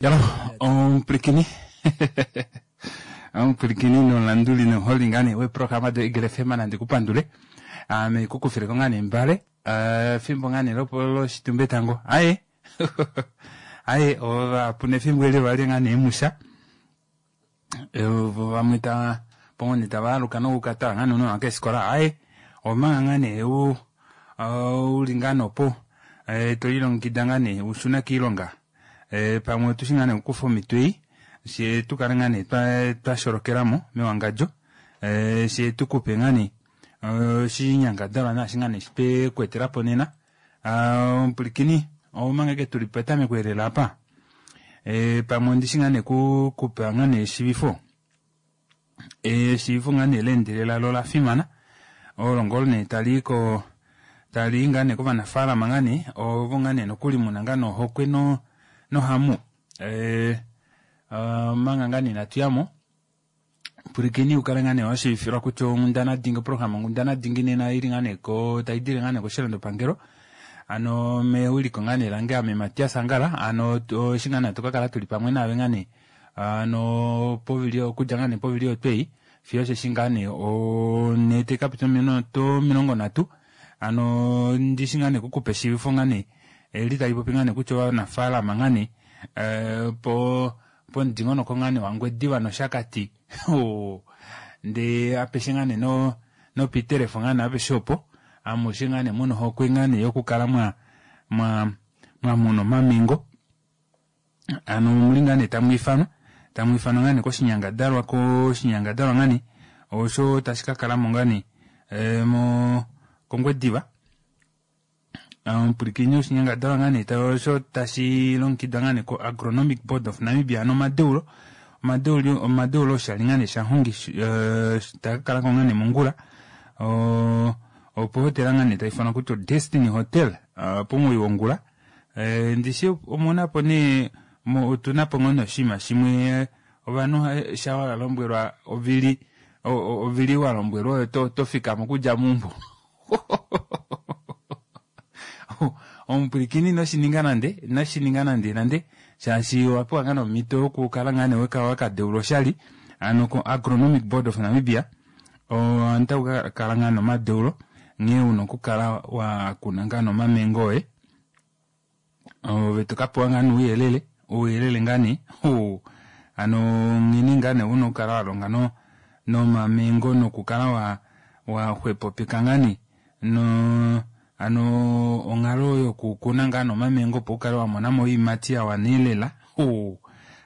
Jalo omupwilikini omupwilikini nomulanduli nomuholi ngaa nee weeprograma do Eagle FM nandi ku pandule ame ku kufileko ngaa nee mbale eh, efimbo ngaa nee loshitumba etango aye aye ovapu nefimbo eli ovali ngaa nee musha Vo vamwe tava pongone tava aluka nokukatala ngaa nounona keefikola aaye omanga ngaa nee u uli ngaa nopo to lilongekida ngaa nee ushune kiilonga pamwe otushi ngaa nee okukufa omhito ei fyee tukale ngaa nee twasholokelamo mewangadjo fyee tukupe ngaa nee oshinyangadalwa naashi ngaa nee twekweetelapo nena Omupwilikini, omanga ashike tuli petameko elela apa, e, pamwe ondishi ngaa nee ku kupa ngaa nee eshivifo. Eshivifo ngaa nee leendelela lo ola fimana, olo ngoo nee tali ko tali i ngaa nee kovanafaalama ngaa nee ovo ngaa nee nokuli muna ngaa nee ohokwe no nohamu e, omanga ngaa nee inatu yamo Pwilikini wu kale ngaa nee wa shiivifilwa kutya onghundana dingi oprograma onghundana dingi nena ili ngaa nee ko tai dile ngaa nee koshilandopangelo ano mewiliko ngaa nee lange ame Matias Angala ano eshi ngaa nee hatu ka kala tuli pamwe naave ngaa nee ano povili okudja ngaa nee povili otwei fiyo osheshi ngaa nee onhee tai ka pita ominute 30 ano ndishi ngaa nee kukupa eshiivifo ngaa nee eli tali popi ngaa nee kutya ovanafaalama ngaa nee po pomudingonoko ngaa nee waNgwediva nOshakati hoo ndee apeshe ngaa nee no noPiet Ref ngaa nee apeshe opo amushe ngaa nee muna ohokwe ngaa nee yokukala mwa mwa mwamuna omamengo ano omuli ngaa nee tamwiifanwa tamwiifanwa ngaa nee koshinyangadalwa koshinyangadalwa ngaa nee osho tashi ka kalamo ngaa nee mo kOngwediva Omupwilikini oshinyangadalwa ngaa nee osho tashi longekidwa ngaa nee ko-Agronomic Board of Namibia ano omadeulo omadeulo omadeulo oshali ngaa nee shanghongi taa ka kala ko ngaa nee mongula opohotela ngaa nee tayi ifanwa kutya oDestiny Hotel pomugoyi wongula ndishi omuna po nee otuna po ngoo nee oshinima shimwe ovanhu sha wa lombwelwa ovili ovili wa lombwelwa oyo to fikama okudja meumbo Omupwilikini ino shi ninga nande, ino shi ninga nande nande, shaashi owa pewa ngaa nee omhito yokukala ngaa nee weka waka deulwa oshali ano ko-Agronomic Board of Namibia otaku ka kala ngaa nee omadeulo nghee una okukala wa kuna ngaa nee omamengo oye. Ove to ka pewa ngaa nee ouyelele, ouyelele ngaa nee hoo ano nghene ngaa nee una okukala wa longa no nomamengo nokukala wa wa xwepopeka ngaa nee no ano onghalo yokukuna ngaa nee omamengo opo ukale wa mona mo oiimati ya wana elela hoo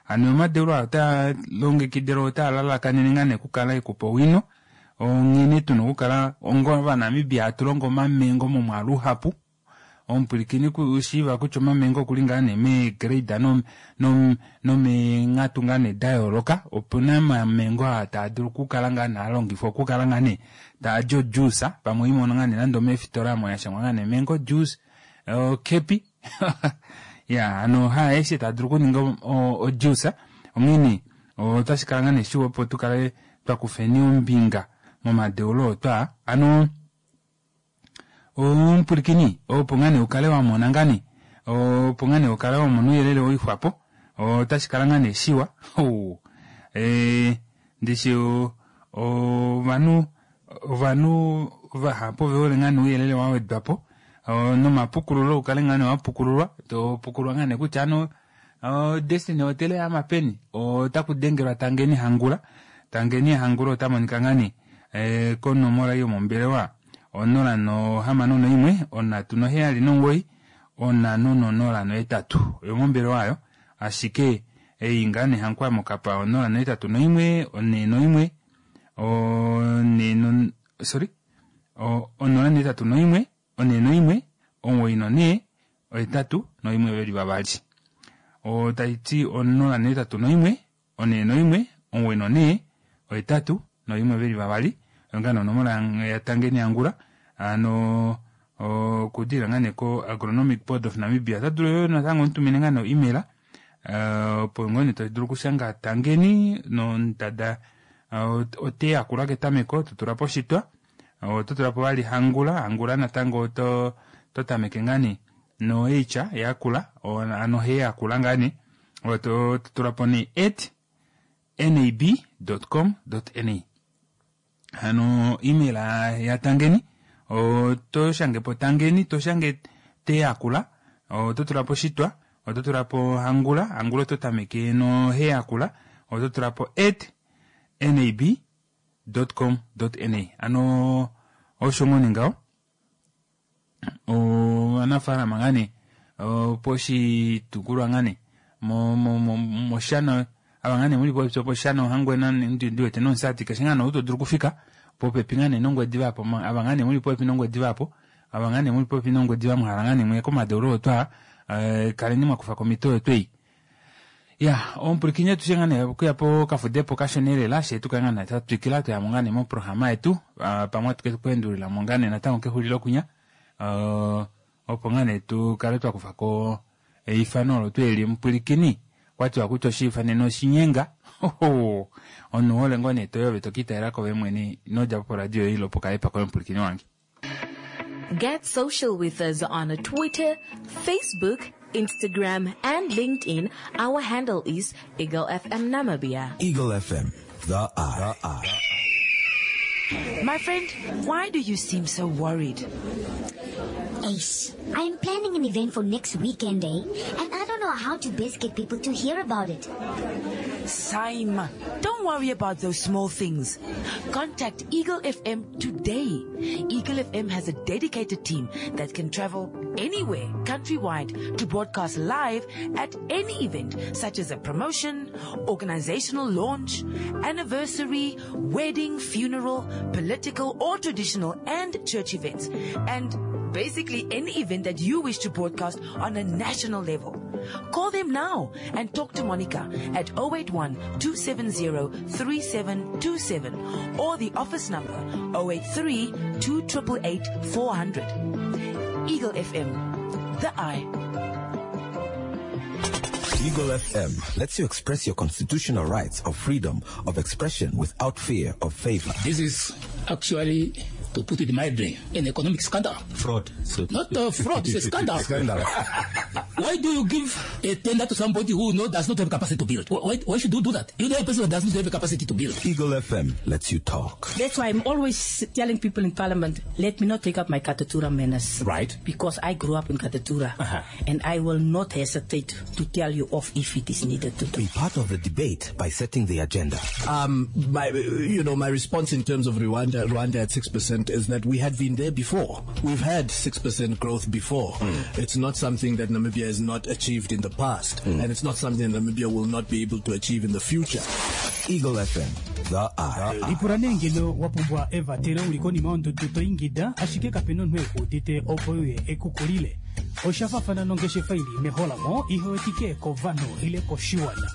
hano omadeulo aa otaa longekidilwa otaa lalakanene ngaa nee okukala ekupa owino onghene tuna okukala onga ovanamibia hatu longo omamengo momwaalu uhapu Omupwilikini ku shiiva kutya omamengo okuli ngaa nee mee grade no no nomeenghatu ngaa nee da yooloka. Opuna omamengo aa taa dulu okukala ngaa nee alongifwa okukala ngaa nee taadi o juice pamwe oimono ngaa nee nande omeefitola omo yashangwa ngaa nee mango juice okepi ya hano haaeshe taa dulu okuninga o juice onghee otashi kala ngaa nee shiwa opo tukale twa kufeni ombinga momadeulo oo twaa ano Omupwilikini, opo ngaa nee ukale wa mona ngaa nee, opo ngaa nee ukale wa mona ouyelele woixwapo, otashi kala ngaa nee shiwa. Ee, ndishi ovanhu, ovanhu vahapu ove hole ngaa nee ouyelele wa wedwa po, nomapukululo ukale ngaa nee wa pukululwa, to pukululwa ngaa nee kutya ano Destiny Hotel oya ama peni? Otaku dengelwa Tangeni Hangula. Tangeni Hangula ota monika ngaa nee eh, konomola yomombelewa 061 379 508 oyomombelewa ayo ashike ei ngaa nee Hankwa mokapa 081 41 4 sorry 081 41 94 81 veli vavali. Otai ti 081 41 94 81 veli vavali. Oyo ngaa nee onomola yaTangeni Angula ano okudilila ngaa nee ko-Agronomic Board of Namibia. Ota dulu yoo natango omutumine ngaa nee o-email opo ngoo nee to dulu okushanga Tangeni nondada ote yakula ketameko to tula po oshitwa Oto tula po vali hangula, hangula natango oto to tameke ngaa nee no H yakula, ano he yakula ngaa nee. Oto tula po nee at nab.com.na. Hano email ya Tangeni oto shange po Tangeni, to shange Teyakula, oto tula po Shitwa, oto tula po Hangula, Hangula oto tameke no Heyakula, oto tula po at nab.com.na. Ano osho ngoo nee ngaho. Ovanafaalama ngaa nee poshitukulwa ngaa nee mOshana, ava ngaa nee muli popepi opOshana, Ohangwena, ndi wete nOmusati, keshe ngaa nee ou to dulu okufika popepi ngaa nee nOngwediva apo, ava ngaa nee muli popepi nOngwediva apo, ava ngaa nee muli popepi nOngwediva mwa hala ngaa nee muye komadeulo oyo twaa, kaleni mwa kufa ko omhito oyo tweyi. Ya, omupwilikini atushe ngaa nee okuya pokafudepo kashona elela, shee tukale ngaa nee twa twikila twayamo ngaa nee moprograma yetu, pamwe atu ke kuendulilamo ngaa nee natango kexulilo kwinya, opo ngaa nee tu kale twa kufa ko eifano olo tuu eli. Omupwilikini, okwatiwa kutya oshiifanene oshinyenga, omunhu hole ngoo nee toyi ove to kiitalela kove mwene, ino djapo poradio yoye ile pokaepa koye omupwilikini wange. Get social with us on Twitter, Facebook, Instagram, and LinkedIn. Our handle is Eagle FM Namibia. Eagle FM, the eye. The eye. My friend, why do you seem so worried? Ace, I am planning an event for next weekend, eh? And I don't know how to best get people to hear about it. Simon, don't worry about those small things. Contact Eagle FM today. Eagle FM has a dedicated team that can travel anywhere, countrywide, to broadcast live at any event, such as a promotion, organizational launch, anniversary, wedding, funeral, political or traditional and church events, and basically any event that you wish to broadcast on a national level. Call them now and talk to Monica at 081-270-3727 or the office number 083-2888-400. Eagle FM, the eye. Eagle FM lets you express your constitutional rights of freedom of expression without fear of favor. This is actually, to put it mildly, an economic scandal. Fraud. So Not a fraud, it's a scandal. Scandal. Why do you give a tender to somebody who does not have capacity to build? Why should you do that? You know a person who does not have capacity to build. Eagle FM lets you talk. That's why I'm always telling people in Parliament, let me not take up my Katutura manners. Right. Because I grew up in Katutura. Uh-huh. And I will not hesitate to tell you off if it is needed to do. Be part of the debate by setting the agenda. My response in terms of Rwanda at 6% is that we had been there before. We've had 6% growth before. It's not something that Namibia has not achieved in the past, and it's not something that Namibia will not be able to achieve in the future. Eagle FM, the eye. Lipula nee ngeno wa pumbwa evatelo uli konima yondudu to ingida, ashike kape na omunhu ekuudite opo uye ekukulile. Osha fafana nongeshefa ili meholamo ihewetike kovanhu ile koshiwana.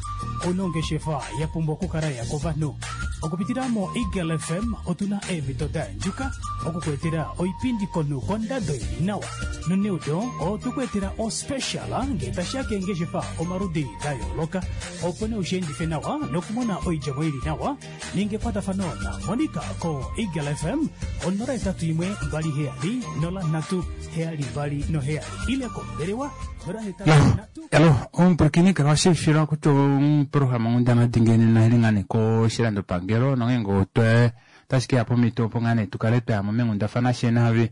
Onongeshefa ya pumbwa okukala ya kovanhu. Okupitila mo Eagle FM otuna eemhito da yandjuka okukuetela oipindi komunhu kondado ili nawa. Noneudo otukuetela ospecial ngee tashiya keengeshefa omaludi da yooloka, opo nee ushiendife nawa nokumona oidjemo ili nawa. Ninga ekwatafano na Monica ko Eagle FM 081 27 03 72 7 ile kombelewa 083. Alo, omupwilikini kala washivifilwa kutya oprograma onghundana dingi nena ili ngaa nee koshilandopangelo nongeenge otwe otashi keya pomhito opo ngaa nee tukale twayamo meenghundafana she naave.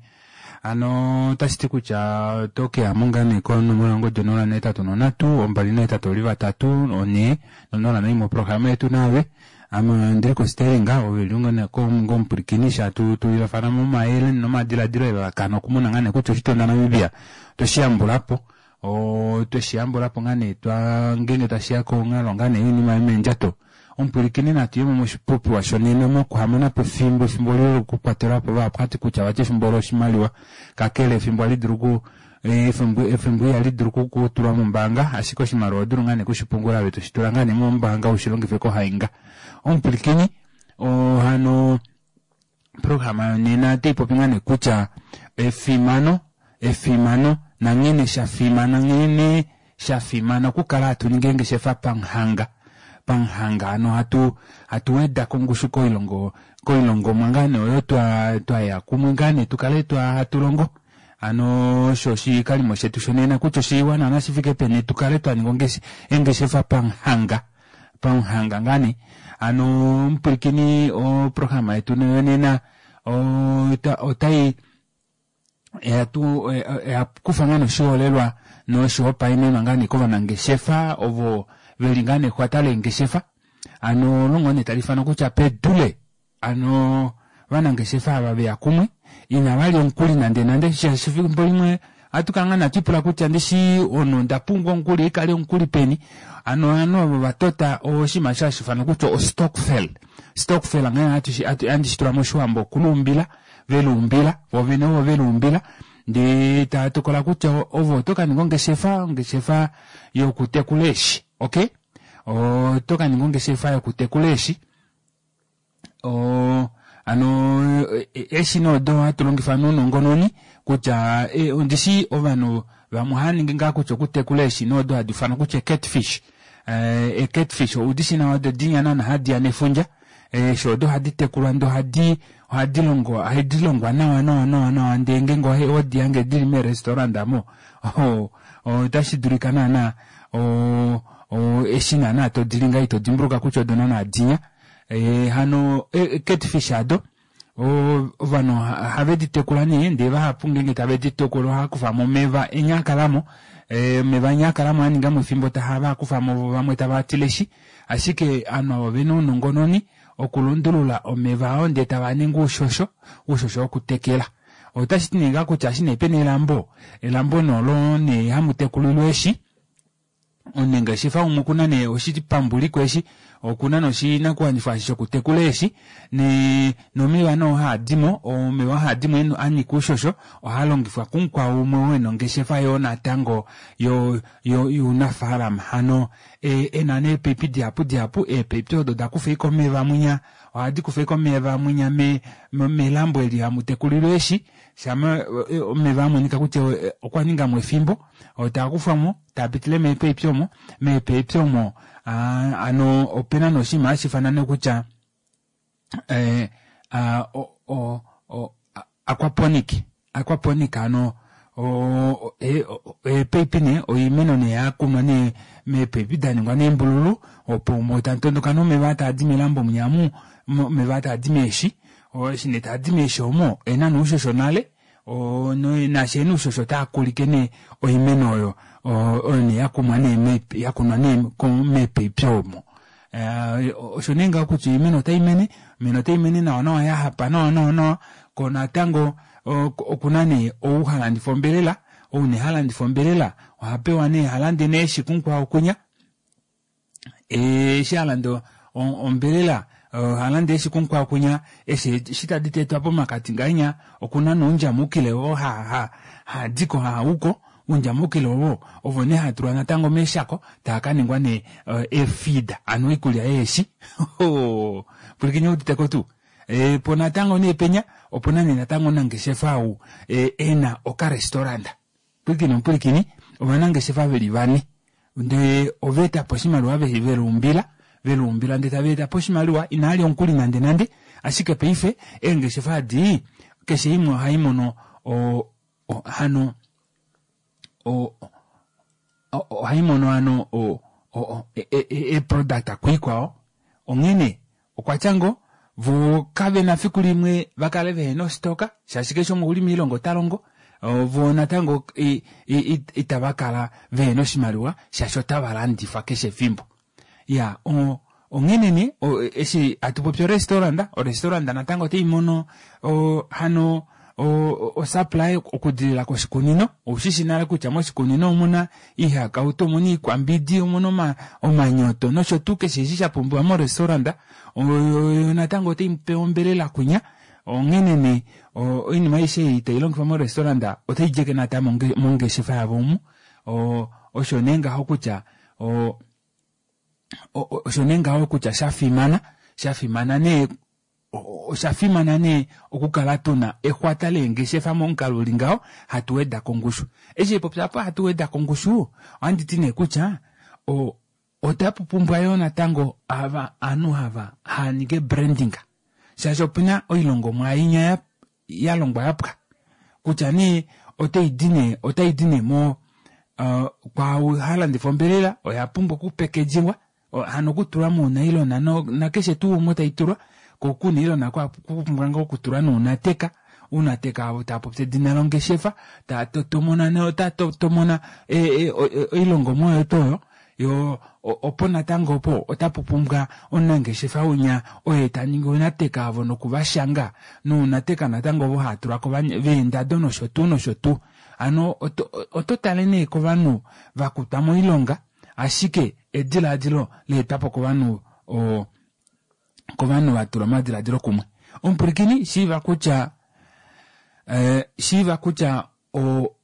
Hano otashi ti kutya oto keyamo ngaa nee konomola yongodi 083 283 4 01 moprograma yetu naave. Ame ndili kosteering, ove li ngoo ngomupwilikini sha tulilafana momayele nomadiladilo elalakano okumona ngaa nee kutya oshitunda Namibia otweshi yambulapo. Otweshi yambulapo ngaa nee twa ngeenge tashiya konghalo ngaa nee yoinima yomeendjato. Omupwilikini natu yemo moshipopiwa shonena mokuhamona po efimbo, efimbo lilo lokukwatelwa po vahapu hati kutya vati efimbo loshimaliwa, kakele efimbo ohali dulu ku efimbo ihali dulu kutulwa mombaanga, ashike oshimaliwa oho dulu ngaa nee kushipungula ove toshi tula ngaa nee mombaanga ushilongife kohainga. Omupwilikini, hano programa yonena otaipopi ngaa nee kutya efimano, efimano nanghene shafimana, nghene shafimana okukala hatu ningi eengeshefa pamuhanga, pamuhanga hano hatu weda kongushu koilongo, koilongomwa ngaa nee oyo twaya kumwe ngaa nee tukale hatu longo. Hano osho oshikalimo shetu shonena kutya oshiwa naana shi fike peni tu kale twa ninga eengeshefa pamuhanga pamuhanga ngaa nee. Hano omupwilikini oprograma yetu yonena otai oya kufa ngaa nee oshiholelwa noshihopaenenwa ngaa nee kovanangeshefa ovo veli ngaa nee exwata leengeshefa. Hano olo ngoo nee tali ifanwa kutya pedule Hano ovanangeshefa ava veya kumwe inava lya omukuli nande nande shaashi efimbo limwe ohatu kala ngaa natu ipula kutya ndishi ono onda pumbwa omukuli ikale omukuli peni. Hano ovanhu ovo va tota oshinima osho hashi ifanwa kutya ostokvel. Stokvel nghee handi shi tula moshiwambo okuluumbila, veluumbila vo vene ovo veluumbila ndee tava tokola kutya ove oto ka ninga ongeshefa, ongeshefa yokutekula eeshi. Okay? Oto ka ninga ongeshefa yokutekula eeshi. O, hano eeshina odo hatu longifa nounongononi kutya e, ondishi ovanhu vamwe ohava ningi ngaa kutya okutekula eeshina odo hadi ifanwa kutya catfish. E, catfish oudishi nawa odo dinya naana hadi ya nefundja. Eeshi odo ohadi tekulwa ndee ohadi ohadi longo ohadi longwa nawa nawa nawa nawa ndee ngeenge odi hange dili meerestaurant amo otashi dulika naana o, o, eshi naana to dili ngaa ito dimbuluka kutya odo naana dinya. E, hano e, catfish ado ovanhu ohave di tekula nee ndee vahapu ngeenge tave di tekula ohava kufa mo omeva enya a kalamo omeva enya a kalamo a ninga mo efimbo tahava kufa mo vo vamwe tava tileshi ashike ovanhu avo ovena ounongononi okulundulula omeva ao ndee tava ningi oushosho oushosho wokutekela otashi ti nee ngaa kutya eshi nee pena elambo elambo nee olo nee hamu tekulilwa eeshi Omunangeshefa umwe okuna nee oshipambuliko eshi, okuna nee oshinakuwanifwa eshi shokutekula eeshi, ne nomeva nee oo haa dimo, omeva oo haa dimo a nyika oushosho ohaa longifwa kumukwao umwe oo ena ongeshefa yoo natango yo yo younafaalama. Hano ena nee eepaipi dihapu dihapu, eepaipi odo oda kufa ashike omeva mwinya, ohadi kufa ashike omeva mwinya me melambo eli hamu tekulilwa eeshi, Shama omeva a monika kutya okwa ninga mo efimbo, taa kufwa mo, taa pitile meepaipi omo, meepaipi omo hano opena nee oshinima hashi ifanwa nee kutya aquaponic, aquaponic hano eepaipi nee oimeno nee ya kunwa nee meepaipi da ningwa neembululu opo omo tamu tondoka nee omeva aa taadi melambo mwinya amu, omeva aa taadi meeshi. Eshi nee taadi meeshi omo ena nee oushosho nale naashi ena oushosho otaa kulike nee oimeno oyo oyo nee yakumwa nee yakunwa nee meepaipi omo. Osho nee ngaho kutya oimeno otai mene, oimeno otai mene nawa nawa yahapa nawa nawa nawa ko natango okuna nee ou ha landifa ombelela, ou nee ha landifa ombelela oha pewa nee ha lande nee eeshi kumukwao kunya. Eshi a landa ombelela oha landa eeshi kumukwao kunya, eshi eshi tadi tetwa pomakati ngahenya okuna nee oundjamukile oo haa diko haa uko, oundjamukile ovo ovo nee haa tulwa natango meeshako taa ka ningwa nee eefeed hano oikulya yeeshi. Pwilikine uditeko tuu? Po natango nee penya opuna nee natango omunangeshefa ou ena okarestaurant. Pwilikini omupwilikini, ovanangeshefa ve li vane ndee ova eta po oshimaliwa ve veluumbila, veluumbila ndee tava eta po oshimaliwa inaa lya omukuli nande nande, ashike paife eengeshefa adi keshe imwe ohai mono o, o, hano o, ohai mono hano o, o, e, e, e, eproduct kuikwao onghene Okwa tya ngo, vo kave na fiku limwe va kale vehe na ostoka, shaashi keshe umwe okuli moilonga ota longo, vo natango itava kala vehe na oshimaliwa shaashi otava landifa keshe efimbo. Ya, onghene nee, eshi hatu popi orestaurant, orestaurant natango otai mono hano osupply okudilila koshikunino. Oushi shi nale kutya moshikunino omuna iihakautu, omuna iikwambidi, omuna omanyoto nosho tuu keshe eshi sha pumbiwa morestaurant. Oyo natango otai pe ombelela kunya. Onghene nee oinima aishe ei tai longifwa morestaurant otai djeke natango mongeshefa yavo omu. Osho nee ngaho kutya osho nee ngaho kutya sha fimana, sha fimana nee Osha fimana nee okukala tu na exwata leengeshefa momukalo uli ngaho, hatu weda ko ongushu. Eshi popya apa hatu weda ko ongushu, ohandi ti nee kutya otapu pumbwa yoo natango ava ovanhu hava hava ningi branding shaashi opena oilongomwa inya ya longwa ya pwa kutya nee otai di nee otai di nee mo uh, kwaau ha landifa ombelela oya pumbwa okupekedjiwa hano okutulwa muunailona no, nakeshe tuu omo tai tulwa ko kunailona kwa kupumbwa ngoo okutulwa nounateka uunateka avo taa popi edina longeshefa taa totomona no taa totomona e, e, oilongomwa oyo tuu oyo yo opo natango opo otapu pumbwa omunangeshefa unya oye ta ningi ounateka avo nokuvashanga nounateka natango ovo haa tulwa ko veendado nosho tuu nosho tuu hano oto, oto tale nee kovanhu va kutwa moilonga ashike edilaadilo leetwapo kovanhu o kovanhu va tula omadilaadilo kumwe omupwilikini shiiva kutya eh, shiiva kutya o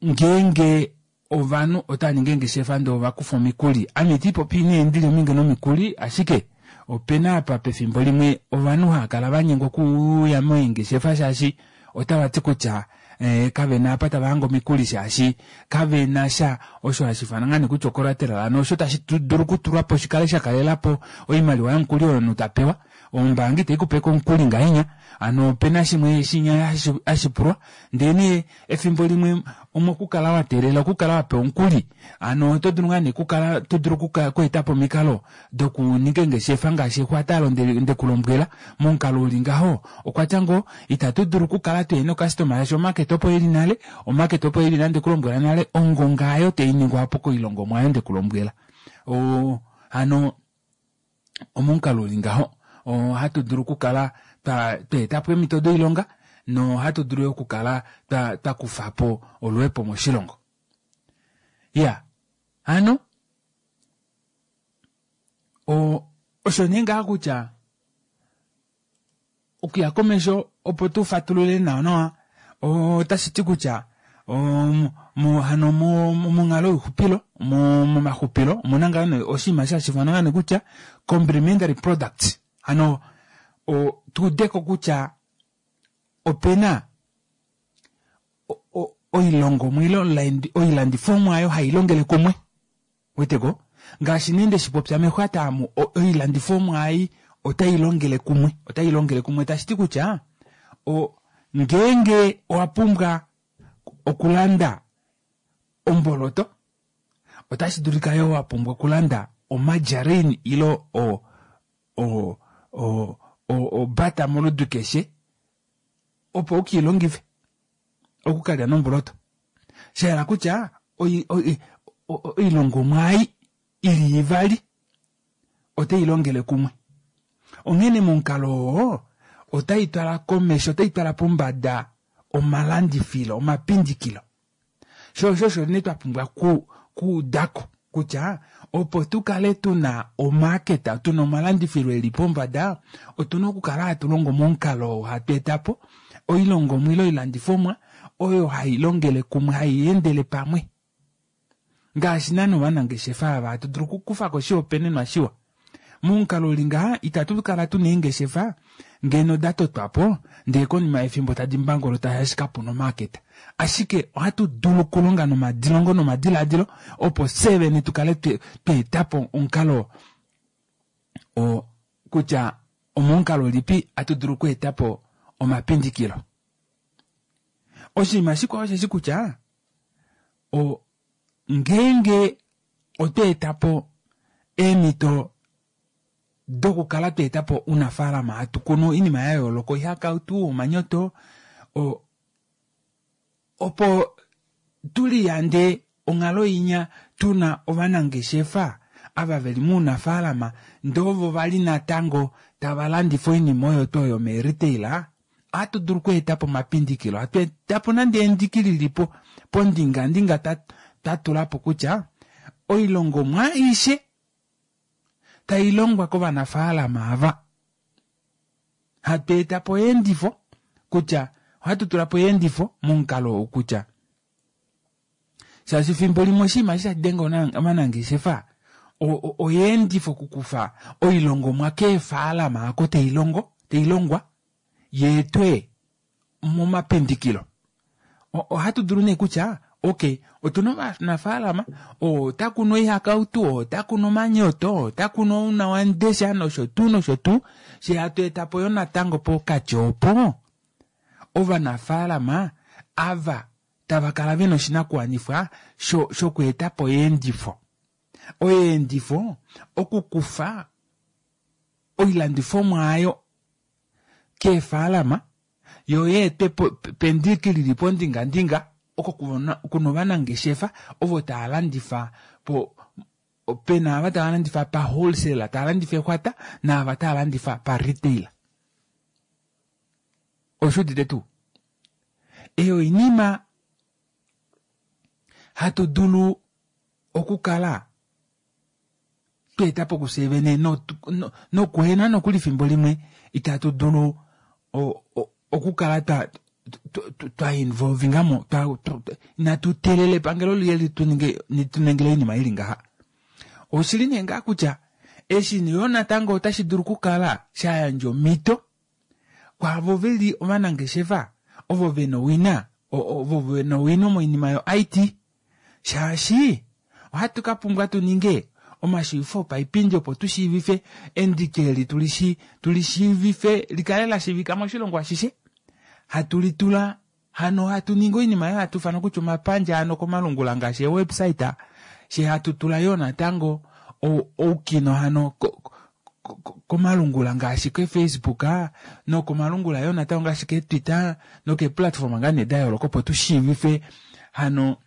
ngeenge ovanhu otava ningi eengeshefa ndee ova kufa omikuli ame iti popi nee ndili ominge nomikuli ashike opena apa pefimbo limwe ovanhu hava kala va nyengwa okuuya meengeshefa shaashi otava ti kutya eh, kave na apa tava hange omikuli shaashi kave na sha osho hashi ifana ngaa nee kutya ocollateral hano osho tashi dulu okutulwa po shikale sha kalela po oimaliwa yomukuli oyo omunhu ta pewa ombaanga itai kupe ko omukuli ngahenya hano opena shimwe shinya hashi pulwa ndee nee efimbo limwe omokukala wa teelela okukala wa pewa omukuli hano oto dulu ngaa nee okukala to dulu okweeta po omikalo dokuninga eengeshefa ngaashi exwata alo ndekulombwela momukalo uli ngaho okwa tya ngoo itatu dulu okukala tuhena okastoma shaashi omarket opo ili nale omarket opo ili nale ndekulombwela nale ongonga ayo tainingwa apo koilongomwa ayo ndekulombwela o hano omomukalo uli ngaho ohatu dulu okukala twa eta po eemhito doilonga nohatu dulu yo okukala twa twa kufa po oluhepo moshilongo ya hano o osho nee ngaha kutya okuya komesho opo tu fatulule nawa nawa otashi ti kutya hano monghalo youxupilo momaxupilo omuna ngaa nee oshinima sha shifana ngaa nee kutya complementary products hano tuudeko kutya opena oilongomwa ile oilandifomwa oyo hai longele kumwe weteko ngaashi nee nde shi popya mexwata amu oilandifomwa ei otai longele kumwe otai longele kumwe tashi ti kutya o ngeenge owa pumbwa okulanda omboloto otashi dulika yo wa pumbwa okulanda omargarine ile o o o obata moludi keshe opo u ke i longife okukalya nomboloto sha hala kutya oilongomwa ei ili ivali otai longele kumwe onghene momukalo oo otai twala komesho otai twala pombada omalandifilo omapindikilo Sho osho osho nee twa pumbwa ku kuudako kutya opo tu kale tu na omaaketa, tu na omalandifilo e li pombada, otu na okukala hatu longo momukalo oo hatu eta po oilongomwa ile oilandifomwa oyo hai longele kumwe, hai endele pamwe. Ngaashi naana ovanangeshefa ava hatu dulu okukufa ko oshihopaenenwa shiwa. Momukalo uli ngaha itatu kala tuna eengeshefa ngeno da totwa po ndee konima yefimbo tadi mbangolota shaashi kapuna omaaketa. Ashike ohatu dulu okulonga nomadilongo nomadilaadilo opo fyee vene tu kale twa eta po omukalo oo kutya omomukalo ulipi hatu dulu oku eta po omapindikilo. Oshinima shikwao osheshi kutya o ngeenge otwa eta po eemhito dokukala twa eta po ounafaalama hatu kunu oinima ya yooloka oihakautu omanyoto opo tu liyande onghalo inya tuna ovanangeshefa ava veli mounafaalama ndee ovo vali natango tava landifa oinima oyo tuu oyo meeretail Ohatu dulu okweeta po omapindikilo, hatu eta po nande endiki lili po pondingandinga twa tula po kutya oilongomwa aishe tai longwa kovanafaalama ava, hatu eta po eendifo kutya ohatu tula po eendifo momukalo ou kutya shaashi fimbo limwe oshinima eshi hashi denge ovanangeshefa oyeendifo okukufa oilongomwa keefaalama oko tai longo tai longwa yeetwe momapindikilo ohatu dulu nee kutya okay otuna ovanafaalama ota kunu oihakautu ota kunu omanyoto ota kunu ounawandesha nosho tuu nosho tuu she hatu eta po yo natango pokati opo ovanafaalama ava. tava kala vena oshinakuwanifwa shokweeta po oyeendifo. Oyeendifo okukufa oilandifomwa ayo keefaalama yo yeetwe pendiki lili pondingandinga oko kuna ovanangeshefa ovo tava landifa po pena ava tava landifa pa wholesale tava landifa exwata naava tava landifa pa retail. Oshuudite tuu? Eyo oinima hatu dulu okukala tweeta po kufye vene nokuhena nokuli fimbo limwe itatu dulu okukala twa involvinga mo inatu teelela epangelo liye lituningile oinima ili ngaha. Oshili nee ngaa kutya eshi yo natango otashi dulu okukala sha yandja omhito kwaavo veli ovanangeshefa ovo vena owina ovo vena owino moinima yo IT shaashi ohatu ka pumbwa tu ninge omashiivifo opaipindi opo tu shiivife endiki eli tuli shiivife likale la shiivika moshilongo ashishe hatu litula hano hatu ningi oinima oyo hatu ifana kutya omapandja hano komalungula ngaashi ewebsite she hatu tula yoo natango oukino hano komalungula ngaashi kefacebook nokomalungula yoo natango ngaashi ketwitter nokeplatform ngaa nee da yooloka opo tu shiivife hano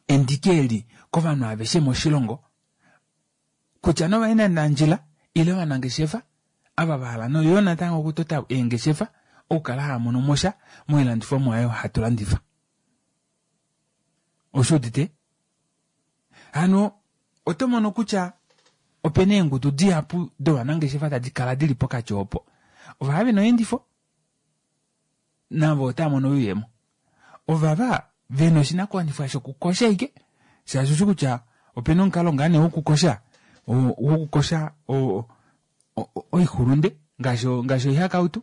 endiki eli kovanhu aveshe moshilongo kutya novaendanandjila ile ovanangeshefa ava va hala noyo natango okutota eengeshefa okukala hava mono mosha moilandifomwa oyo hatu landifa. Oshuudite? Hano oto mono kutya opena eengudu dihapu dovanangeshefa tadi kala dili pokati opo. Ova vena oyeendifo navo otava mono oyuuyemo. Ovava vena oshinakuwanifwa shokukosha ike shaashi oshi kutya opena omukalo ngaa nee wokukosha wokukosha oixulunde ngaashi ngaashi oihakautu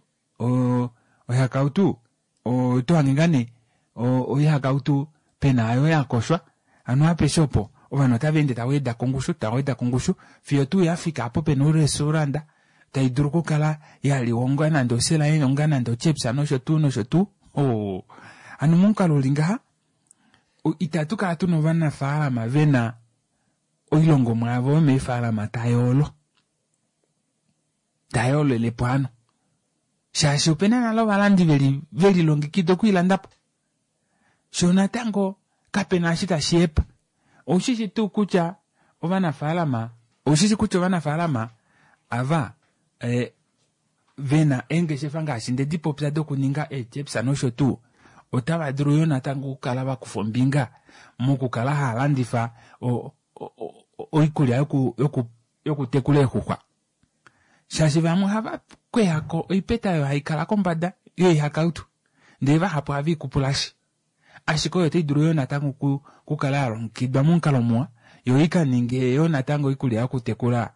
oihakautu oto hange ngaa nee oihakautu pena ayo yakoshwa hano apeshe opo ovanhu otava ende tava weda kongushu tava weda kongushu fiyo tuu yafika apo pena orestouranda tai dulu okukala yaliwa onga nande oselaye onga nande ochips nosho tuu nosho tuu. Hano momukalo uli ngaha itatu kala tuna ovanafaalama vena oilongomwa yavo yomeefaalama tayoolo tayoolelepo hano shaashi opena nale ovalandi velilongekida okwiilandapo sho natango kapena eshi tashi hepa. Oushishi tuu kutya ovanafaalama oushishi kutya ovanafaalama ava vena eengeshefa ngaashi nde dipopya dokuninga eechips nosho tuu otava dulu yo natango okukala vakufa ombinga mokukala hava landifa oikulya yokutekula eexuxwa shaashi vamwe ohava kweyako oipeta oyo haikala kombada yoihakautu ndee vahapu ohave ikupulashi ashike oyo otai dulu yo natango okukala yalongekidwa momukalo muwa yo ikaninge yo natango oikulya yokutekula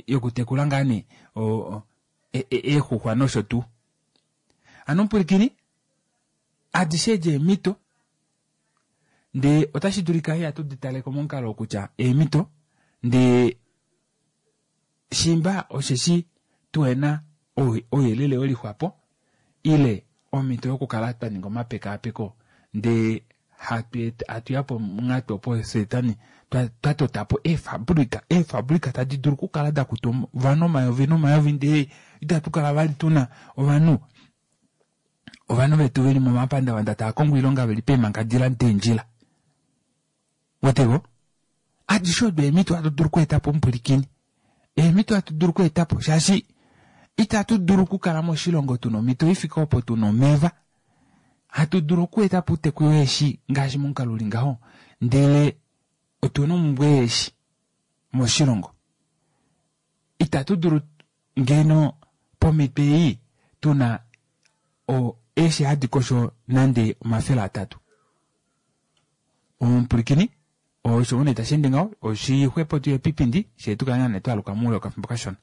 yokutekula ngaa nee eexuxwa nosho tuu. Hano mupwilikini adishe edi eemhito ndee otashi dulika ihatu di taleko momukalo kutya eemhito ndee shimba osheshi tuhena ouyelele welixwapo ile omhito yokukala twa ninga omapekaapeko ndee hatu yapo monghatu opo setani twa totapo eefabrika eefabrika tadi dulu okukala dakuta ovanhu omayovi nomayovi ndee itatu kala vali tuna ovanhu vetu veli momapandavanda tava kongo oilonga veli peemhangadila deendjila. Weteko? Adishe odo eemhito hatu dulu okweetapo omupwilikini. Eemhito hatu dulu okweetapo shaashi itatu dulu okukala moshilongo tuna omhito ifike opo tuna omeva. Hatu dulu okweetapo outeku weeshi ngaashi momukalo uli ngaho ndele otuna omumbwe yeeshi moshilongo. Itatu dulu ngeno pomhito ei tuna eeshi hadi kosho nande 300. Omupwilikini osho une tashi ende ngaho oshixwepo tuye pipindi shee tukale ngaa nee twaluka moule wokafimbo kashona.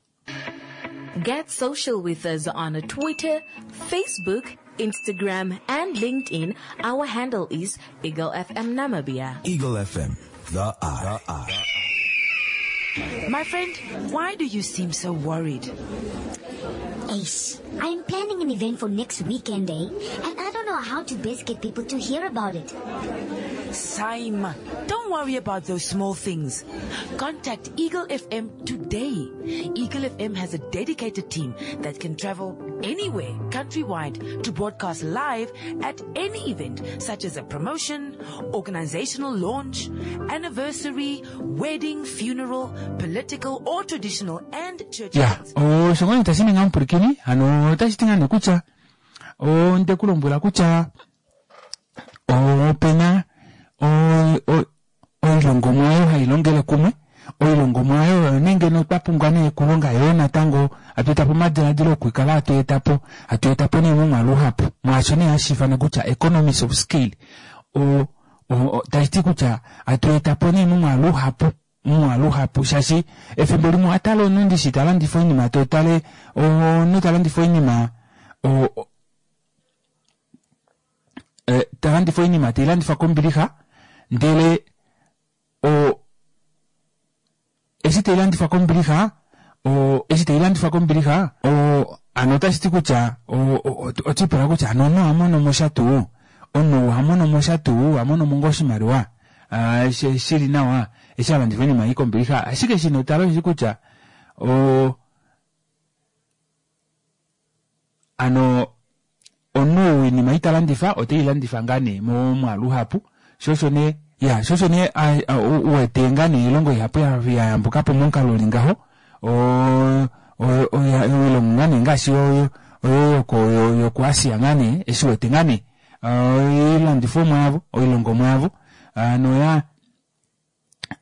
Get social with us on Twitter, Facebook, Instagram, and LinkedIn. Our handle is Eagle FM Namibia. Eagle FM, the eye. My friend, why do you seem so worried? Ace, I'm planning an event for next weekend, eh? And I don't don't know how to best get people to hear about it. Saima, don't worry about those small things. Contact Eagle FM today. Eagle FM has a dedicated team that can travel anywhere countrywide to broadcast live at any event such as a promotion, organizational launch, anniversary, wedding, funeral, political or traditional and church ya events. osho ngoo tashi ninga omupwilikini hano otashi ti ngaa nee kutya onde ku lombwela kutya opena oilongomwa oyo hai longele kumwe oilongomwa oyo oyo nee ngeno twa pumbwa nee okulonga yoo natango hatu etapo omadiladilo okukala hatu etapo hatu etapo nee momwaalu uhapu mwaasho nee hashi ifanwa kutya economies of scale o, o, tashi ti kutya hatu etapo nee momwaalu uhapu momwaalu uhapu shaashi efimbo limwe owatale omunhu ndishi talandifa oinima totale omunhu talandifa oinima o, eh, talandifa oinima teilandifa kombilixa ndele o eshi tailandifwa kombilixa o eshi tailandifwa kombilixa o ano otashi ti kutya otwiipula kutya ano omunhu ohamono mo sha tuu omunhu ohamono mo sha tuu ohamono mo ngoo oshimaliwa ah, shili nawa eshi alandifa oinima ei kombilixa ashike shino tala osheshi kutya o Ano omunhu ou oinima ei ta landifa ote i landifa ngaa nee momwaalu uhapu, sho osho nee ya sho osho nee u wete ngaa nee oilongo ihapu ya yambuka po momukalo uli ngaho oilongo ngaa nee ngaashi oyo yokuAsia ngaa nee eshi wete ngaa nee oilandifomwa yavo oilongomwa yavo noya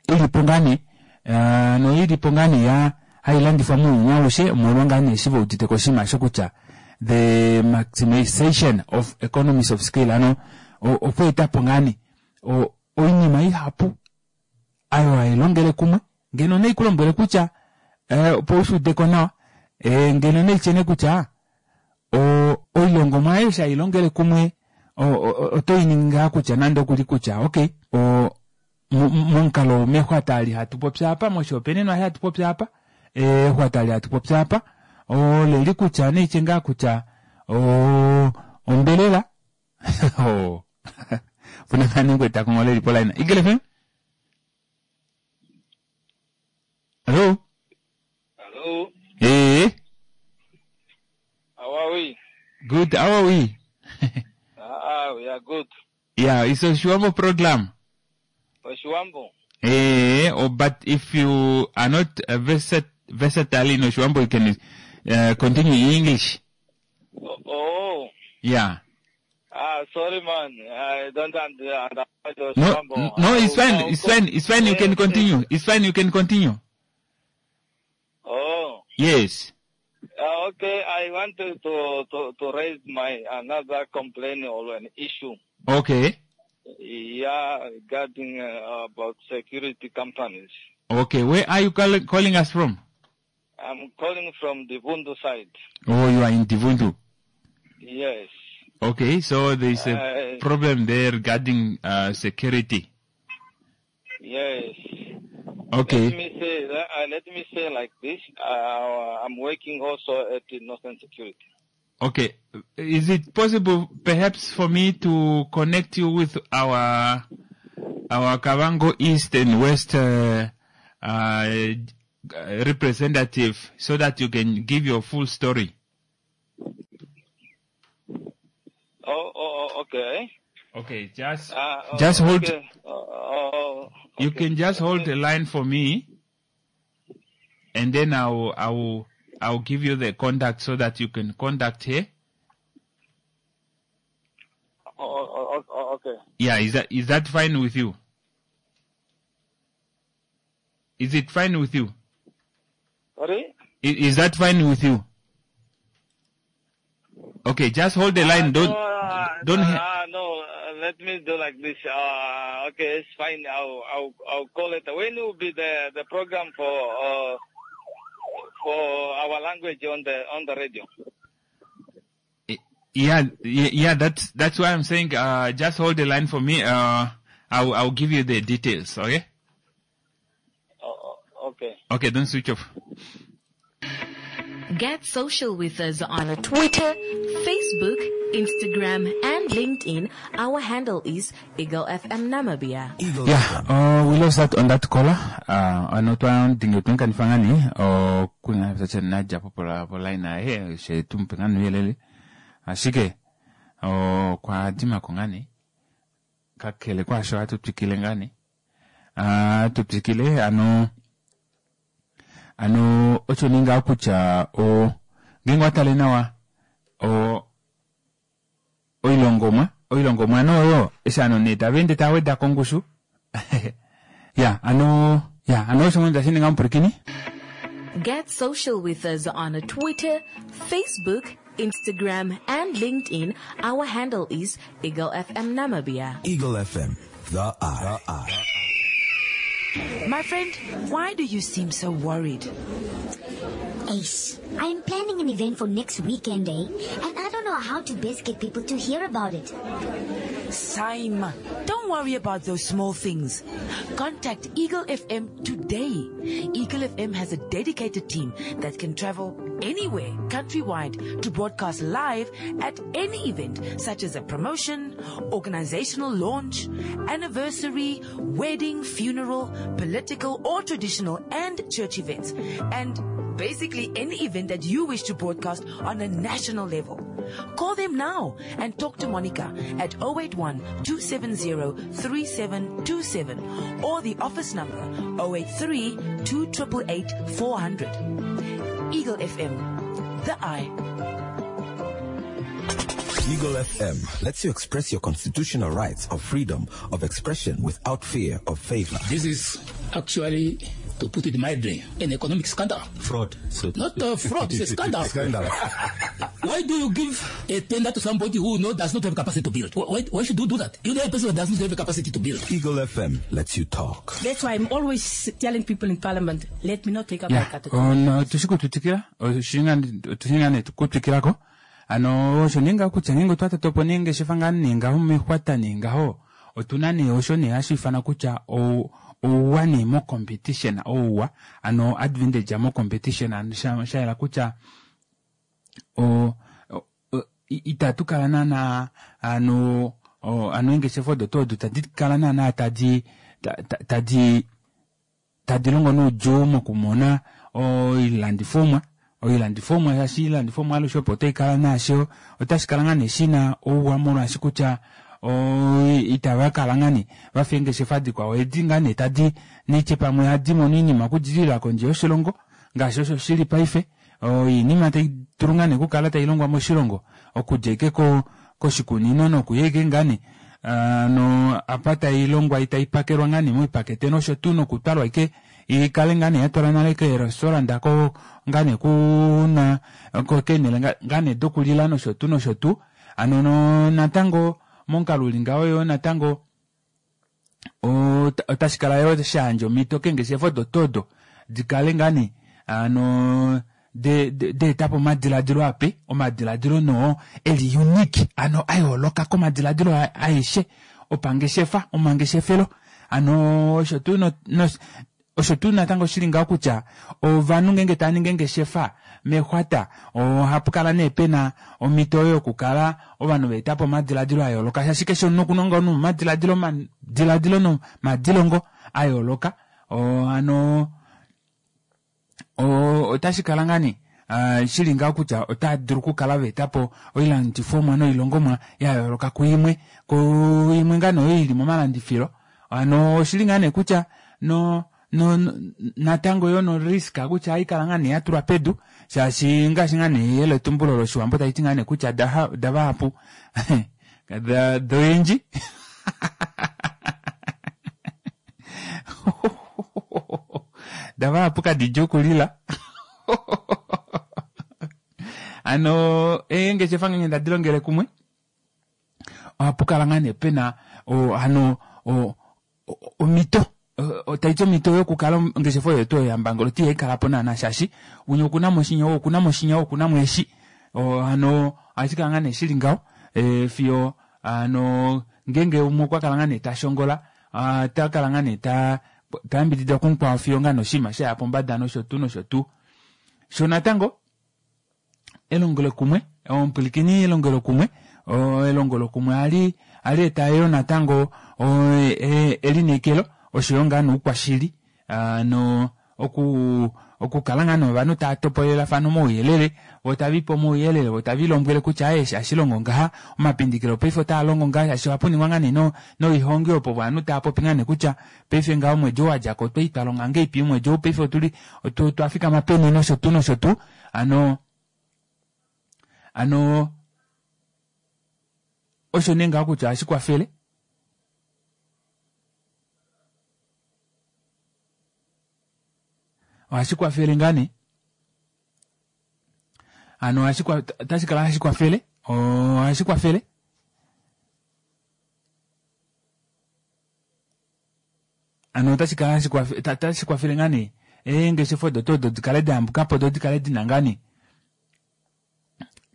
ilipo ngaa nee eh, noilipo ngaa nee ya hai landifwa mounyuni aushe omolwa ngaa nee eshi ve udite ko oshinima osho kutya the maximization of economies of scale ano okweeta po ngaa nee oinima ihapu ayo hai longele kumwe ngeno nei ku lombwele kutya eh, opo u shi ude ko nawa eh, ngeno nei tyene kutya oilongomwa ayo eshi hai longele kumwe oto i ningi ngaa kutya nande okuli kutya okay momukalo mexwata ali hatu popi apa moshihopaenenwa eshi hatu popi apa exwata ali hatu popi apa oleli kutya neitye ngaa kutya ombelela opuna ngaa nee ngwetako ngoo leli polaina Eagle FM Hello Hello Hey How are we? Good, how are we? Ah, we are good. Yeah, it's Oshiwambo program. Oshiwambo. Eh, oh, but if you are not uh, versat versatile in Oshiwambo, you can uh, continue in English. Oh, oh. Yeah. Ah, sorry, man. I don't understand No, no, it's fine. It's fine. It's fine. You can continue. It's fine. You can continue. Oh. Yes. Okay, I wanted to, to, to raise my another complaint or an issue. Okay. Yeah, regarding about security companies. Okay, where are you call calling us from? I'm calling from the Divundu side. Oh, you are in Divundu. Yes. Okay, so there is a problem there regarding security. Yes. Okay. Let me say let me say like this. I'm working also at the Northern Security. Okay. Is it possible perhaps for me to connect you with our our Kavango East and West representative so that you can give your full story? Oh, oh, oh okay. Okay, just just hold. Okay. Oh, You can just hold the line for me, and then I'll I'll I'll give you the contact so that you can contact her. Oh, oh, oh, okay. Yeah, is that is that fine with you? Is it fine with you? Sorry? Is, is that fine with you? Okay, just hold the line. Don't No, don't. no, let me do like this. Okay, it's fine. I'll I'll I'll call it. When will be the the program for for our language on the on the radio? Yeah, yeah, that's that's why I'm saying. Just hold the line for me. I'll I'll give you the details. Okay. Oh, okay. Okay, don't switch off. Get social with us on Twitter, Facebook, Instagram, and LinkedIn. Our handle is Eagle FM Namibia. Yeah, we lost that on that caller. Ano twa dingi otwenkanifa ngaa nee okunga nadja po poline yaye she tumupe ngaa nouyelele ashike okwa dimako ngaa nee kakele kwaasho ohatu twikile ngaa nee hatu twikile ano ano osho nee ngaho kutya o ngeenge owa tale nawa o oilongomwa oilongomwa nee oyo eshi ovanhu nee tava ende tava weda kongushu ya ano ya ano osho ngoo tashi ninga omupwilikini Get social with us on Twitter, Facebook, Instagram, and LinkedIn. Our handle is Eagle FM Namibia. Eagle FM, the eye. The eye. My friend, why do you seem so worried? Ace, I am planning an event for next weekend, eh? And I don't know how to best get people to hear about it. Sime, don't worry about those small things. Contact Eagle FM today. Eagle FM has a dedicated team that can travel anywhere countrywide to broadcast live at any event such as a promotion, organizational launch, anniversary, wedding, funeral, political or traditional and church events. And basically any event that you wish to broadcast on a national level. Call them now and talk to Monica at 081 270 3727 or the office number 083 288 400. Eagle FM, the eye. Eagle FM lets you express your constitutional rights of freedom of expression without fear of favor. This is actually, to put it mildly, an economic scandal. Fraud. So Not a fraud, it's a scandal. Scandal. Why do you give a tender to somebody who does not have capacity to build? Why should you do that? You know a person who does not have capacity to build. Eagle FM lets you talk. That's why I'm always telling people in parliament, let me not take up my ya category. ono tushi kutwikila oshinga nee kutwikilako ano osho nee ngaho kutya ngeenge otwa totopo nee ngeshefa ngaa nee ngaho mexwata nee ngaho otuna nee osho nee hashi ifanwa kutya ouwa nee mo competition ouwa ano advantage mo competition ano sha yela kutya itatu kala naana ano ano eengeshefa odo tuu odo tadi kala naana tadi tadi tadi longo noudjuu mokumona oilandifomwa oilandifomwa shaashi oilandifomwa alushe opo otai kala naasho otashi kala ngaa nee shina ouwa molwaashi kutya itava kala ngaa nee vafa eengeshefa dikwao edi ngaa nee tadi nitye pamwe hadi mono oinima okudilila kondje yoshilongo ngaashi osho shili paife oinima tai dulu ngaa nee okukala tai longwa moshilongo okudja ike koshikunino nokuya ike ngaa nee no apa tai longwa itai pakelwa ngaa nee moipakete nosho tuu nokutwalwa ike ikale ngaa nee yatwalwa nale keerestaurant ko ngaa nee kuna keenhele ngaa nee dokulila nosho tuu nosho tuu ano no natango momukalo uli ngaho yo natango otashi kala yo shayandja omhito keengeshefa odo tuu odo dikale ngaa nee ano deetapo omadiladilo ape omadiladilo noo eli unique ano ayooloka komadiladilo aeshe opangeshefa omangeshefelo ano osho tuu osho tuu natango shili ngaho kutya ovanhu ngeenge tava ningi engeshefa mexwata ohapu kala nee pena omhito oyo yokukala ovanhu vaetapo omadiladilo ayooloka shaashi keshe omunhu okuna ngoo nomadiladilo madiladilo nomadilongo ayooloka ano otashi kala ngaa nee shili ngaho kutya otaa dulu okukala vaetapo oilandifomwa noilongomwa yayooloka kuimwe kuimwe ngaa nee oyo ili momalandifilo ano oshili ngaa nee kutya no natango yo no risk kutya haikala ngaa nee yatulwa pedu shaashi ngaashi ngaa nee eyeletumbulo loshiwambo taliti ngaa nee kutya davahapu doyendji davahapu kadidja okulila ano eengeshefa ngeenge tadi longele kumwe ohapu kala ngaa nee pena ano omhito taiti omhito yokukala ongeshefa oyo tuu yambangolo ti ihaikala po naana shaashi umwe okuna mo shinya ou okuna mo shinya ou okuna mo eshi hano ohashi kala ngaa nee shili ngaho fiyo hano ngeenge umwe okwa kala ngaa nee tashongola ota kala ngaa nee tayambididwa kumukwao fiyo ngaa noshinima shaya pombada nosho tuu nosho tuu sho natango Elongelokumwe omupwilikini elongelokumwe elongelokumwe ohali ohali eta yoo natango elineekelo oshoyo ngaa noukwashili hano oku okukala ngaa nee ovanhu tava topolelafana omauyelele vo tave lipe omauyelele vo tave lilombwele kutya aaye eshi ohashi longo ngaha omapindikilo paife otaa longo ngaha shaashi ohapu ningwa ngaa nee noihongi opo ovanhu tava popi ngaa nee kutya paife ngaha omwedi ou wadjako otwali twa longa ngahelipi omwedi ou paife otuli otwa fikama peni nosho tuu nosho tuu hano hano osho nee ngaho kutya ohashi kwafele ohashi kwafele ngaa nee hano otashi kala hashi kwafele ohashi kwafele Hano otashi kala hashi kwafe, tashi kwafele ngaa nee eengeshefa odo tuu odo di kale da yambuka po do di kale dina ngaa nee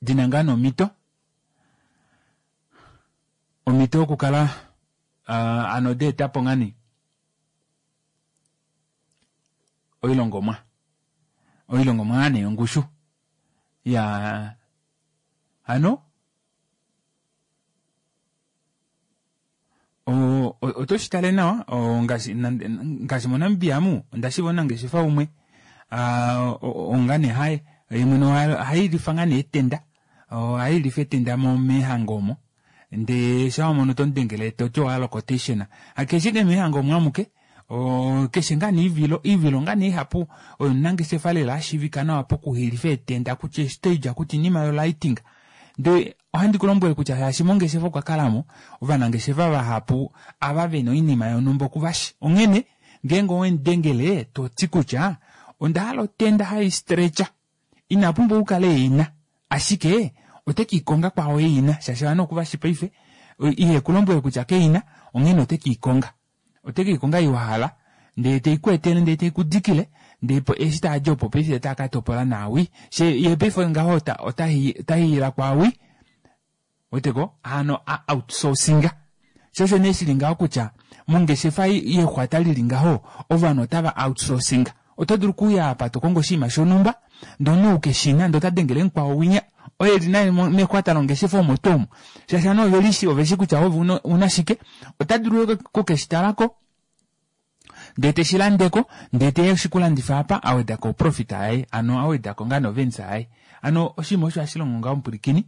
dina ngaa nee omhito omhito yokukala uh, ano da eta po ngaa nee oilongomwa oilongomwa ngaa nee yongushu ya hano Oto shi tale nawa ngaashi ngaashi moNamibia amu onda shiiva omunangeshefa umwe onga nee haye ye mwene ohailifa ngaa nee etenda ohailifa etenda meehango omo ndee shaa wamono tomudengele toti owahala oquotation hakeshi ashike meehango omo amuke keshe ngaa nee oivilo oivilo ngaa nee ihapu oye omunangeshefa lela ashiivika nawa pokuhilifa eetenda kutya estage kutya oinima yo lighting Ndee ohandi ku lombwele kutya shaashi mongeshefa okwa kala mo ovanangeshefa vahapu ava ve na oinima yonhumba oku va shi. Onghene ngeenge owe mu dengele to ti kutya onda hala otenda hai stretcha, ina pumbwa okukala e i na, ashike ote ke i konga kwaao e i na shaashi ovanhu oku va shi paife. Ihe ku lombwele kutya ke i na, onghene ote ke i konga. Ote ke i konga ei wa hala, ndee te i ku etele ndee te i ku dikile, ndee eshi taa di opo paife otaa ka topola naawi. She ye paife ngaho ota ota ota hiila kwaawi. Weteko? Hano a outsourcinga. Sho osho nee shili ngaho kutya mongeshefa yexwata lili ngaho ovanhu otava outsourcinga. Oto dulu okuuya apa to kongo oshinima shonhumba ndee omunhu ou keshina ndee ota dengele mukwao winya oye eli naye mexwata longeshefa omo tuu omo shaashi ovanhu ove lishi oveshi kutya ove una shike ota dulu oku keshi talako ndee teshi landeko ndee teya eshi kulandifa apa awedako oprofit yaye ano awedako ngaa novensa yaye ano oshinima osho hashi longo ngaho omupwilikini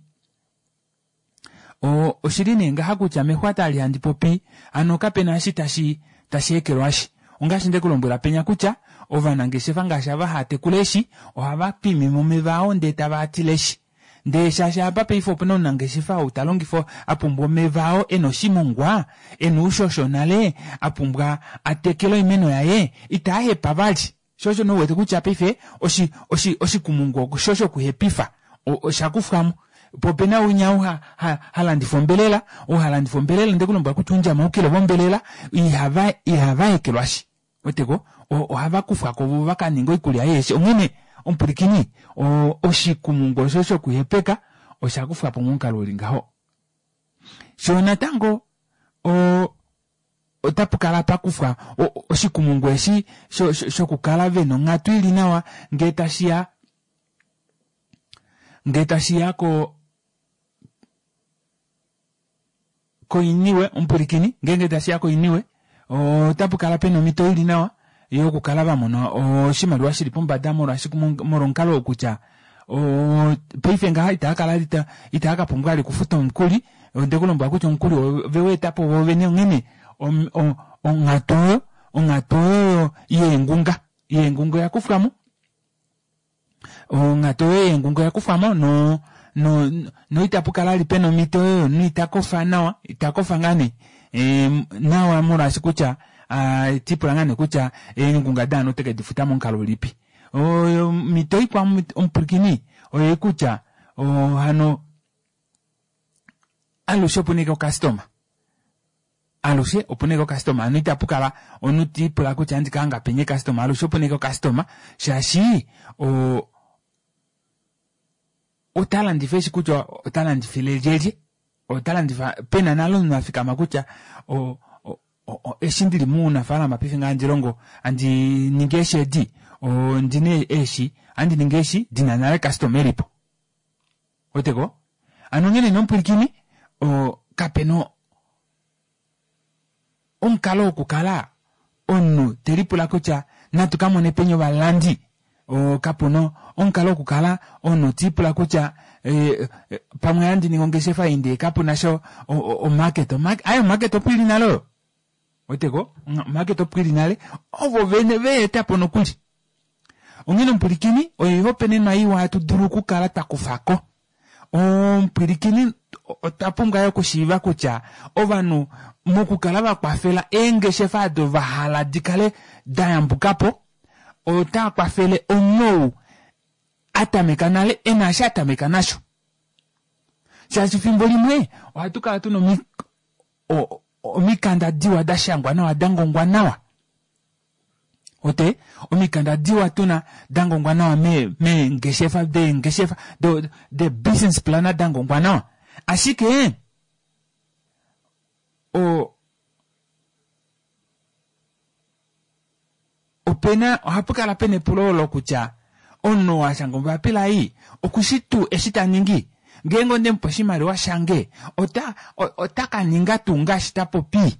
Oshili nee ngaha kutya mexwata ali handi popi hano kapena eshi tashi tashi ekelwashi. Ongaashi nde ku lombwela penya kutya ovanangeshefa ngaashi ava haa tekula eeshi ohava twimime omeva ao ndee tava a tileshi. Ndee shaashi apa paife opena omunangeshefa ou ta longifa a pumbwa omeva ao ena oshimongwa, ena oushosho nale, a pumbwa a tekele oimeno yaye, itaa hepa vali. Sho osho nee u wete kutya paife oshi, oshi, oshikumungu osho shokuhepifa osha kufwa mo. Po opena winya ou ha, ha, ha landifa ombelela, ou ha landifa ombelela nde ku lombwela kutya oundjama oukilo vombelela ihava, ihava ekelwashi. Weteko? Ohava kufwa ko vo va ka ninge oikulya yeeshi. Onghene, omupwilikini, o, oshikumungu osho shokuhepeka osha kufwa po momukalo uli ngaho. Sho natango o, Otapu kala pa kufwa oshikumungu eshi shokukala ve na onghatu i li nawa ngee tashi ya ngee tashi ya ko koiniwe omupwilikini ngeenge tashi ya koiniwe otapu kala pena omhito i li nawa yokukala va mona oshimaliwa shi li pombada molwaashi molwomukalo oo kutya paife ngaha itava kala itava ka pumbwa vali okufuta omukuli onde ku lombwela kutya omukuli ove wa eta po woovene onghene onghatu oyo onghatu oyo yeengunga yeengunga oya kufwa mo onghatu oyo yeengunga oya kufwa mo no no no itapu kala vali pena omhito oyo yomunhu ita kofa nawa ita kofa ngaa nee nawa molwaashi kutya tipula ngaa nee kutya eengunga daanhu ote ke di futa momukalo ulipi. Omhito ikwao omupwilikini oye kutya hano alushe opu na ashike okastoma alushe opu na ashike okastoma hano itapu kala omunhu te ipula kutya ohandi ka hanga peni ekastoma alushe opu na ashike okastoma shaashi ota landifa eshi kutya ota landifile lyelye ota landifa pena nale omunhu a fikama kutya eshi ndili muunafaalama paife ngaa handi longo handi ningi eeshi edi ondina eeshi ohandi ningi eeshi dina nale customer elipo. Weteko? Hano onghene nee omupwilikini, o, kape na omukalo wokukala omunhu te lipula kutya natu ka mone peni ovalandi. O, kapu na omukalo wokukala omunhu te lipula kutya e, e, pamwe ohandi ningi ongeshefa ei ndee kapu na sha omarket. Aye omarket opo ili nale oyo. Weteko? Omarket opo ili nale. Ovo vene ve eta po nokuli. Onghene omupwilikini, oihopaenenwa iwa hatu dulu okukala twa kufa ko. Omupwilikini, otwa pumbwa yo okushiiva kutya ovanhu mokukala va kwafela eengeshefa odo va hala di kale da yambuka po, otaa kwafele omunhu ou a tameka nale e na eshi a tameka nasho. Shaashi fimbo limwe ohatu kala tu na omikanda diwa da shangwa nawa da ngongwa nawa. Ote omikanda diwa tuna da ngongwa nawa meengeshefa deengeshefa do de business plan da ngongwa nawa. Ashike o opena ohapu kala pena epulo olo kutya omunhu oo a shanga ombapila ei okushi tuu eshi ta ningi? Ngeenge onde mu pe oshimaliwa shange ota ota ka ninga tuu ngaashi ta popi?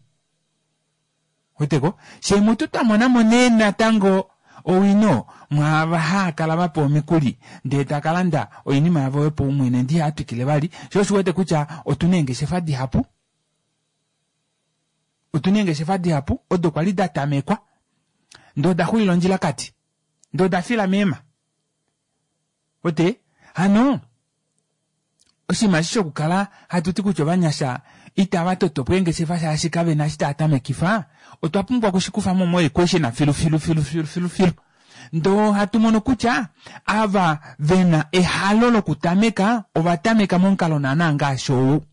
Weteko? Fye mutu twa mona mo nee natango owino mwaava haa kala va pewa omikuli ndee taka landa oinima yavo yopaumwene ndee ihaa twikile vali, sho osho u wete kutya otu na eengeshefa dihapu. Otu na eengeshefa dihapu odo kwa li da tamekwa ndee oda xulila ondjilakati, ndee oda fila meema. Wete? Hano oshinima eshi shokukala hatu ti kutya ovanyasha itava toto po eengeshefa shaashi kave na eshi tava tamekifa, otwa pumbwa okushikufa mo moequation filu filu filu filu filu filu. Ndee ohatu mono kutya ava ve na ehalo lokutameka ova tameka momukalo naana ngaashi ou.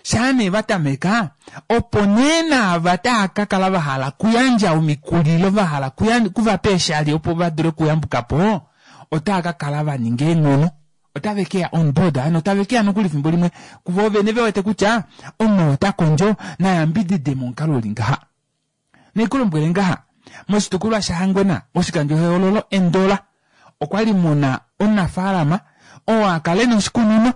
Shaa nee va tameka, opo nee naava tava ka kala va hala okuyandja omikulilo, va hala okuva pa eeshali opo va dule okuyambuka po, otava ka kala va ninga eenghono. Otave ke ya on board, hano tave ke ya nokuli fimbo limwe kuvoo vene ve wete kutya omunhu ota kondjo, na yambidide momukalo u li ngaha. Nai ku lombwele ngaha, moshitukulwa shaHangwena, moshikandjohoololo Endola, okwa li mu na omunafaalama oo a kala e na oshikunino.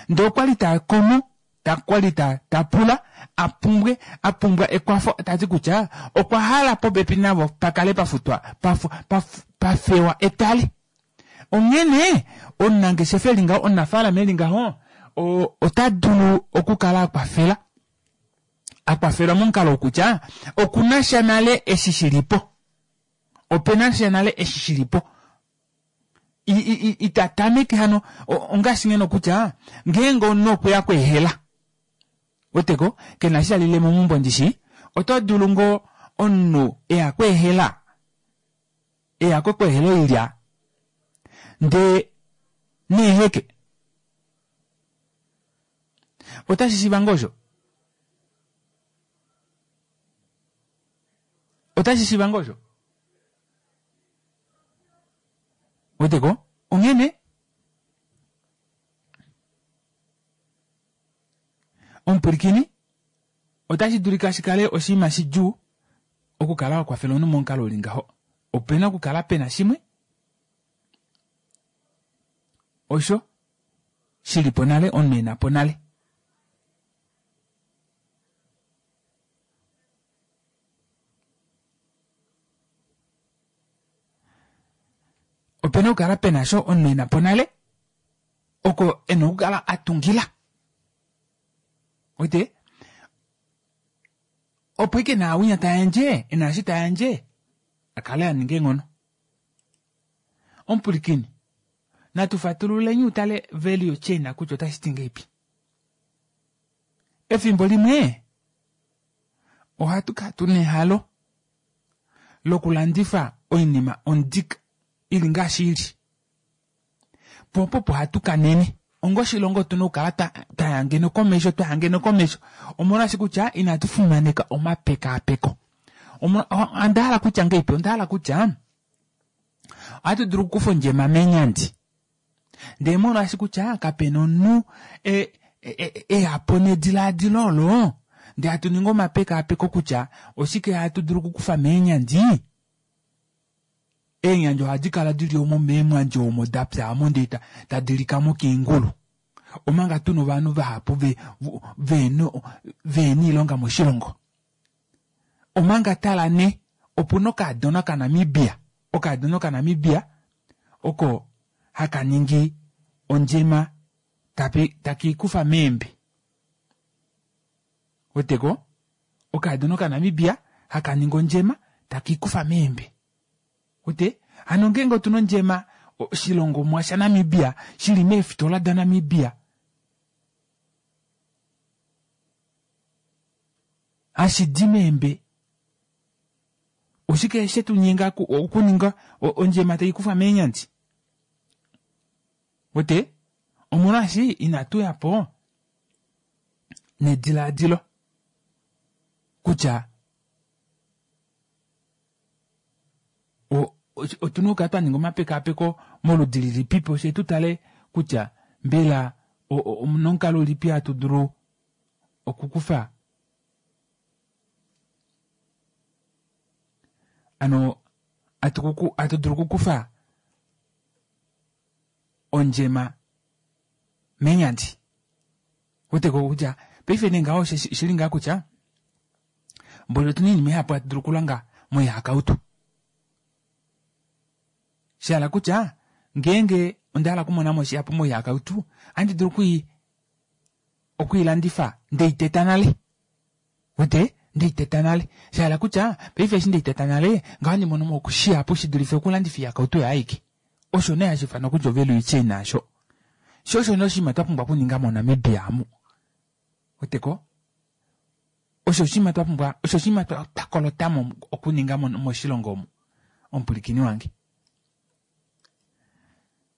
Ndee okwa li ta komo, ta kwa li ta, ta pula a pumbwe, a pumbwa ekwafo, ta ti kutya okwa hala popepi navo pa kale pa futwa, pa, pa, pa fewa etale. Onghene omunangeshefa e li ngaho, omunafaalama e li ngaho, o, ota dulu okukala a kwafela, a kwafelwa momukalo wokutya oku na sha nale eshi shi li po. Ope na sha nale eshi shi li po. Ita tameke hano ongaashi ngeno kutya ngeenge omunhu okwe ya kweehela weteko ke na eshi ta lile momumbo ndishi oto dulu ngoo omunhu e ya kweehela e ya kweehela oilya ndee neeheke otashi shiva ngoo osho otashi shiva ngoo osho Weteko? Onghene omupwilikini otashi dulika shi kale oshinima shidjuu okukala wa kwafela omunhu momukalo u li ngaho. Ope na okukala pe na shimwe osho shi li po nale, omunhu e na po nale. Opena okukala pena sho omunhu ena po nale oko ena okukala a tungila. Wete? Opo ike naawinya ta yandje, ena eshi ta yandje, a kale a ninga eenghono. Omupwilikini, natu fatululeni utale value chain kutya otashi ti ngeipi. Efimbo limwe ohatu kala tuna ehalo lokulandifa oinima ondik i li ngaashi i li. Po opo opo hatu kanene. Onga oshilongo otu na okukala twa ya ngeno komesho, twa ya ngeno komesho. Omolwaashi kutya inatu fimaneka omapekaapeko. Onda hala kutya ngeipi? Onda hala kutya ohatu dulu okukufa ondjema meenyandi. Ndee molwaashi kutya kape na omunhu e, e, e ya po nedilaadilo olo, ndee hatu ningi omapekaapeko kutya oshike hatu dulu okukufa meenyandi. Eenyandi ohadi kala dili omo meemwandi omo da pyaamo ndee tadi likamo keengulu. Omanga tuna ovanhu vahapu ve, ve, veena oilonga moshilongo. Omanga tala nee, opuna okaadona okaNamibia, okaadona okaNamibia oko haka ningi ondjema tapi, taki kufa meembe. Weteko? Okaadona okaNamibia haka ningi ondjema taki kufa meembe. Wete? Hano ngeenge otuna ondjema oshilongomwa shaNamibia shili meefitola daNamibia hashi di meembe oshike she tu nyenga okuninga ondjema tai kufwa meenyandi? Wete? Omolwaashi inatu ya po nedilaadilo kutya otuna okukala twa ninga omapekaapeko moludi lilipipo fye tu tale kutya mbela omuna omukalo ulipi hatu dulu okukufa ano atu dulu okukufa ondjema menyandi. Weteko kutya paife nee ngaho oshili ngaa kutya mboli otuna oinima ihapu hatu dulu okulonga moihakautu. Shahala kutya ngeenge onda hala okumona mo shihapu moihakautu ohandi dulu okui okwiilandifa ndeiteta nale. Wete? Ndeiteta nale. Shahala kutya paife eshi ndeiteta nale ngaho ohandi mono mo shihapu shi dulife okulandifa oihakautu oyo aike. Osho nee hashi ifanwa kutya ovalue chain asho. Sho osho nee oshinima twa pumbwa okuninga moNamibia amu. Weteko? Osho oshinima twa pumbwa, osho oshinima twa kolotamo okuninga moshilongo omu. Omupwilikini wange.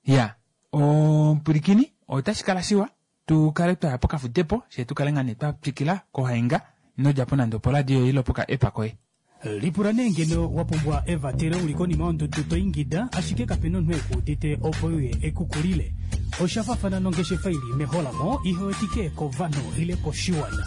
Ya, omupwilikini, otashi kala shiwa tu kale twaya pokafudepo, fye tu kale ngaa nee twa twikila kohainga, ino dja po nande oporadio ile opoka app koye. Lipula nee ngeno wa pumbwa evatelo u li konima yondudu to ingida ashike kape na omunhu e ku udite opo e uye e ku kulile. Osha faafana nongeshefa i li meholamo ihe wetike kovanhu ile koshiwana.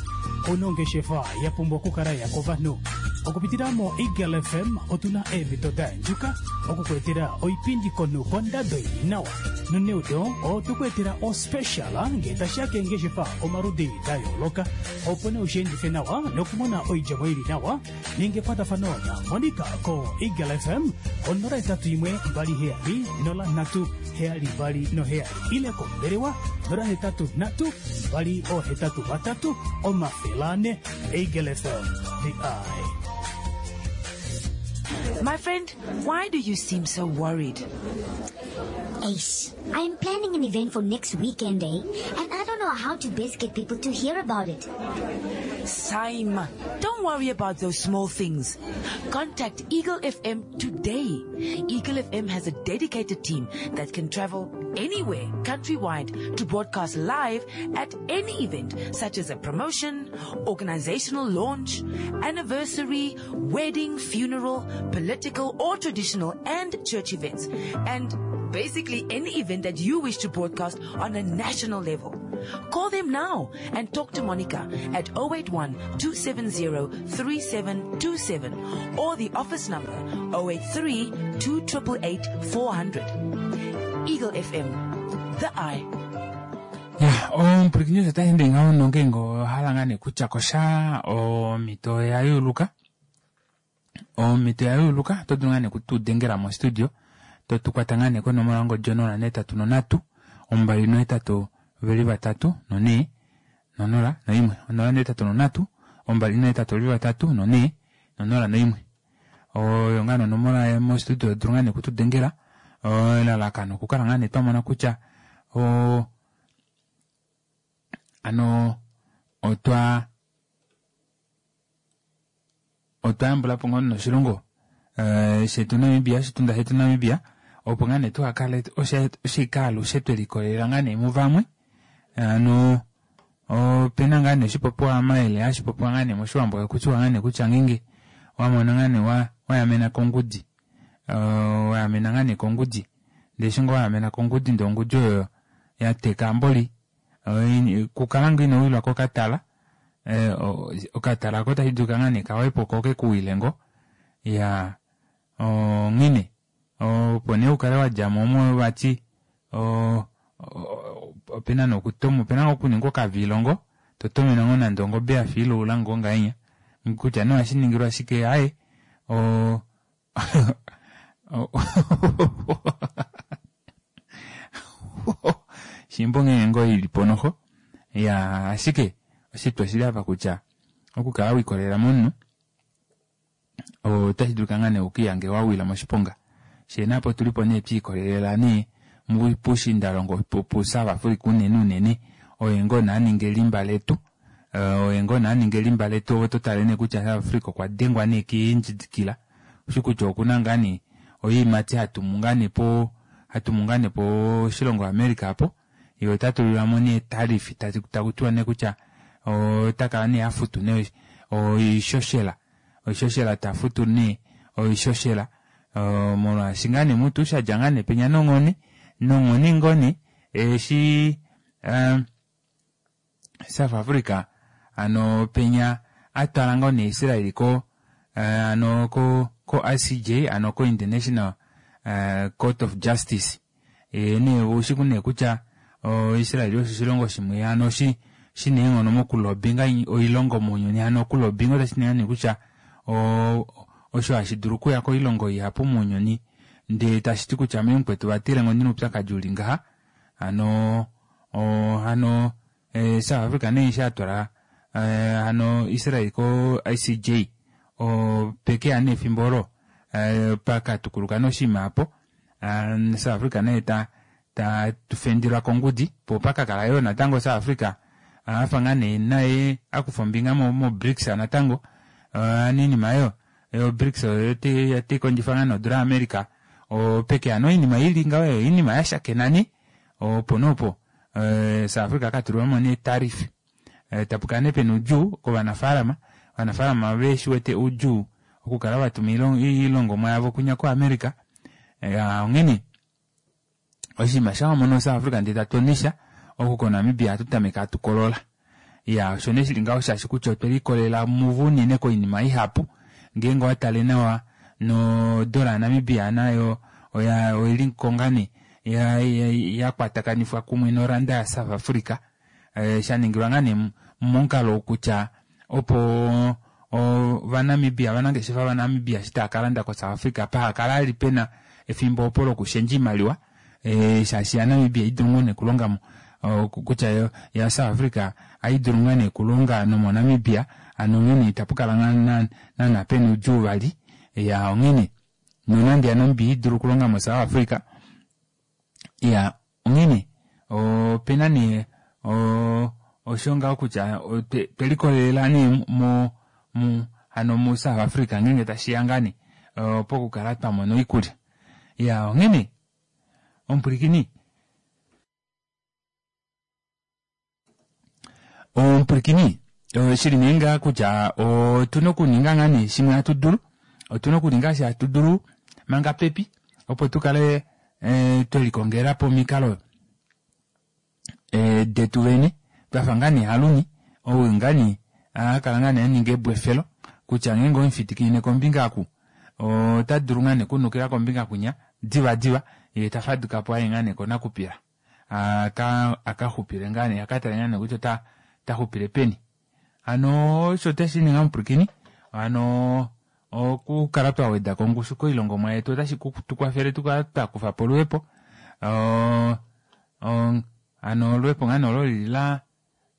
Ou na ongeshefa ya pumbwa okukala ya kovanhu. Okupitila moEagle FM otu na eemhito da yandjuka oku ku etela oipindi komunhu kondado i li nawa. Noneudo otwe ku etela ospecial ngee tashi ya keengeshefa omaludi da yooloka. Opo nee ushiendife nawa nokumona oidjemo ili nawa, ninga ekwatafano naMonica koEagle FM ko 081 27 03 72 ile kombelewa 083 283 400. Eagle FM, the eye. My friend, why do you seem so worried? Ace, I'm planning an event for next weekend, eh? And I don't know how to best get people to hear about it. Sime, don't worry about those small things. Contact Eagle FM today. Eagle FM has a dedicated team that can travel anywhere countrywide to broadcast live at any event, such as a promotion, organizational launch, anniversary, wedding, funeral, political or traditional and church events, and basically any event that you wish to broadcast on a national level. Call them now and talk to Monica at 081 270 3727 or the office number 083 288 400. Eagle FM, the eye. Ya, omupwilikini osho tashi ende ngaho nongeenge owa hala ngaa nee kutya kosha omhito oya yuuluka. Omhito ya yuuluka oto dulu ngaa nee okutu dengela mostudio to tu kwata ngaa nee konomola yongodi 083 28 23 4 0 1 083 28 23 4 0 1 oyo ngaa nee onomola mostudio to dulu ngaa nee okutu dengela elalakano okukala ngaa nee twa mona kutya o ano otwa otwa yambula po ngoo noshilongo eh, shetu Namibia, oshitunda shetu Namibia, opo ngaa nee tuhakale oshike alushe twe likolelela ngaa nee muvamwe. Hano opena ngaa nee oshipopiwa mayele hashi popiwa ngaa nee moshiwambo hakutiwa ngaa nee kutya ngeenge wa mona ngaa nee wa wayamena kongudi eh, wayamena ngaa nee kongudi ndee eshi ngoo wayamena kongudi ndee ongudi oyo ya teka mboli eh, kukala ngoo ino wilwa kokatala Eh, okatala ko tashi dulika ngaa nee kawepo ko ke ku wile ngo ya onghene Opo nee ukale wadjamo omo vati opena nee okutomwa opena ngoo okuningwa okaviilongo totomene ngoo nande ongobe yafa ilaula ngoo ngahenya kutya nee ohashiningilwa shike aaye shimba onghee ngoo ilipo noxo iyaa ashike oshitwa oshili apa kutya okukala wiikolelela momunhu otashi dulika ngaa nee ukiihange wawila moshiponga shee naapo otulipo nee twiikolelela nee puushiindalongo pu South Africa unene unene oye ngoo nee aninga elimba letu oye ngoo nee aninga elimba letu ove totale nee kutya South Africa okwa dengwa nee keendjidikila ushi kutya okuna ngaa nee oyiimati hatumu ngaa nee po hatumu ngaa nee poshilongo America apo ye ota tulilwamo nee tariff takutiwa nee kutya ota kala nee hafutu nee oishoshela oishoshela tafutu nee oishoshela molwaashi ngaa nee mutu shadja ngaa nee penya nonghone nonghone ngoo nee eshi South Africa ano penya atwala ngoo nee Israel ko ano ko ko ICJ ano ko International Court of Justice ye nee oushi nee kutya Israel osho oshilongo shimwe hano shi shina eenghono mokulobinga oilongo mounyuni hano okulobinga otashi ti nee kutya osho hashi dulu okuya koilongo ihapu mounyuni ndee tashi ti kutya mee mukwetu vatile ngo ndina oupyakadi uli ngaha hano hano South Africa nee eshi atwala hano Israel ko ICJ opekeya nee efimbo olo pakatukuluka nee oshinima aapo South Africa nee ta ta fendilwa kongudi po pakakala yoo natango South Africa afa ngaa nee naye akufa ombinga mo BRICS natango oinima oyo yo BRICS oyo taikondjifa ngaa nodula yaAmerica opekeya nee oinima ili ngaho oinima yashakena nee opo nee opo South Africa akatulilwamo nee tariff tapukala nee pena oudjuu kovanafaalama ovanafaalama veshiwete oudjuu okukala vatuma oilongomwa yavo kwinya ko America onghene oshinima shamha wamono South Africa ndee tatonisha oku ko Namibia ohatu tameke hatu kolola iya osho nee shili ngaho shaashi kutya otwe likolelela muvo unene koinima ihapu ngeenge owatale nawa nodola ya Namibia nayo oya oili ko ngaa nee yakwatakanifwa kumwe noranda ya South Africa shaningilwa ngaa nee momukalo kutya opo ovanamibia ovanangeshefa vaNamibia eshi tava kalanda koSouth Africa pahakala ali pena efimbo opo lokushendja oimaliwa shaashi yaNamibia idulu ngoo nee okulonga kutya yaSouth Africa ohaidulu ngaa nee okulonga nomoNamibia hano onghene itapukala naana pena oudjuu vali iya onghene nonande yaNamibia idulu okulonga moSouth Africa iya onghene opena nee osho ngaho kutya twelikolelela nee mo hano mu South Africa ngeenge tashiya ngaa nee pokukala twamona oikulya iya onghene omupwilikini Omupwilikini, shili nee ngaa kutya otuna okuninga ngaa nee shimwe hatu dulu, otuna okuninga eshi hatu dulu manga pepi opo tu kale twe likongela po omikalo detu vene twafa ngaa nee Haluni ou ngaa nee a kala ngaa nee a ninga ebwefelo kutya ngeenge owemufitikinine kombinga oku ota dulu ngaa nee okunukila kombinga kwinya divadiva yee ta faduka po aye ngaa nee konakupila. Aka aka xupile ngaa nee aka tale ngaa nee kutya ota ota xupile peni hano osho otashi ninga omupwilikini hano okukala twa weda ko ongushu koilongomwa yetu otashi tu kwafele tukale twa kufa po oluhepo hano oluhepo ngaa nee olo lili la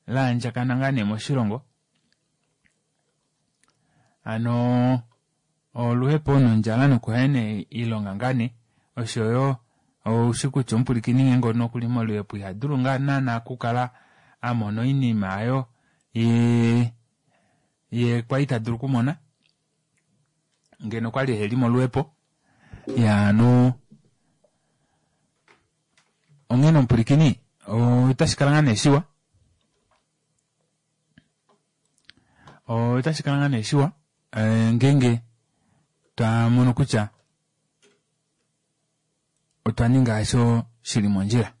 laandjakana ngaa nee moshilongo hano Oluhepo nondjala nokuhena oilonga ngaa nee oshoyo oushi kutya omupwilikini ngeenge okuli moluhepo iha dulu ngaa naana okukala a mona oinima aayo ye ye kwali ta dulu okumona ngeno okwali eheli moluhepo. Iyaa hano onghene omupwilikini otashi kala ngaa nee shiwa otashi kala ngaa nee shiwa ngeenge twa mono kutya otwa ninga osho shili mondjila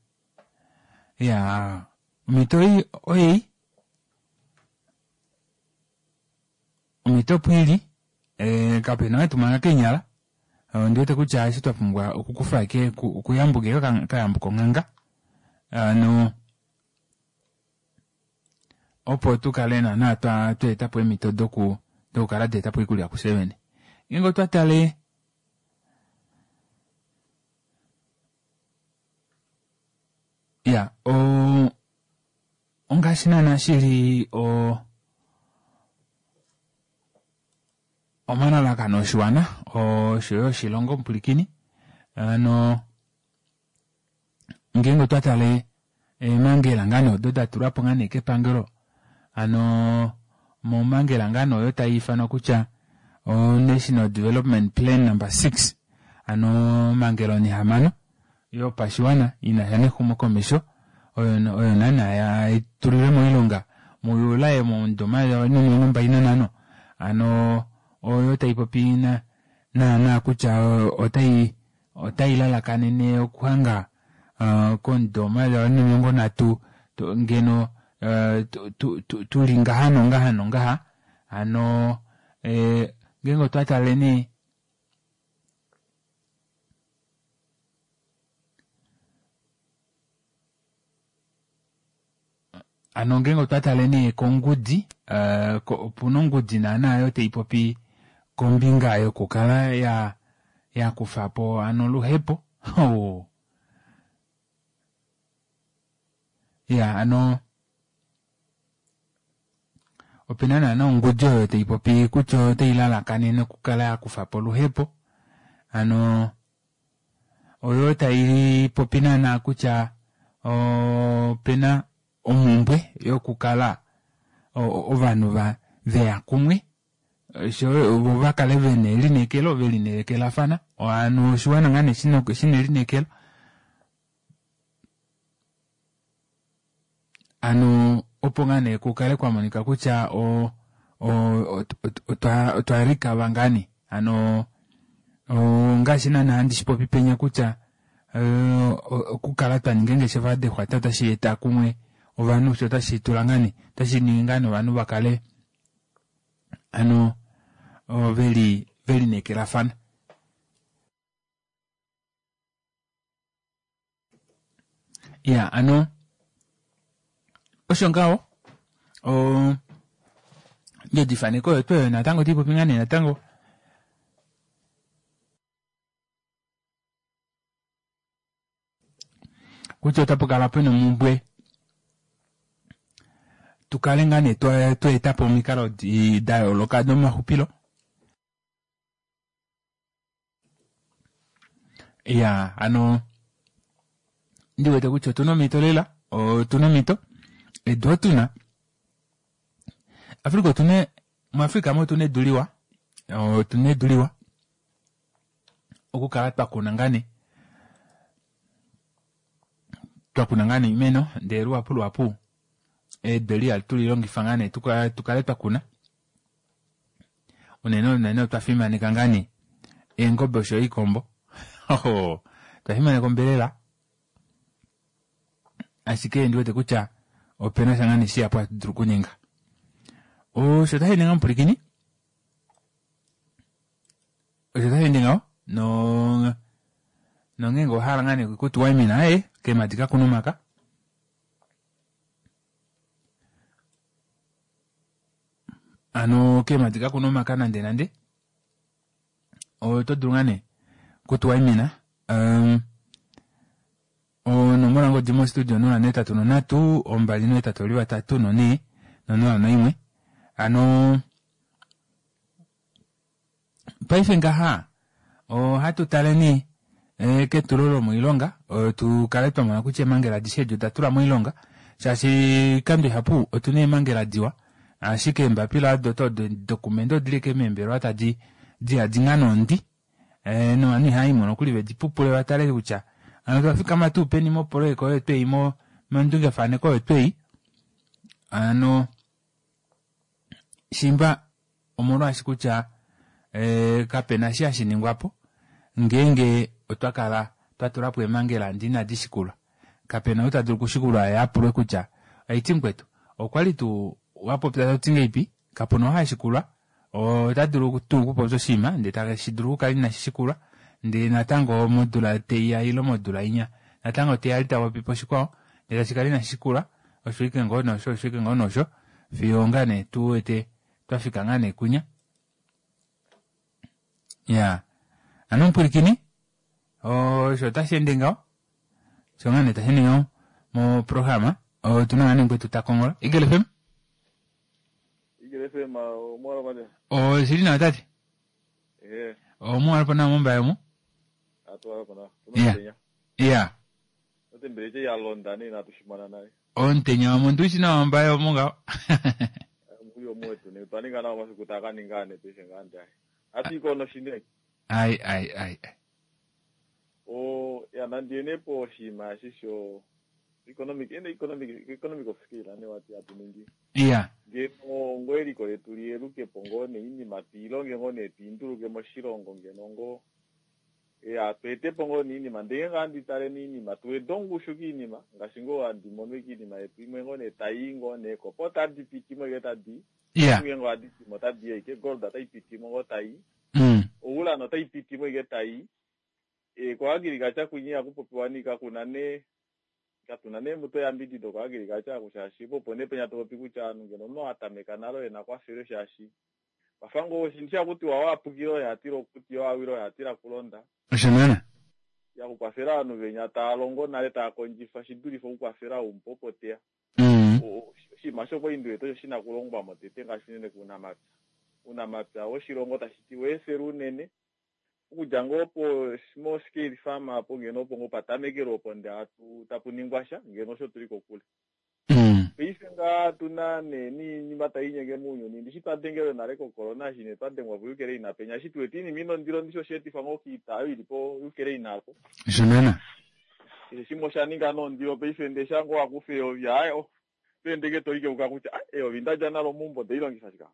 ya omhito ei oyei omhito opo ili kapena oo etumanga keenyala. Ondi wete kutya eshi twa pumbwa okukufa eke okuyambuka eke kayambuka onghanga ano opo tu kale naana twa eta po eemhito doku dokukala twa eta po oikulya kufye vene. Ngeenge otwa tale ya o ongaashi naana shili o omalalakano oshiwana oshoyo oshilongo omupwilikini ano ngeenge otwa tale eemangela ngaa nee odo da tulwa po ngaa nee kepangelo ano momangela ngaa nee oyo tai ifanwa kutya o-National Development Plan number 6 ano omangela onihamano yopashiwana ina sha nexumokomesho oyo oyo naana ya tulilwe moilonga muJuli momudo 2025 ano oyo tai popi naana kutya otai otai lalakanene okuhanga komudo 2030 ngeno tuli ngaha nongaha nongaha hano ngeenge otwa tale nee Hano ngeenge otwa tale nee kongudi, opuna ongudi naana oyo tai popi kombinga yokukala ya ya kufa po hano oluhepo. Iya hano opena naana ongudi oyo tai popi kutya otai lalakanene okukala ya kufa po oluhepo. Hano oyo tai popi naana kutya opena omhumbwe yokukala ovanhu va veya kumwe oshoyo vo va kale vena elineekelo velineekelafana hano oshiwana ngaa nee shina elineekelo hano opo ngaa nee kukale kwa monika kutya o otwa likava ngaa nee hano ongaashi naana handi shi popi penya kutya okukala twa ninga eengeshefa dexwata otashi eta kumwe ovanhu sho otashi tula ngaa nee otashi ningi ngaa nee ovanhu va kale hano veli velineekelafana. Ya ano osho ngaho ondjodifaneko oyo tuu oyo natango otai popi ngaa nee natango. Kutya otapu kala pena omhumbwe tu kale ngaa nee twa eta po omikalo da yooloka domaxupilo. Ya hano ndi wete kutya otuna omhito lela otuna omhito edu otuna Africa otuna muAfrica mo otuna edu liwa otuna edu liwa okukala twa kuna ngaa nee twa kuna ngaa nee oimeno ndee luhapu luhapu edu eli ihatu li longifa ngaa nee tukale twa kuna unene unene otwa fimaneka ngaa nee eengobe osho iikombo otwa fimaneka ombelela ashike ndi wete kutya opena sha ngaa nee shihapu hatu dulu okuninga osho tashi ninga omupwilikini osho tashi ende ngaho no nongeenge owa hala ngaa nee okutuwaimina ee keemadi kakuna omaka Hano keemadi kakuna omaka nande nande oto dulu ngaa nee okutuwaimina um, onomola ngodi mostudio 083 283 4 01 hano Paife ngaha ohatu taleni ketulo lomoilonga tu kale twa mona kutya eemhangela adishe edi oda tulwa moilonga shaashi oikando ihapu otuna eemhangela diwa ashike eembapila odo dokumende odili ashike meembelewa tadi diyadi ngaa nondi novanhu ihava imo nokuli vedi pupule va tale kutya hano otwa fikama tuu peni mopoloyeka oyo twei mondungefaneko oyo twei hano Shimba omolwaashi kutya kape na eshi hashi ningwa po ngeenge otwa kala twa tula po eemhangela ndee inadi shikulwa. Kape na ou ta dulu okushikulwa ye a pulwe kutya, Aiti mukwetu, okwa li tuu wa popya to ti ngeipi? Kapu na ou ha shikulwa. Ota dulu tuu okupopya oshinima ndee tashi dulu okukala inashi shikulwa. Ndee natango modula teiya ile modula inya natango teya ali tapopi poshikwao ndee tashi kala inashi shikula osho ike ngoo nosho osho ike ngoo nosho fiyo ngaa nee tu wete twafika ngaa nee kunya. Iyaa hano omupwilikini osho tashi ende ngaho osho ngaa nee tashi ende ngaho moprograma otuna ngaa nee mukwetu ta konghola. Eagle FM? Eagle FM omwalopate. Oshili nawa tate. Ehe. Omuwalapo nawa mOmbaye omu? Atuwalapo nawa. Iya. Omutenya. Iya. Otembeleche ya londa nee inatu shimona nale. Omutenya wamo ndushi nawa mOmbaye omu ngaho. Omukuli omuwetu nee otwa ninga nawa omasiku taa ka ninga ane paife ngaa ndaye. Hatu iko noshine. Ai ai ai. O ya nandi ene po oshinima eshi sho economic ene economic economic of scale ane wati hatu ningi. Iya. Ngeno ngoo eliko letu liyeluke po ngoo nee iinima twiilonge ngoo nee twiinduluke moshilongo ngeno ngoo ya tweete po ngoo nee iinima ndee ngeenge ohandi tale nee iinima tuwede ongushu kiinima ngaashi ngoo handi mono ike iinima yetu imwe ngoo nee taii ngoo nee ko po otadi pitimo ike tadii Iya. ngeenge ohadi pitimo otadi yi ike gold otai pitimo ngoo taii ourana otai pitimo ike taii e ko agriculture kwinya ihaku popiwa nee kakuna nee katuna nee mutu eyambidido ko agriculture aku shaashi po opo nee penya topopi kutya ovanhu ngeno omunhu atameka nale oye nakwafelwe shaashi wafa ngoo oshinhu shakutiwa wapukile oye hatila okuti wawile oye hatila kulonda. Osho naana. Ya kukwafela ovanhu venya taa longo nale taa kondjifa shidulife okukwafela ou mupe opo teya. Oshinima shokoindu yetu osho shina okulongwamo tete ngaashi unene kounamapya. Ounamapya woshilongo tashiti weefele unene okudja ngoo po small scale farm apo ngeno opo ngoo patamekelwe opo ndee hatu tapu ningwa sha ngeno osho tuli kokule. Paife ngaa tuna nee niinima tai inyenge mounyuni ndishi twa dengelwe nale ko corona eshi nee twa dengwa po Ukraine penya eshi tu wete iinima ina ondilo ndishi osha etifwa ngoo kiita oyo ili po Ukraine apo. Osho naana. Keshe shimwe osha ninga nee ondilo paife ndee sha ngoo wakufa eyovi aaye oh oto ende ike tolikeuka kutya ah eyovi ndalya nalo meumbo ondelilongifa shike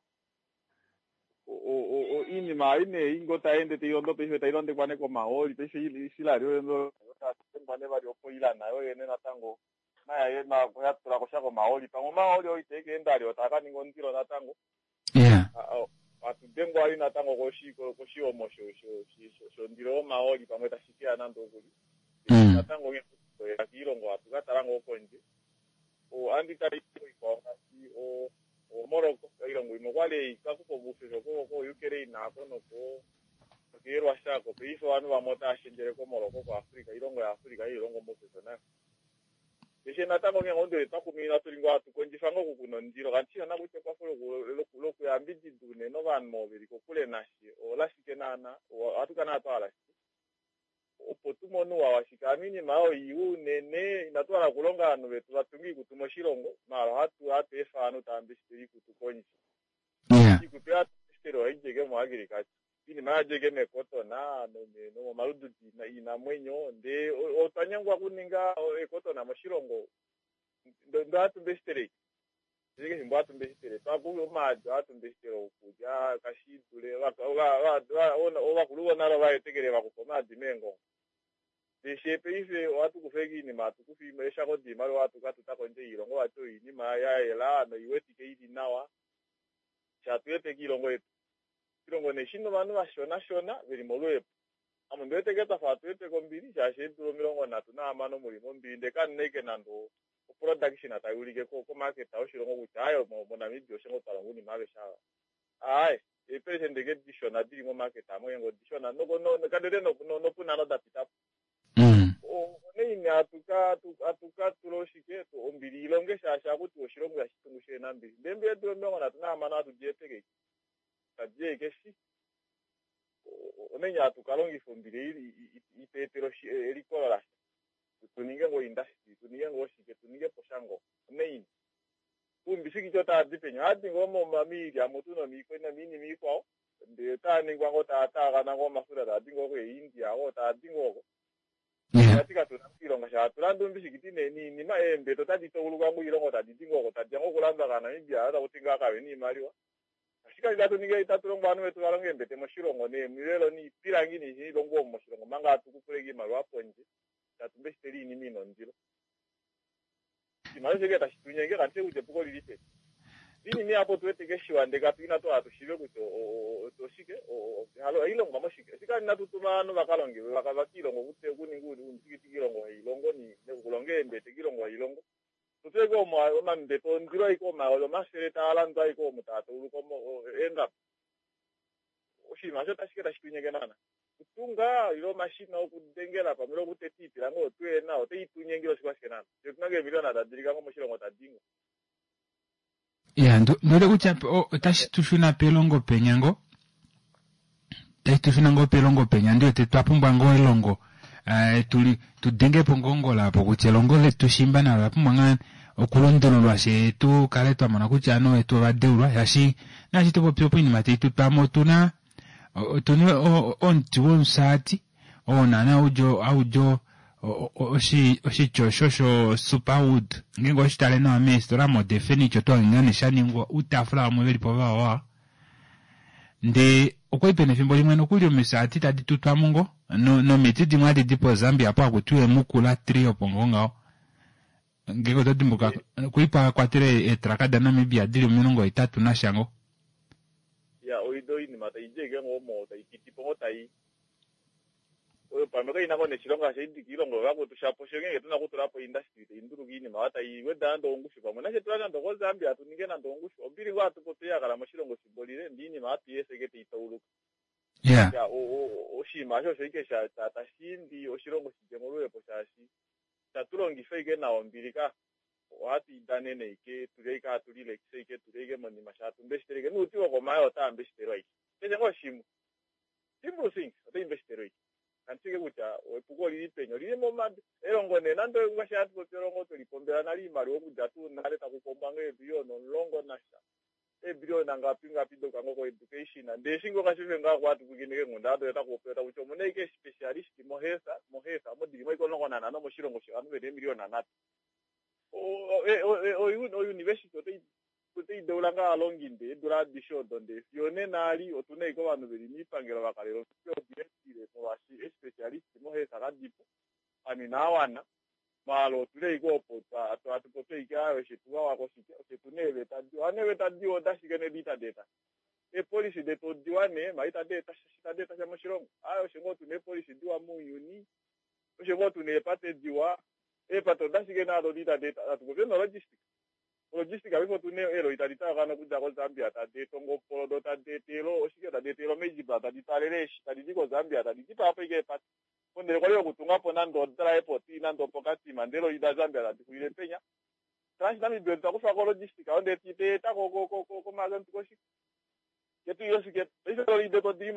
Oinima ei nee ngoo tai ende tai londo paife tai londekwa nee komahooli paife Israel oyo nee vali opo Iran nayo yene natango nayo ya tula ko sha komahooli pamwe omahooli oo itae ka enda vali otaa ka ninga ondilo natango. Hatu dengwa vali natango koshihomo shondilo yomahooli pamwe tashi keya nande okuli. Natango nghee toya kiilongo hatu ka tala ngoo kondje. Ohandi tale ikwao ngaashi oMorocco, oilongo imwe okwali ikakufa oufefe koUkraine ako noko nokeeRussia ako. Paife ovanhu vamwe otava shendjele koMorocco koAfrica, oilongo yaAfrica ei ilongo omaufefe nayo. Keshe natango onghee ngoo ndele twa kuminwa tuli ngoo hatu kondjifa ngoo okukuna omundilo kanti shina kutya ekwafo lokuyambidida unene ovanhu ovo veli kokule nashe olashike naana, ohatu kala naana twa hala shike opo tu mone ouwa washike. Hano oinima oyo iwa unene, inatu hala okulonga ovanhu vetu va tunge oikutu moshilongo, maala ohatu ohatu efa ovanhu tava mbesitele oikutu kondje. Oikutu oyo hatu mbesitele ohai dji ashike moagriculture. Oinima oyo ohai di ashike meekotona nomomalududi oinamwenyo, ndee otwa nyengwa okuninga eekotona moshilongo, ndee ohatu mbesitele ashike. Ashike efimbo hatu mbesitele twa omaadi ohatu mbesitele okulya kashi dule ovakulu vonale ova etekele va kufa omaadi meengongo. Ndele paife ohatu kufa ashike oinima hatu kufa eeshako doimaliwa hatu ka tuta kondje yoilongo vati oyo oinima ya yela noiwetike ili nawa shatu hepeke oilongo yetu. Oshilongo nee shina ovanhu vashonashona veli moluhepo. Ame ondi wete ngee twafa hatu hepeke ombili shaashi eedula 36 muli mombili ndee kamuna ashike nande oproduction tai ulike komarket yoshilongo kutya aaye moNamibia osho ngoo twa longa oinima aveshe ava. Aaye eeperesende ngee dishona dili momarket aamo ngeenge odishona kandete nopunhano da pita po. Onaini hatu ka tula oshike ombili ilonge shaashi ohaku tiwa oshilongo ihashi tungu shihena ombili. Ndee mbela eedula 36 hatu di hepeke ashike? Tadi ashike shi. Onaini hatu ka longifa ombili ei itu etele elikolo lasha? Tu ninge ngoo oindastry, tu ninge ngoo shike, tu ninge po sha ngoo. Onaini? Oumbisikiti otava di peni? Ohava di ngoo moilya mutu nomiinima ikwao, ndee otaa ningwa ngoo taa taagana ngoo omafuta taa di ngoo keeIndia oko, taa di ngoo oko. Vati katuna oilonga sha hatu landa oumbisikiti niinima, eembete otadi tauluka ngoo oilongo tadi di ngoo oko, tadi ya ngoo okulandwa kAanamibia, taku ti ngaa kave na oimaliwa. Ashike itatu ningi itatu longo ovanhu vetu va longe eembete moshilongo neemivelo niipilangi niilongo omu moshilongo omanga hatu kupula iimaliwa pondje tatu mbesitele iinima ina ondilo. Oshimaliwa osho ike tashi tu nyenge kandi shi kutya epuko olili peni. Inima apo tuwete keshiwa ndee katu ina twala tushive kutya oshike halo oilongwa moshike shika inatu tuma ovanhu vakalonge vakiilongo okuninga uundikiti kiilongo hailongo nokulonga eembete kiilongo hailongo tutuleke omambepo ondilo aike omayovi 100 taa landwa aike omu taa tauluka eengaba oshinima osho otashi ke tashi tunyeke naana kutunga ile omashina okudengela pamwe ile okuteta iipilangi oyo tuyena otai tunyengile oshikwashike naana fye otuna eemiliona tadilika ngo moshilongo tadingo Ya, ndiwete kutya otashi tu shuna pelongo penya ngo tashi tu shuna ngoo pelongo penya ndiwete twa pumbwa ngoo elongo eh, tuli tu denge po ngoo ngola apo kutya elongo letu shimba nalo ola pumbwa ngaa okulundululwa she tu kale twa mona kutya ovanhu vetu ovadeulwa shaashi naashi topopi opo oinima tai tu twamo otuna otuna omuti womusaati oo naana haudi oshitya osho sho superwood ngeenge oshitale nawa meesitola mode furniture oto hange ngaa nee shaningwa outaafula vamwe velipo vawawa ndee okwali pena efimbo limwe nokuli omisaati tadi tutwamo ngo nomiti dimwe hadi di po Zambia apo hakutiwa emukula tree opo ngo ngaho ngeenge oto dimbuka kwali pa kwatele eetraka da Namibia dili 80 nasha ngo. Ya oido oinima taidi ashike ngoo omo taipitipo ngoo tai oyo pamwe kaina ngoo neshilonga sha idi kiilongo yovakwetu shapo fye ngeenge tuna okutulapo industry tainduluka iinima oyo tai weda nande ongushu pamwe nashe tula nande okoZambia hatu ninge nande ongushu ombili ngoo hatu popi yakala moshilongo efimbo lile ndee iinima ohatu i efa ashike taitauluka ya oshinima osho osho ashike tashiimbi oshilongo shidje moluhepo shaashi itatulongifa ashike nawa ombili ka ohatu idanene ashike tuli ashike hatu lilekisa ashike tuli ashike monima sha hatu mbeshitele ashike nouti wokomayo otaa mbeshitelwa ashike keshe ngoo shimwe simple things otai mbeshitelwa ashike kandi shike kutya epuko olili peni olili momadu elongo nee nande ngaashi hatu popi elongo twelipombela nale oimaliwa okudja tuu nale taku pombwa ngoo eebiliona 10 nasha eebiliona ngapi ngapi doka ngoo ko-education ndee eshi ngoo kashife ngaa kwatu pwiikine keenghundana doye otaku popiwa takuti omuna ashike specialist mohealth mohealth omo dilimo ashike 15 moshilongo shovanhu veli eemiliona 3 ouniversity otai deula ngaa ovalongi ndee eedula adishe odo ndee fiyo nena ali otuna ashike ovanhu veli moipangelo vakalela omitwe molwaashi especialist mohealth kadipo ovanhu inawana maala otuli ashike opo hatu popi ashike aaye oshetu vawako shike oshetu neeveta diwa hano eeveta diwa odashike nee itadi eta eepolisi detu odiwa nee maala itadi eta itadi eta sha moshilongo aaye osho ngoo tuna eepolisi diwa mounyuni osho ngoo tuna eepate diwa eepate odashike naado itadi eta hatu popi nologistic logistic paife otuna eeloli tadi taakana okudja koZambia tadi eta ongopolo do tadi etele oshike tadi etele omejibla tadi twaalele eeshi tadi di koZambia tadi dipaa po ashike eepate pondele kwali yokutungapo nande odry port nande opokatima ndele eloli daZambia tadi xulile penya TransNamib takufa logistic ayo ndee teeta komazambi koshike ketu iyo shike paife eloli detu odili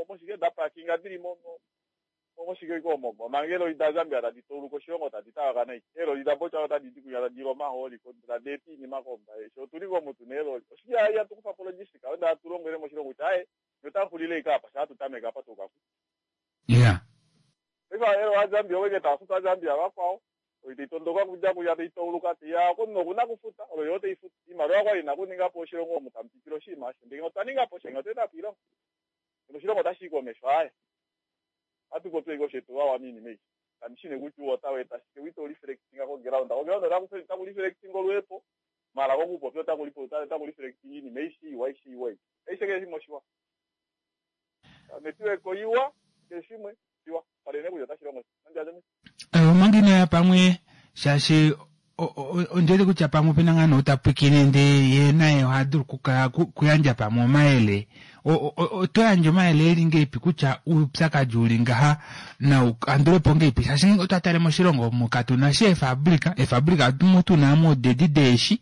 moshike dapakinga dili moshike iko omo manga eloli daZambia tadi tauluka oshilongo tadi taakana ashike eeloli daBotswana otadi di kunya tadi omahooli tadi eta iinima kombaye sho otuli ngoo mutu neeloli oshike hatukufa po logistic ayo ndee hatu longele moshilongo kutya aaye notaxulile ashike apa sha hatutameke apa tuuka ku paife elo vaZambia oweke taafutu vaZambia vakwao taitondoka kudja kuya taitauluka taiya nokuna kufuta olo yo taifuta iimaliwa kwali ina kuningapo oshilongo omu tamupitile oshinima osho ndee otwa ningapo sha otweeta po iilonga noshilongo otashi i komesho aaye hatu popi ashike oshetu vawa miinima ei kandi shi nee kutya ouwa otau eta shike ito reflectinga koground koground otaku reflectinga oluhepo maala kokupopya otaku reflectinga iinima aishe iwa aishe iwa ei aishe keshe shimwe oshiwa network oiwa keshe shimwe shiwa palene kutya otashi longo omanga inoya pamwe shaashi ondiwete kutya pamwe opena ngaa nee tapwikine ndee ye naye oha dulu okukala kuyandja pamwe omayele oto yandje omayele eli ngeipi kutya oupyakadi uli ngaha nau kandulepo ngeipi shaashi ngeenge otwa tale moshilongo omu katuna shi eefabrika eefabrika omu tuna mo odedi deeshi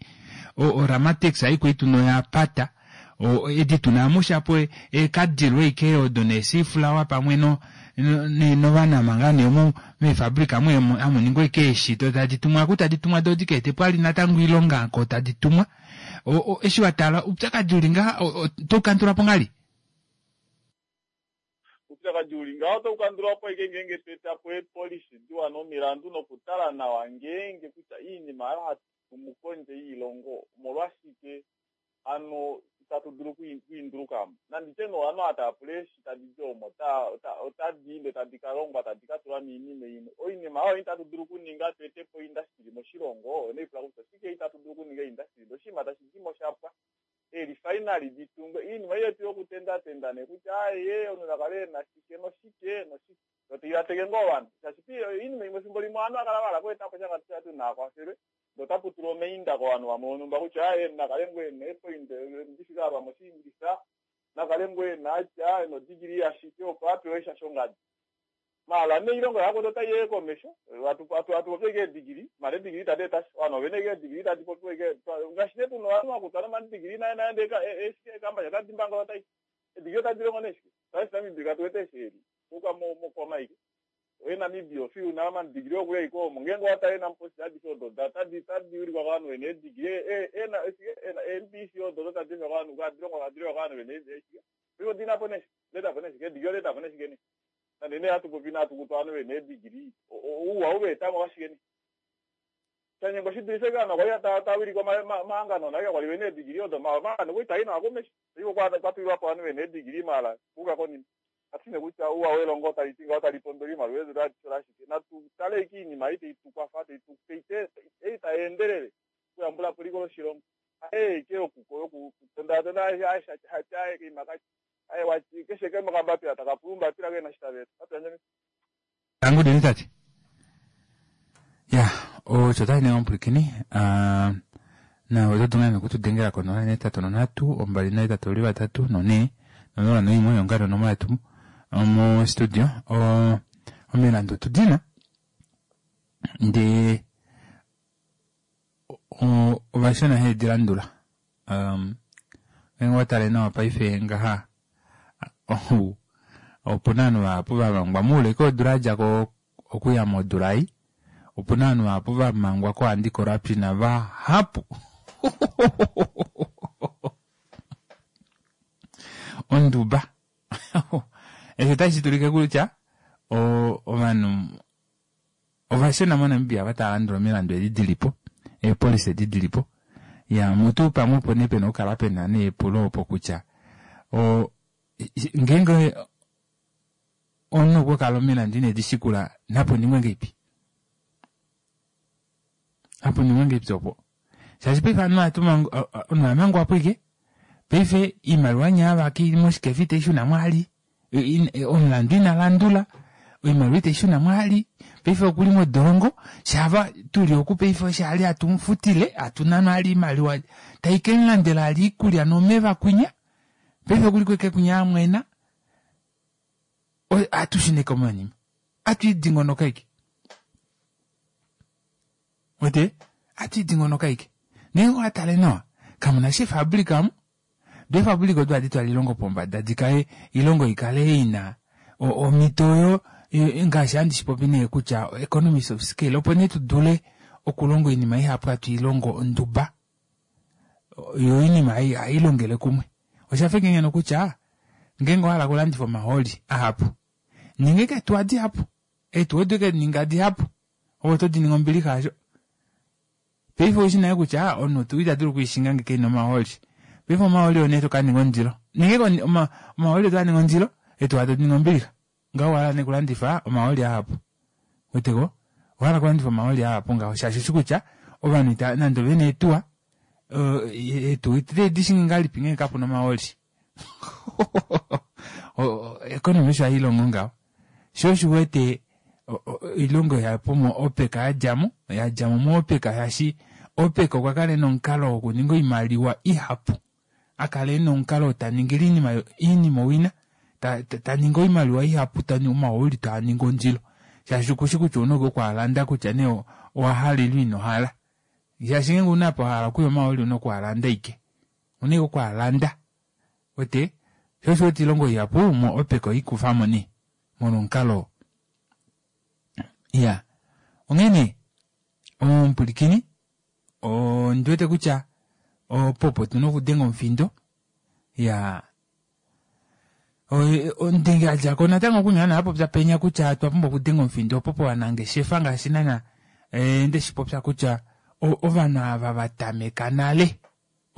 oRamatex aikwei tuna oya pata edi tuna mo shapo eekadilo ashike odo neesifulawa pamwe no novanama ngaa nee omo meefabrika amu ningwa ashike eeshi do tadi tumwa aku tadi tumwa do dika ete po ali natango oilonga ko tadi tumwa eshi watala oupyakadi uli ngaha otoukandula po ngali oupyakadi uli ngaha otoukandula po ashike ngeenge tweeta po eepolisi diwa nomilandu nokutala nawa ngeenge kutya iinima oyo hatu tumu kondje yiilongo omolwashike hano tatu dulu okwiinduluka mo. Nanditye nee ovanhu ava tava pula eeshi tadi di omo otadi ende tadi ka longwa tadi ka tulwa miinima imwe. Oinima oyo itatu dulu okuninga tu ete po oindastili moshilongo, oyo nee pula kutya oshike itatu dulu okuninga oindastili ndee oshinima tashi di mo sha pwa. Eerifainali di tungwe, oinima ei yetu yokutendatenda nee kutya aaye omunhu na kale e na shike noshike noshike. Yo tai vateke ngoo ovanhu shaashi oinima imwe efimbo limwe ovanhu va kala va hala okweeta po sha ngaashi atu naakwafele Ndee otapu tulwa omainda kovanhu vamwe vonhumba kutya aaye nakale ngoo ena eepoint ndifike apa moshiingilisa, nakale ngoo ena atya ena odegree yashike opo apewe sha shongadi. Maala nee oilonga yakwetu otai yee komesho, hatu hatu popi ashike eedegree, maala eedegree itadi eta sha. Ovanhu ovena ashike eedegree tadi popiwa ashike ngaashi nee tuna ovanhu vakutwa nomadegree naye naye ndee eekambasha otadi mbangolota ashike. Eedegree otadi longo nee shike? Ngaashi Namibia katu wete eshi eli kuuka mokwama ashike. Oye Namibia ofiu na omadigili okuya iko omo ngeenge owa tale enamuposi adishe odo da tadi tadi ulikwa kovanhu vena eedigili ena ena eeMPC odo odo tadi efwa kovanhu tadi longwa tadi longwa kovanhu vena eeshike paife odina po nee shike oda eta po nee shike eedigili oda eta po nee shike nee nande nee hatu popi inatu kutwa ovanhu vena eedigili ouwa ou va etamo okashike nee shanyengwa shi dulife ovanhu kwali tava wilike omahangano nale kakwali vena eedigili odo omahangano okwali taa i nawa komesho paife okwa tulilwapo ovanhu vena eedigili maala kuuka konima. Katu shi kutya ouwa welongo tali ti ngaho tali pondola oimaliwa eedula adishe olashike. Natu tale ashike oinima ei tai tu kwafa, tai tu ei tai endelele okuyambula po eliko loshilongo. Haye ashike yokutondatonda aye kaima kati aye wati keshe kamwe okambapila taka pula ombapila kena eshi tava eta. Natu yandje Tangu dini tati. Ya, osho tashi ninga omupwilikini. Uh, na oto dulu ngaa okutudengela ko 083 283 4 001 yonga nonomola yetu mo studio. O, omilandu otu dina. Ndee ovashona hedi landula. Um, ngeenge owa tale nawa paife ngaha oh, opu na ovanhu vahapu va mangwa moule koodula ya dja ko okuya modula ei opu na ovanhu vahapu va mangwa ko anti corruption vahapu onduba eshi otashi tulike kutya ovanhu Ovashona moNamibia ava tava landula omilandu edi dili po, eepolisi edi dili po, ya mutu pamwe opo nee pena okukala pena nee epulo opo kutya o ngeenge omunhu okwa kala omilandu ine di shikula napo ningwe ngeipi? Napo ningwe ngeipi opo? Shaashi paife ovanhu ohatu mangu omunhu oha mangwa po ike paife iimaliwa nyaa vaki moshikefa ite i shuna mwali. Omulandu ina landula, oimaliwa ite i shuna mwali, paife okuli modolongo, shava tuli oku paife osho ali hatu mufutile, hatu nana ali iimaliwa tai kemulandela ali iikulya nomeva kwinya, paife okuli kweke kwinya amwena, ohatu shuneko monima, atu idingonoka ike. Wete, atu idingonoka ike. Ngeenge owa tale nawa, kamuna sha efabrika omu, Doo eefabulika odo ohadi twala oilongo pombada di kale oilongo i kale ina omhito oyo ngaashi handi shi popi nee kutya economies of scale opo nee tu dule okulonga oinima ihapu hatu i longo onduba yo oinima ei ohai longele kumwe. Osha fa ngeno kutya ngeenge owa hala okulandifa omahooli ahapu ninga eke eetuwa dihapu, eetuwa odo eke ninga dihapu ove oto di ningi ombilixa hasho. Paife oushi nale kutya omunhu tuu ita dulu okwiishinga ngee kena omahooli. Paife omahooli oo nee toka ninga ondilo. Nenge omahooli otaa ningi ondilo, etuwa tadi ningi ombilixa. Ngaho owa hala nee okulandifa omahooli ahapu. Weteko? Owa hala okulandifa omahooli ahapu ngaho shaashi oushi kutya ovanhu ita nande ovena eetuwa, eetuwa itadi di shingi ngahelipi ngenge kapuna omahooli. Economy osho hai longo ngaho. Sho osho u wete oilongo ihapu mo OPEC ya dja mo, ya dja mo moOPEC shaashi OPEC okwa kala e na omukalo wokuninga oimaliwa ihapu. A kala e na omukalo ta ningile oinima oinima owina, ta, ta, ta ningi oimaliwa ihapu, ta ningi omahooli taa ningi ondilo. Shaashi okushi kutya ouna oku a landa kutya nee owa hala ile ino hala. Shaashi ngeenge ouna apa wa hala okuya omahooli ouna oku a landa aike. Ouna ashike oku a landa. Wete? Sho osho wete oilongo ihapu mo OPEC oikufamo nee molwa omukalo oo. Iya. Onghee nee, omupwilikini, ondi wete kutya opo opo tuna okudenga omufindo. Iya. Ondenge a dja ko natango okunya na popya penya kutya otwa pumbwa okudenga omufindo opo povanangeshefa ngaashi nana eh, nde shi popya kutya ovanhu ava va tameka nale.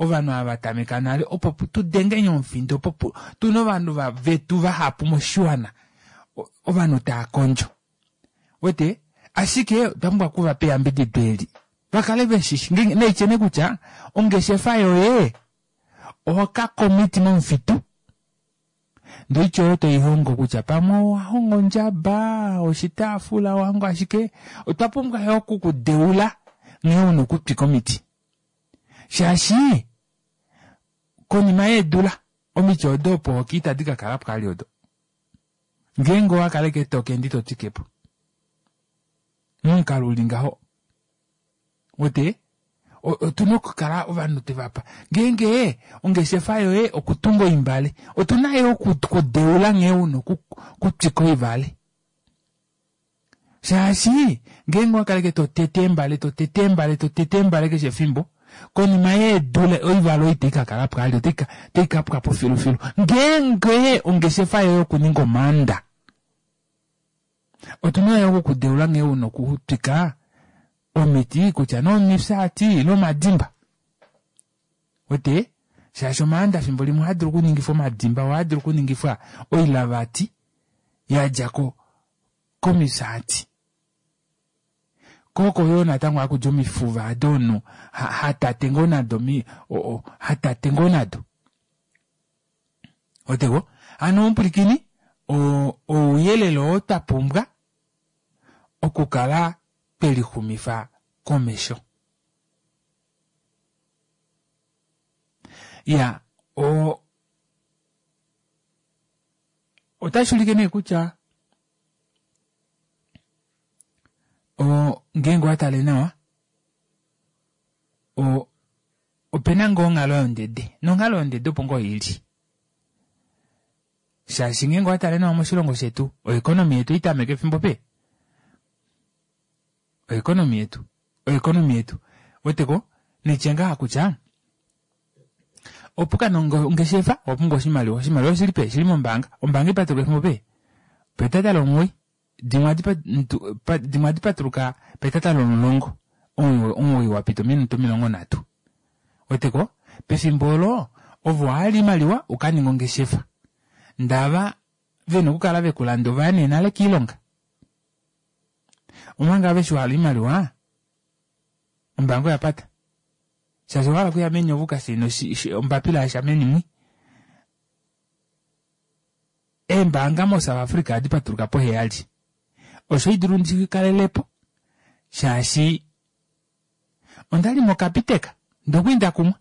ovanhu ava tameka nale opo tu denge omufindo opo tuna ovanhu vetu vahapu moshiwana ovanhu tava kondjo. Wete ashike otwa pumbwa okuvapa eyambidido eli vakale veshishi naitye nee kutya ongeshefa yoye oho komiti momufitu ndee oitya oyo toihongo kutya pamwe owahonga ondjaba oshitaafula owahonga ashike otwa pumbwa yo okukudeula nghee una okutwika omiti shaashi konima yeedula omiti odo opo hoki itadi ka kala po ali odo ngeenge owakaleke tokendi totwikepo momukalo uli ngaho wete otuna okukala ovanhu tevapa ngeenge ongeshefa yoye okutunga oimbale otuna yo okudeula nghee una okutwika oivale shaashi ngeenge owakaleke totete eembale totete eembale totete eembale keshe efimbo konima yeedula oivale oyo itai kakala po ali otai kapwa po filufilu ngeenge ongeshefa yoye okuninga omaanda otuna yo okukudeula nghee una okutwika omiti kutya nee omifyaati ile omadimba wete shaashi omaanda fimbo limwe ohaa dulu okuningifwa omadimba ohaa dulu okuningifwa oilavati yadja komifyaati koko yoo natango hakudja omifuva ado omunhu hatate ngoo nado hatate ngoo nado oteko hano omupwilikini ouyelele oo twa pumbwa okukala twelixumifa komesho. Ya otashi ulike nee kutya ngeenge owatale nawa opena ngoo onghalo yondede nonghalo yondede opo ngoo ili shaashi ngeenge owatale nawa moshilongo shetu oeconomy yetu itameke efimbo pe oeconomy yetu oeconomy yetu weteko nitye ngaha kutya opo kana ongeshefa owapumbwa oshimaliwa oshimaliwa oshili pe shili mombaanga ombaanga ipatuluka efimbo pe petata lomuwoi dimwe ohadi patuluka petata lomulongo omuwoi wapita ominute 30 weteko pefimbo olo ovo wahala oimaliwa ukaninga ongeshefa ndava vena okukala vekulanda ovaya nee nale kiilonga omanga aveshi wahala oimaliwa ombaanga oyapata shaashi owahala okuya meni ove ukasaina ombapila yasha meni mwi eembaanga moSouth Africa ohadi patuluka poheyali osho idulu ndikalelepo shaashi ondali moCapitec ndokuli ndakumwa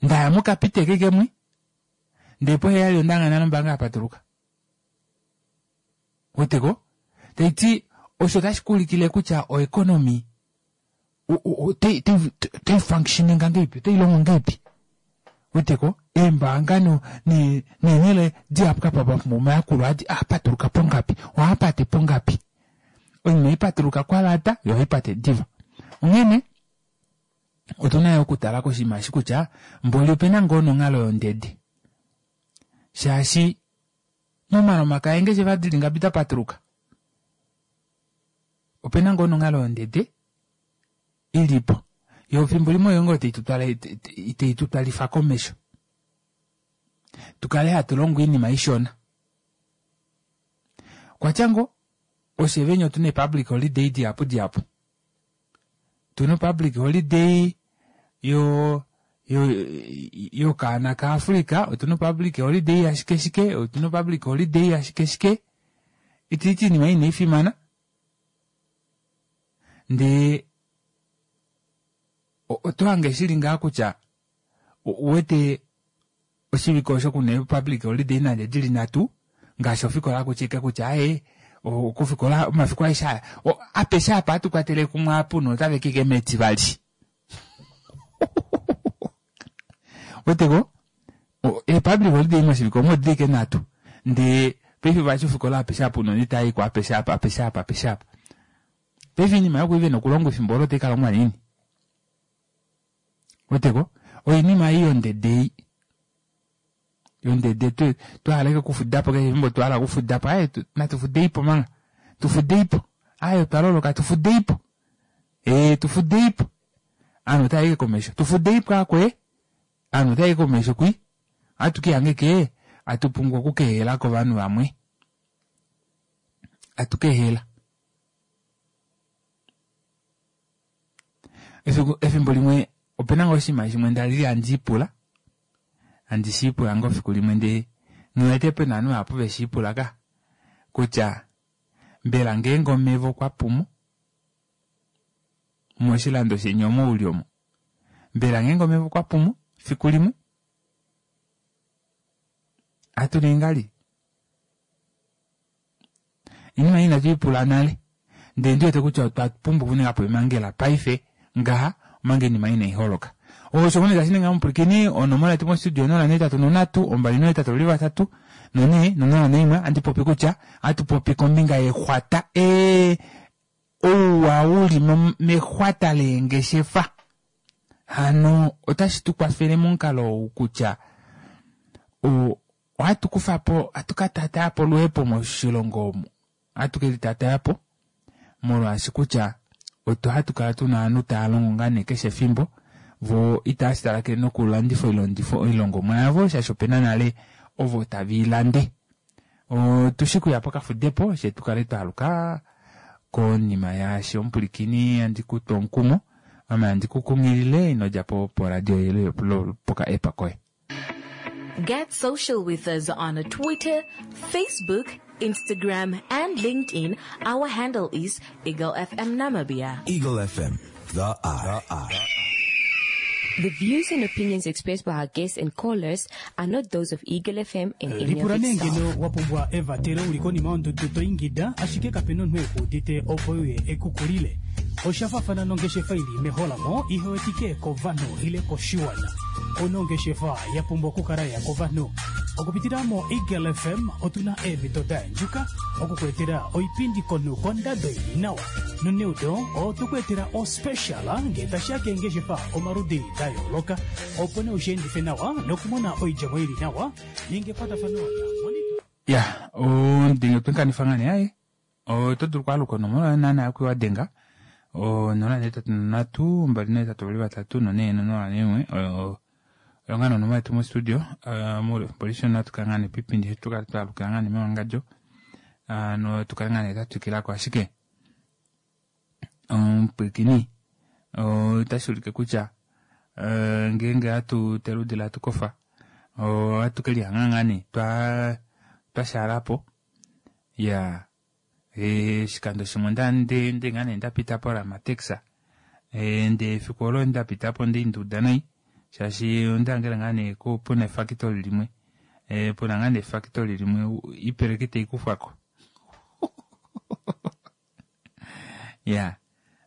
ndaya moCapitec ike mwi ndee poheyali ondanga nale ombaanga yapatuluka weteko taiti osho otashi kuulikile kutya oeconomy otai functioninga ngeipi otai longo ngeipi weteko eembaanga neenhele dihapu kapa papumbwa omayakulo adi aapatuluka pongapi ohaapate pongapi oinima ipatuluka kwalata yo ohaipate diva onghene otuna yo okutala koshinima eshi kutya mboli opena ngoo nonghalo yondede shaashi momalomaka eengeshefa dili ngapi dapatuluka opena ngoo nonghalo yondede ilipo yo fimbo limwe oyo ngoo tei tutwalifa komesho tukale hatu longo oinima ishona okwatya ngoo oshe venya otuna public holiday dihapu dihapu tuna public holiday yo yokaana kaAfrica otuna public holiday ashike shike otuna public holiday ashike shike itiiti iinima ina ifimana ndee otohange shili ngaa kutya uwete oshivike osho kuna public holiday nande dili nhatu ngaashi ofikola kutya ike kutya aye okufikola omafiku aeshe aya apeshe apa atukwatele kumwe apu notave kike metivali weteko epublic holiday moshivike omo odili ike nhatu ndee paife vati ofikola apeshe apa unene itaayiko apeshe apa apeshe apa apeshe apa paife oinima yoku vena okulongwa efimbo olo otaika nini weteko oinima ei yondede ei yondede twahala ike okufudapo keshe efimbo twahala okufudapo aye natufudeipo manga tufudeipo aye otwaloloka tufudeipo ee tufudeipo. Ovanhu otava i komesho. Tufudeipo akwe, ovanhu otava i komesho kwi. Ohatu ke ke atu pumbwa okukehela kovanhu vamwe. Atu kehela. Efimbo limwe opena ngoo oshinima shimwe ndali handi ipula, handi shi ipula ngoo fiku limwe ndee nghiwete pena ovanhu vahapu veshi ipula ka kutya mbela ngeenge omeva okwa pumo moshilando sheni omo uli omo, mbela ngeenge omeva okwa pumo fiku limwe ohatu ningi ngahelipi? Oinima ei inatu i pula nale, ndele ndi wete kutya otwa pumbwa okuninga po emangela paife ngaha omanga oinima inai holoka. Osho ngoo nee tashi ningi omupwilikini, onomola yetu mostudio 083 283 4 041 ohandi popi kutya ohatu popi kombinga yexwata e ouwa uli mexwata leengeshefa. Hano otashi tu kwafele momukalo ou kutya o Ohatu kufa po, ohatu ka taataya po oluhepo moshilongo omu. Ohatu ke li taataya po molwaashi kutya otwa hatu kala tuna ovanhu tava longo ngaa nee keshe efimbo, vo itava shi talakele nokulandifa oilongifo oilongomwa yavo shaashi opena nale ovo tave i lande. Otu shi kuya pokafudepo she tu kale twa aluka konima yaashi omupwilikini handi ku tu omukumo ame handi ku kunghilile ino dja po poradio ile poka app koye. Get social with us on Twitter, Facebook, Instagram, and LinkedIn. Our handle is Eagle FM Namibia. Eagle FM, the eye. The eye. The views and opinions expressed by our guests and callers are not those of Eagle FM and any of Lipula its nee staff. ngeno wa pumbwa evatelo uli konima yondudu to ingida ashike kape na omunhu eku udite opo uye ekukulile. Osha faafana nongeshefa i li meholamo ihe wetike kovanhu ile koshiwana. Ouna ongeshefa ya pumbwa okukala ya kovanhu. Okupitila moEagle FM otu na eemhito da yandjuka oku ku etela oipindi komunhu kondado i li nawa. Noneudo otwe ku etela ospecial ngee tashi ya keengeshefa omaludi da yooloka. Opo nee u shi endife nawa nokumona oidjemo i li nawa, ninga ekwatafano naMonica. Ya, ondenge otwe kanifa ngaa nee aye. Oto dulu okwaaluka onomola yoye naana yaku wa denga o 083 282 3 4 01 oyo ngaa nonomola yetu mostudio moule wefimbo lishona ohatu kala ngaa nee piipindi shetu tukale twaalukila ngaa nee mewangadjo no tukale ngaa nee twa twikilako ashike omupwilikini otashi ulike kutya ngeenge hatu teludila hatu kofa ohatu ke lihanga ngaa nee twa twashaalapo Ya, oshikando shimwe onda ndi ndi ngaa nee nda pita poRamatex, ndee efiku olo nda pita po nda nda uda nai shaashi onda hangela ngaa nee puna efakitoli limwe, puna ngaa nee efakitoli limwe oipeleki tai kufwa ko. Ya,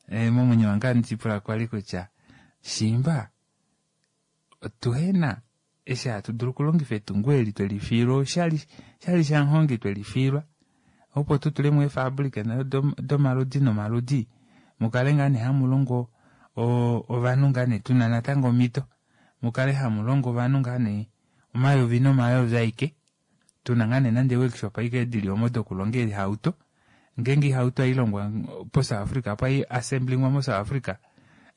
momwenyo wange ohandi lipula kwali kutya shiimba Otuhe na eshi hatu dulu okulongifa etungo eli twe li fiilwa oshali, oshali shamuhongi twe li fiilwa, opo tu tule mo eefaabulika domaludi nomaludi, mu kale ngaa nee hamu longo ovanhu ngaa nee tu na natango omhito, mu kale hamu longo ovanhu ngaa nee omayovi nomayovi aike, tu na ngaa nee nande eeworkshop aike di li omo dokulonga eehauto, ngeenge oihauto hai longwa poSouth Africa opo hai assemblingwa moSouth Africa,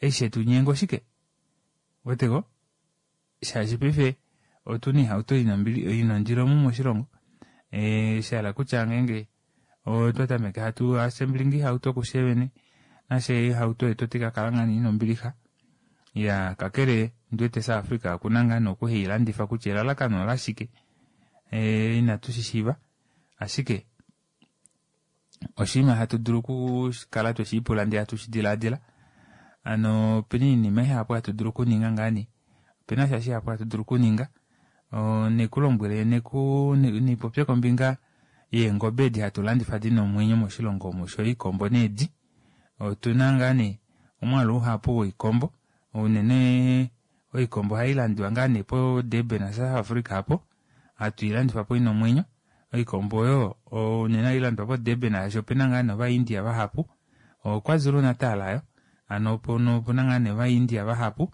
eshi shetu nyenga oshike? Weteko? Shaashi paife otu na oihauto i na ombili, i na ondilo omu moshilongo. Eh, sha hala kutya ngeenge otwa tameke hatu assembling oihauto kufye vene, nafye oihauto yetu otai ka kala ngaa nee i na ombilixa. Ya, kakele ondi wete South Africa oku na ngaa nee oku hei landifa kutya elalakano olashike, eh, inatu shi shiiva. Ashike oshinima hatu dulu okukala twe shi ipula ndele hatu shi dilaadila. Hano opena oinima ihapu hatu dulu okuninga ngaa nee. Opena sha shihapu hatu dulu okuninga. Neku lombwele neku nipopye kombinga yeengobe edi hatu landifa dina omwenyo moshilongo omu osho oikombo needi. Otuna ngaa nee omwaalu uhapu woikombo unene oikombo ohai landiwa ngaa nee po Durban South Africa apo hatu i landifa po ina omwenyo. Oikombo oyo unene ohai landwa poDurban shaashi opena ngaa nee ovaIndia vahapu. OKwaZulu Natal yo hano opuna ngaa nee ovaIndia vahapu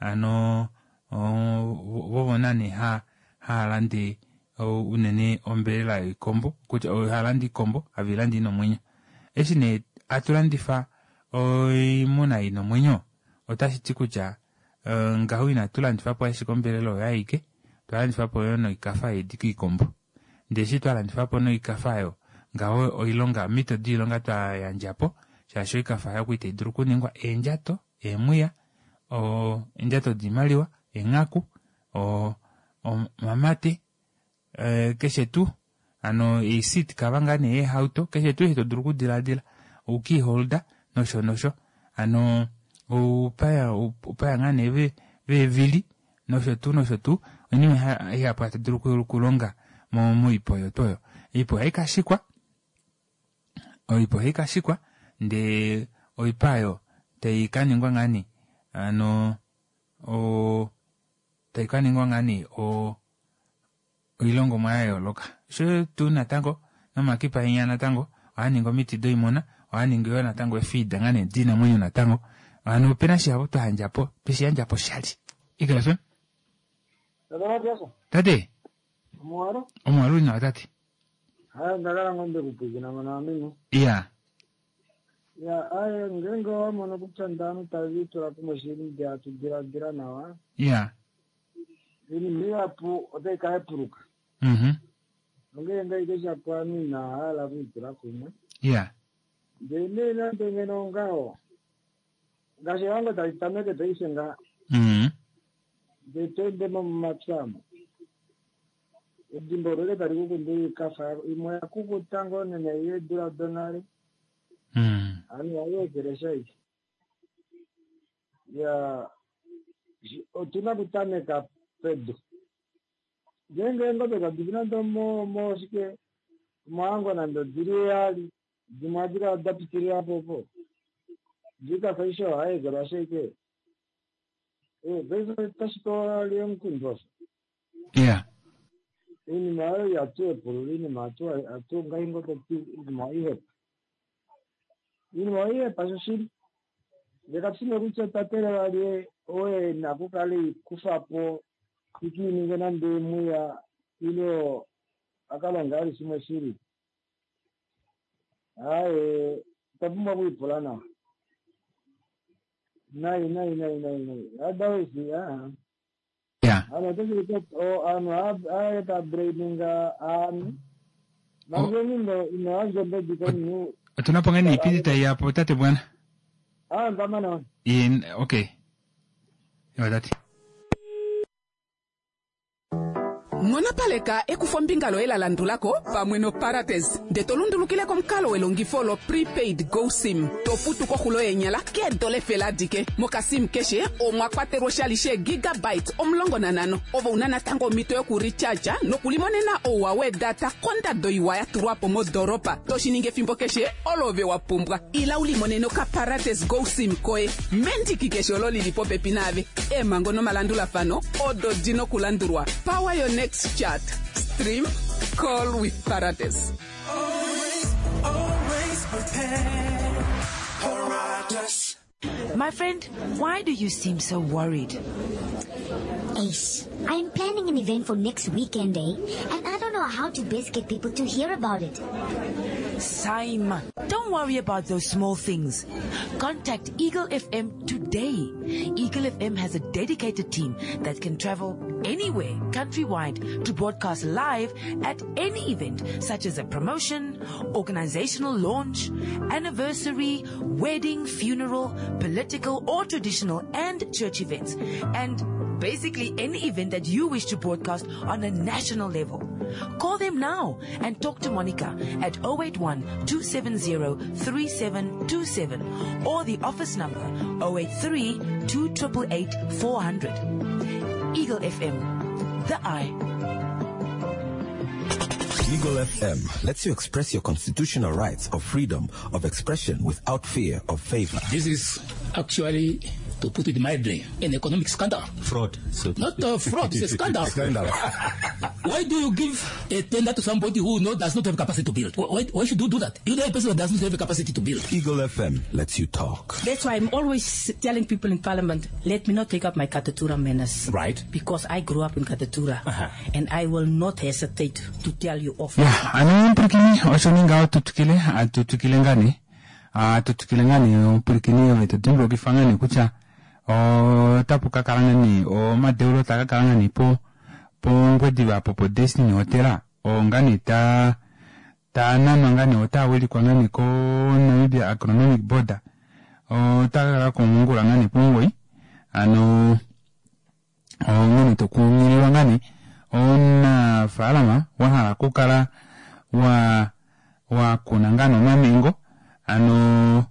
hano vovo naa nee hava lande unene ombelela yoikombo kutya hava lande oikombo have i lande ina omwenyo. Eshi nee hatu landifa oimuna ina omwenyo. Otashi ti kutya eh, ngaho inatu landifa po ashike ombelela oyo aike, otwa landifa po yo noikafa yeedi koikombo. Ndee eshi twa landifa po noikafa oyo, ngaho oilonga, omhito doilonga twa yandja po, shaashi oikafa oyo okwali tai dulu okuningwa eendjato, eemwiya, eendjato doimaliwa, eenghaku, omamate, eh, keshe tuu hano eeseat cover ngaa nee yeehauto, keshe tuu eshi to dulu okudilaadila, oukey holder nosho nosho hano oupaya oupaya ngaa nee veevili nosho tuu nosho tuu oinima ihapu hatu dulu okulonga moipa oyo tuu oyo. Oipa ohai ka shikwa, oipa ohai ka shikwa ndee oipa oyo tai ka ningwa ngaa nee hano o tai ka ningwa ngaa nee o oilongomwa ya yooloka. Osho tuu natango nomakipa enya natango ohaa ningi omiti doimuna, ohaa ningi yoo natango eefiida ngaa nee diinamwenyo natango. Hano opena shihapu twa yandja po, tweshi yandja po oshali. Eagle FM. Tate Matias. Tate. Omuwalo? Omuwalo uli nawa tate. Haye ndakala ngoo ndekupwiikina mona wamene. Iya. Ya, aye ngeenge owa mono kutya ndaanhu tave litula kumwe shili ndee hatu diladila nawa. Iya. Oinima ihapu otai ka hepuluka. Onghee ngeenge shapo ovanhu inava hala okwiitula kumwe. Iya. Ndele nee nande ngeno ongaho, ngaashi ehango tali tameke paife ngaha, ndee to ende mo momapya omo, edimba olo eke tali ku kundula oikafa imwe oya kukuta ngoo nena ei yeedula donale, hano ihai ekelesha aishe. Ya, otu na okutameka pedu. Ngeenge eengobe kadi fi nande omoshike, omohango nande odili heyali, dimwe ohadi kala da pitilila po opo. Ndee oikafa aishe ohai ekelwashi ashike. Eh, paife otashi pewa vali omukundu osho. Iya. Oinima oyo ihatu hepulula, oinima hatu ngai ngoo toti oinima ohai hepa. Oinima ohai hepa shoshili. Ndee katu shi nee kutya otwa teelela lye oo e na okukala ei kufa po ike i ninge nande emwiya ile a ka longe vali shimwe shi lili. Aaye, otwa pumbwa okwiipula nawa. Nai, nai, nai, nai, nai. Otherwise, aa. Ya. Ano otashi ulike ovanhu ohava ta blaminga ovanhu. Manga omunhu ino yandja ombedi komunhu. Otuna po ngoo iipindi tai ya po tate Bwana. Ah, ndamana. Ye, okay. Ewa tate. Nghonopaleka ekufombinga loye la landula ko pamwe noParates nde to lundulukile komukalo welongifo lo-prepaid GoSIM to futu koxulo yeenyala keedola efele adike. Mokasim keshe omwa kwatelwa oshali sheegigabyte 15 ove una natango omhito yokurecharge nokulimonena ouwa weedata kondado iwa ya tulwa po modoolopa to shi ningi efimbo keshe olo ove wa pumbwa. Ila u limonene okaParates GoSIM koye mendiki keshe olo li li popepi naave. Eemhango nomalandulafano odo di nokulandulwa. Power your next chat. Stream, call with Parates. Always, always prepared. Paratus. My friend, why do you seem so worried? Ace, I'm planning an event for next weekend, eh? And I don't know how to best get people to hear about it. Saima, don't worry about those small things. Contact Eagle FM today. Eagle FM has a dedicated team that can travel anywhere countrywide to broadcast live at any event, such as a promotion, organizational launch, anniversary, wedding, funeral, political or traditional and church events, and basically any event that you wish to broadcast on a national level. Call them now and talk to Monica at 081-270-3727 or the office number 083-2888-400. Eagle FM, the eye. Eagle FM lets you express your constitutional rights of freedom of expression without fear of favor. This is actually, to put it mildly, an economic scandal. Fraud. So Not a fraud, it's a scandal. Scandal. Why do you give a tender to somebody who does not have capacity to build? Why should you do that? You know a person who does not have capacity to build. Eagle FM lets you talk. That's why I'm always telling people in Parliament, let me not take up my Katutura manners. Right. Because I grew up in Katutura. And I will not hesitate to tell you off. Ya, ano omupwilikini osho nee ngaho tu twikile, hatu twikile ngaa nee. Hatu twikile ngaa nee omupwilikini ove to dimbulukifa ngaa nee kutya Otapu ka kala ngaa nee omadeulo taa ka kala ngaa nee po pOngwediva apo po Destiny Hotel oo ngaa nee taa taa nanwa ngaa nee otaa wilikwa ngaa nee ko Namibia Agronomic Board. Otaa ka kala komongula ngaa nee pomugoyi ano onghene tokunghililwa ngaa nee omunafaalama wahala okukala wa wakuna ngaa nee omamengo ano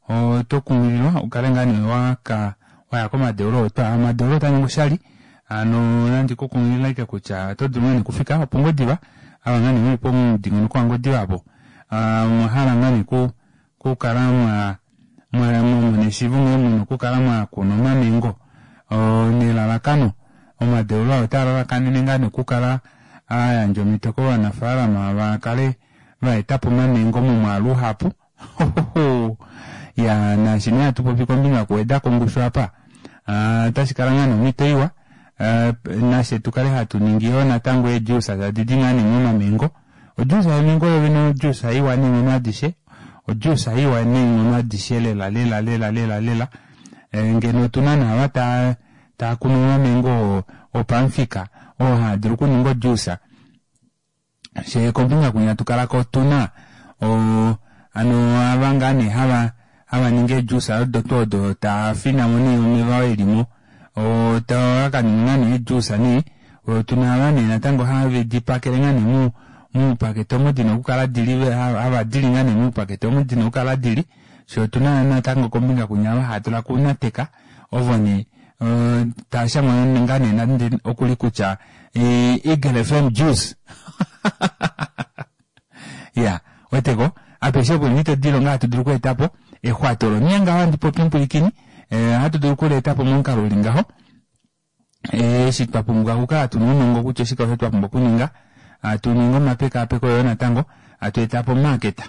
oto kunghililwa ukale ngaa nee waka waya komadeulo otwa omadeulo otaa ningi oshali hano nandi kukunghilila ashike kutya oto dulu ngaa nee okufika opOngwediva ava ngaa nee muli pomudingonoko waNgwediva apo omwa hala ngaa nee okukala mwa mwamona eshiivo nghee muna okukala mwakuna omamengo nelalakano omadeulo aa otaa lalakanene ngaa nee okukala ayandja omhito kovanafaalama vakale vaetapo omamengo momwaalu uhapu ya naashi nee hatupopi kombinga yokuwedako ongushu apa otashi kala ngaa nee omhito iwa nafye tukale hatu ningi yoo natango eejuice tadi di ngaa nee momamengo. Ojuice yemengo yovene ojuice iwa neenghono adishe ojuice iwa neenghono adishe lela lela lela lela lela ngeno otuna naava taa taakunu omamengo opamufika oo haadulu okuninga ojuice fyee kombinga kwinya tukalako otuna hano ava ngaa nee hava hava ningi eejuice odo tuu odo taafinamo nee omeva oo elimo takaninga ngaa nee eejuice nee otuna ava nee natango have dipakele ngaa nee muupakete omo dina okukala dili hava dili ngaa nee muupakete omo dina okukala dili fyee otuna natango kombinga kwinya ava haatula kuunateka ovo nee tashangwa ngaa nee nande okuli kutya Eagle FM juice ya weteko apeshe opo eemhito dilonga hatu dulu okweetapo exwato olo ngaho handi popi omupwilikini ohatu dulu okuleetapo momukalo uli ngaho eshi twa pumbwa okukala tuna ounongo kutya oshike osho twapumbwa okuninga hatu ningi omapekaapeko yoo natango hatu etapo omarket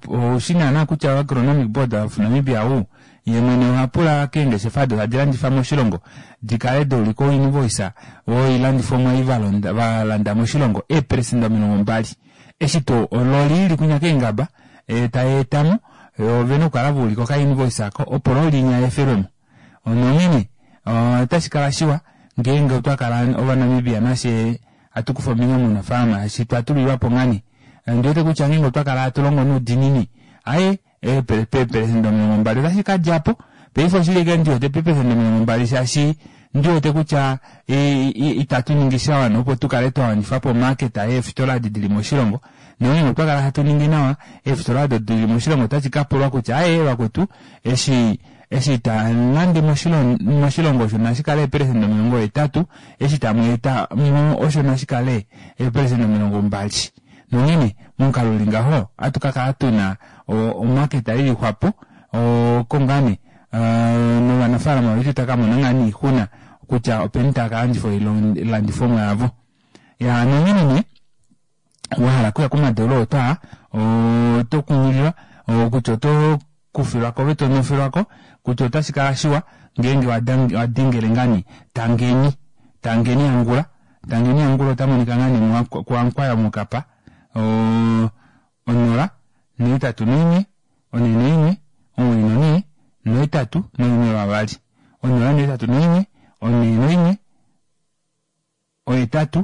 oushi naana kutya Agronomic Board of Namibia ou ye mwene oha pula keengeshefa odo tadi landifa moshilongo dikale daulika oinvoice woilandifomwa ei valanda moshilongo eeperesenda 20 eshi tuu ololi ili kwinya keengaba tai etamo ovena okukala vaulika okainvoice ako opo loli inya yeefelwemo nonghene otashi kala shiwa ngeenge otwa kala ovanamibia nafye hatu kufa ombinga mounafaalama eshi twatulilwapo ngaa nee ondiwete kutya ngeenge otwa kala hatu longo noudinini aaye peeperesenda 20 otashi kadjapo paife oshili ashike ndiwete peeperesenda 20 shaashi ndiwete kutya itatu ningi shawana opo tukale twawanifapo omarket yeefitola edi dili moshilongo nongeenge otwa kala hatu ningi nawa eefitola odo dili moshilongo otashi kapulwa kutya aaye vakwetu eshi eshi tamulande moshilongo osho nashikale eeperesenda 80 eshi tamweeta mo osho nashikale eeperesenda 20 nonghene momukalo uli ngaho ohatu kakala tuna omarket ilixwapo oko ngaa nee novanafaalama vetu itakamona ngaa nee oixuna kutya openi tava kalandifa oilandifomwa yavo. Ya nonghene nee wahala okuya komadeulo otwaa oto kunghililwa kutya oto kufilwako ove tonofilwako kutya otashi kala shiwa ngeenge wadengele ngaa nee Tangeni Tangeni Angula Tangeni Angula ota monika ngaa nee kuAnkwaya mokapa 0 8 1 4 1 9 4 8 1 2 0 8 1 4 1 8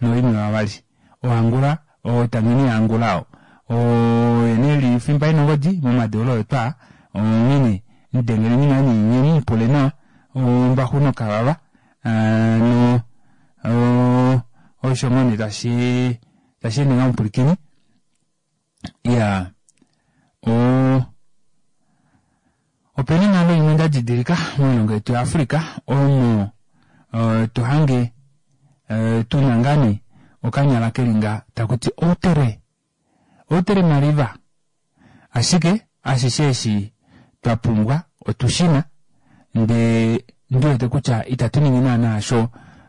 1 2 oAngula oTangeni yaAngula oo oye nee eli fimba ina ongodi momadeulo otwaa onghene mudengeleni ngaa nee nye mumupule nawa ombaxu nokavava hano osho ngoo nee tashi tashi ende ngaho omupwilikini iyaa opena onghalo imwe ndadidilika moilongo yetu yaAfrica omo tohange tuna ngaa nee okanyala keli nga takuti outere outere maliva ashike ashishe eshi twapumbwa otushina ndee ndiwete kutya itatu ningi naana osho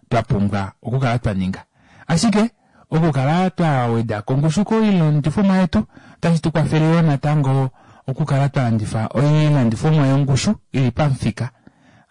twapumbwa okukala twaninga ashike okukala twaweda kongushu koilandifomwa yetu otashi tukwafele yoo natango okukala twalandifa oilandifomwa yongushu ili pamufika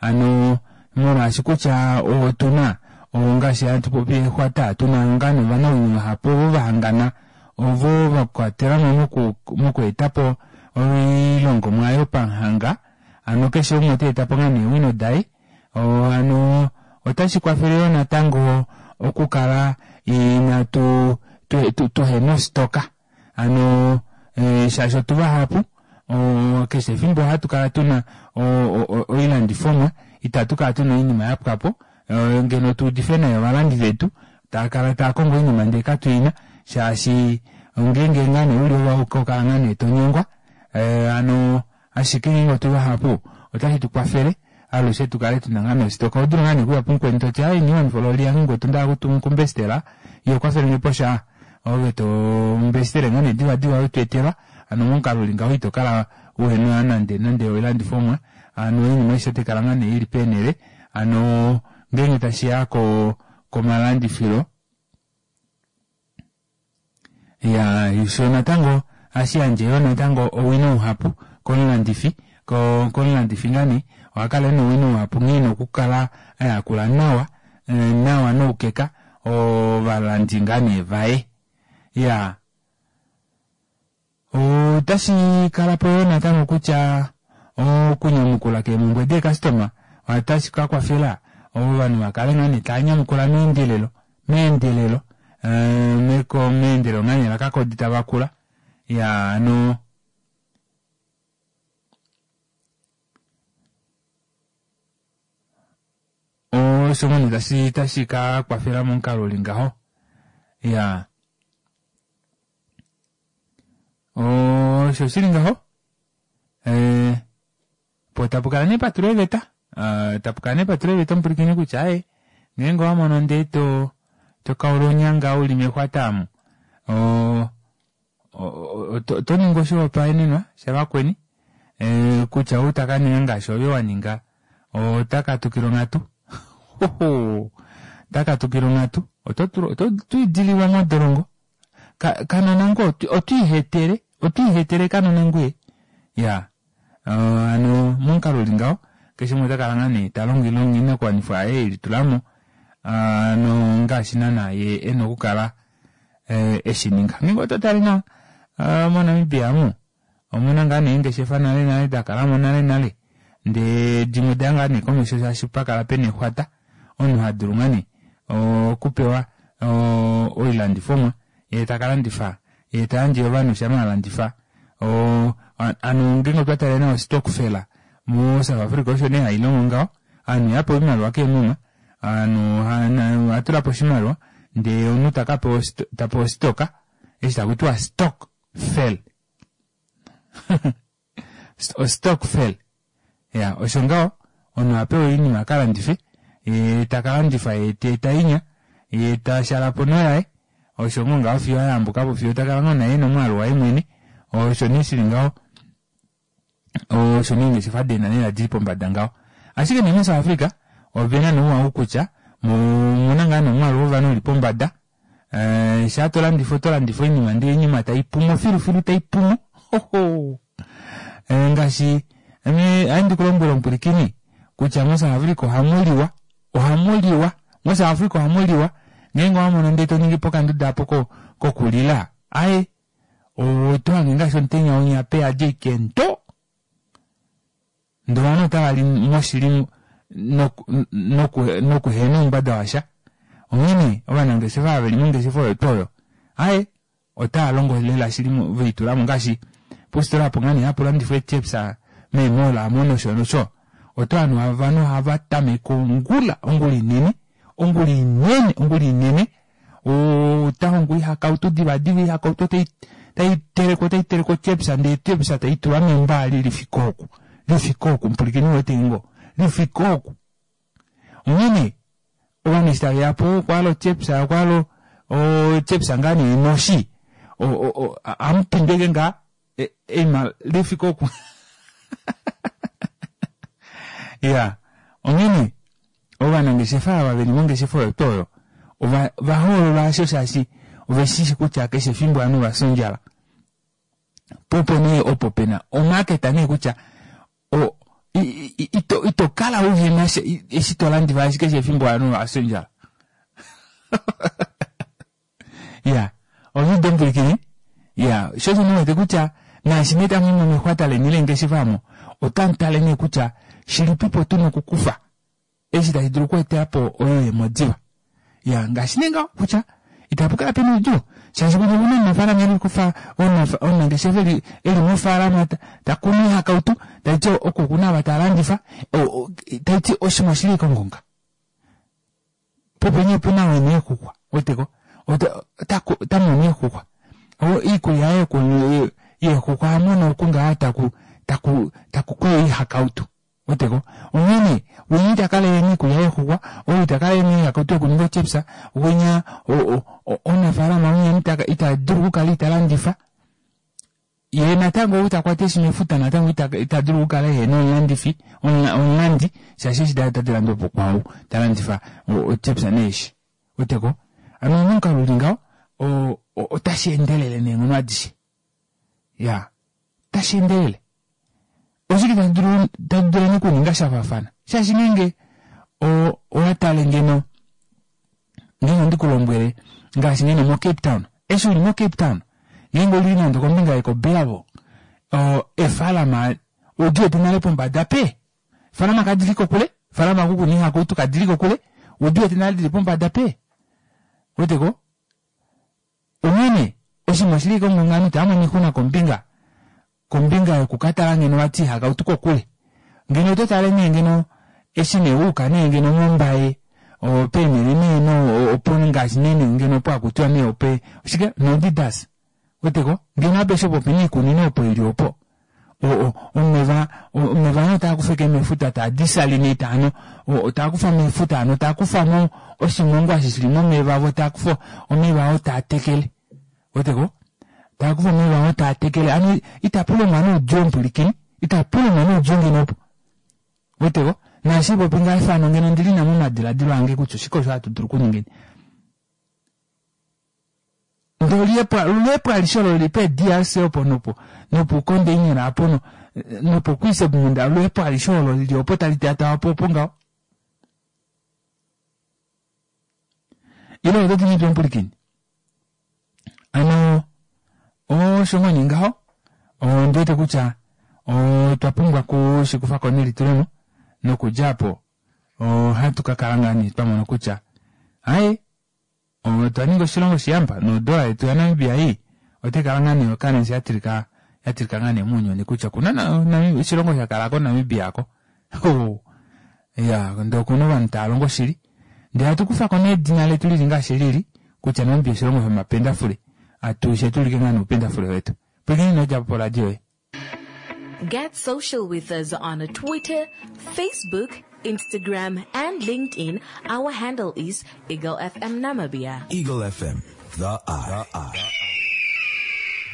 hano molwaashi kutya otuna ngaashi hatu popi exwata tuna ngaa novanawino vahapu ovo vahangana ovo vakwatelamo mokweetapo oilongomwa yopamuhanga. Hano keshe umwe ota eta po ngaa nee eewino daye. Hano otashi kwafele yoo natango okukala inatu tuhena ostoka. Hano shaashi otu vahapu keshe efimbo ohatu kala tuna oilandifomwa, itatu kala tuna oinima yapwapo ngeno tuudife nai ovalandi vetu tava kala tava kongo oinima ndee katuina shaashi ngeenge ngaa nee uli ove auke oho kala ngaa nee tonyengwa hano ashike ngeenge otu vahapu otashi tu kwafele alushe tu kale tuna ngaa nee ositoka. Oho dulu ngaa nee okuya pumukweni toti aaye ino wanifa ololi yange ngwetu onda hala okumbestela iye kwafelenge posha ove to mbestele ngaa nee divadiva we tweetelwa hano momukalo uli ngaho ito kala uhena nande nande oilandifomwa hano oinima aishe otai kala ngaa nee ili peenhele hano ngeenge tashiya ko komalandifilo Ya, sho natango ohashi yandje yoo natango owino uhapu komulandifi, ko komulandifi ngaa nee oha kala ena owino uhapu nghee ena okukala a yakula nawa, nawa noukeka ovalandi ngaa nee vaye. Ya. Otashi kala po yoo natango kutya okunyamukula keemhumbwe deekastoma otashi ka kwafela ovanhu va kale ngaa nee tava nyamukula meendelelo meendelelo meendelelo ngaa nee lakakodi tava kula ya hano osho ngoo nee tashi tashi ka kwafela momukalo uli ngaho ya osho shili ngaho eh, po tapu kala nee patulwa eeveta ah, tapu kala nee patulwa eeveta omupwilikini kutya aye ngeenge owa mono ndee to to kaula onyanga uli mexwata amu oto ningi oshihopaenenwa shavakweni eh, kutya ou taka ninga ngaashi ove wa ninga ota katukila onghatu ota katukila onghatu oto idililwa modolongo Kanona ngoo otwiihetele otwiihetele kanona ngwee ya hano momukalo uli ngaho keshe umwe ota kala ngaa nee ta longo oinakuwanifwa yaye elitulamo hano ngaashi naana ye ena okukala eshininga. Ngeenge oto tale nawa moNamibia amu Omuna ngaa nee eengeshefa nale nale da kala mo nale nale, ndee dimwe oda ya ngaa nee komesho shaashi pa kala pena exwata, omunhu ha dulu ngaa nee okupewa oilandifomwa yee taka landifa yee ta yandje ovanhu shama a landifa. Hano ngeenge otwa tale nawa ostokfela mo South Africa osho nee hai longo ngaho, ovanhu ihava pewa oimaliwa keemuma, ovanhu ohava tula po oshimaliwa ndee omunhu taka pewa ta pewa ostoka eshi taku tiwa stock fel ostokvel ya osho ngaho omunhu oha pewa oinima aka landife ye taka landifa ye ta eta inya ye ta shalapo noyaye osho ngoo ngaho fiyo ayambukapo fiyo takala ngoo naye ena omwaalu waye mwene osho nee shili ngaho osho nee eengeshefa deenanela dili pombada ngaho ashike nee moSouth Africa ovena nee ouwa ou kutya omuna ngaa nee omwaalu wovanhu uli pombada Eh, shaa to landifa oto landifa oinima ndele oinima tai pumo filufilu tai pumo hoho eh, ngaashi ame ohandi ku lombwele omupwilikini kutya moSouth Africa ohamu liwa ohamu liwa moSouth Africa ohamu liwa ngeenge owa mono ndele to ningi po okanduda apo ko kokulila aye oto hange ngaashi omutenya winya peyadi ashike nto Ndele ovanhu otava li moshili nokuhena oumbada washa. Onghee ovanangeshefa ava veli mongeshefa oyo tuu oyo, aye, otava longo lela shili ve litula mo ngaashi positola opo ngaa nee hapu landifwa eechips meemall omo nosho nosho. Oto hanhu ovanhu ohava tameke ongula, ongula inene, ongula inene, ongula inene ota hongo oihakautu divadiva oihakautu otai tai telekwa otai telekwa ochepsa ndee ochepsa tai tulwa membaali lifike oku lifike oku mupulikini wete ngo lifike oku onghene ovanhu eshi tave ya po okwa hala ochepsa okwa hala ochepsa ngaa nee noshi amupindweke ngaa eima lifike oku ya onghene ovanangeshefa ava veli mongeshefa oyo tuu oyo ova va hoolola asho shaashi ove shishi kutya keshe efimbo ovanhu ova fya ondjala po opo nee opo pena omarket nee kutya o ito ito kala uhena eshi to landifa ashike keshe efimbo ovanhu ova fya ondjala ya omudo omupulikini ya sho osho ndiwete kutya Naashi nee tamu i mo mexwata leni leengeshefa omo, otamu tale nee kutya shilipipo tu na okukufa eshi tashi dulu okweetela po oyuuyemo diva. Ya, ngaashi nee ngaho kutya itapu kala pena oudjuu shaashi kutya okuna omunafaalama eli kufa omunangeshefa eli eli mofaalama ta, ta kunu oihakautu taiti oko kuna ava ta landifa taiti oshimwe oshili kongonga popenye opuna wene eexuxwa weteko ota mono eexuxwa iikulya yaye yeexuxwa oha mono oku ngaa taku taku taku kuya oihakautu weteko onghene winya ita kala ena iikulya yeexuxwa ou ita kala ena oihakautu yokuninga ochips winya omunafaalama winya ita dulu okukala ita landifa ye natango ou ta kwata eeshi mefuta natango ita dulu okukala ehena omulandifi omulandi shaashi eeshi daye otadi landwa po kwaau ta landifa ochips neeshi weteko ano momukalo uli ngaho otashi endelele neenghono adishe ya tashi endelele oshike tashi dulu tashi dulu okuninga sha faafana shaashi ngeenge owa tale ngeno ngeenge ondi ku lombwele ngaashi ngeno moCape Town eshi uli moCape Town ngeenge uli nande kombinga yekoBellville efalama odi wete nale pombada pe efalama kadili kokule efalama kukuna ihakautu kadili kokule odi wete nale dili pombada pe weteko onghene oshinima oshili kongonga ovanhu itava mono oixuna kombinga kombinga yokukatala ngeno vati ihakautu kokule ngeno oto tale nee ngeno eshi nee wuuka nee ngeno mombaye peenhele nee no opo ngaashi nee ngeno opo hakutiwa nee ope oshike noDidas weteko ngeno apeshe opo pena iikunino opo ili opo omeva omeva ano taa kufa eke mefuta taa desalinate ano taa kufa mefuta ano taa kufa mo oshimongwa eshi shili momeva vo taa kufa omeva oo taa tekele weteko taa kufa omeva oo taa tekele ano itapu longwa noudjuu omupwilikini itapu longwa noudjuu ngeno opo weteko naashi popi ngaa efano ngeno ndili na momadiladilo ange kutya oshike osho hatu dulu okuningeni ndele oluhepo alishe olo lili peDRC opo nopo nopukondeiner apo no nopoKuisebmund oluhepo alishe olo lili opo tali taatawa po opo ngaho ile oto ti ngahelipi omupwilikini ano osho ngoo nee ngaho ondi wete kutya otwa pumbwa okushikufa ko nelitulemo nokudja apo ohatu ka kala ngaa nee twa mona kutya aye Otwa ninga oshilongo oshiyamba nodola yetu yaNamibia ei otai kala ngaa nee oCurrency ya tilika ya tilika ngaa nee mounyuni kutya okuna oshilongo sha kala ko Namibia ko. Ya ndee okuna ovanhu tava longo shili. Ndee hatu kufa ko nee edina letu lili ngaashi lili kutya Namibia oshilongo shomapendafule. Atushe tuulike ngaa nee oupendafule wetu. Pwilikina ino dja po poradio yoye. Get social with us on Twitter, Facebook, Instagram, and LinkedIn. Our handle is Eagle FM Namibia. Eagle FM, the eye.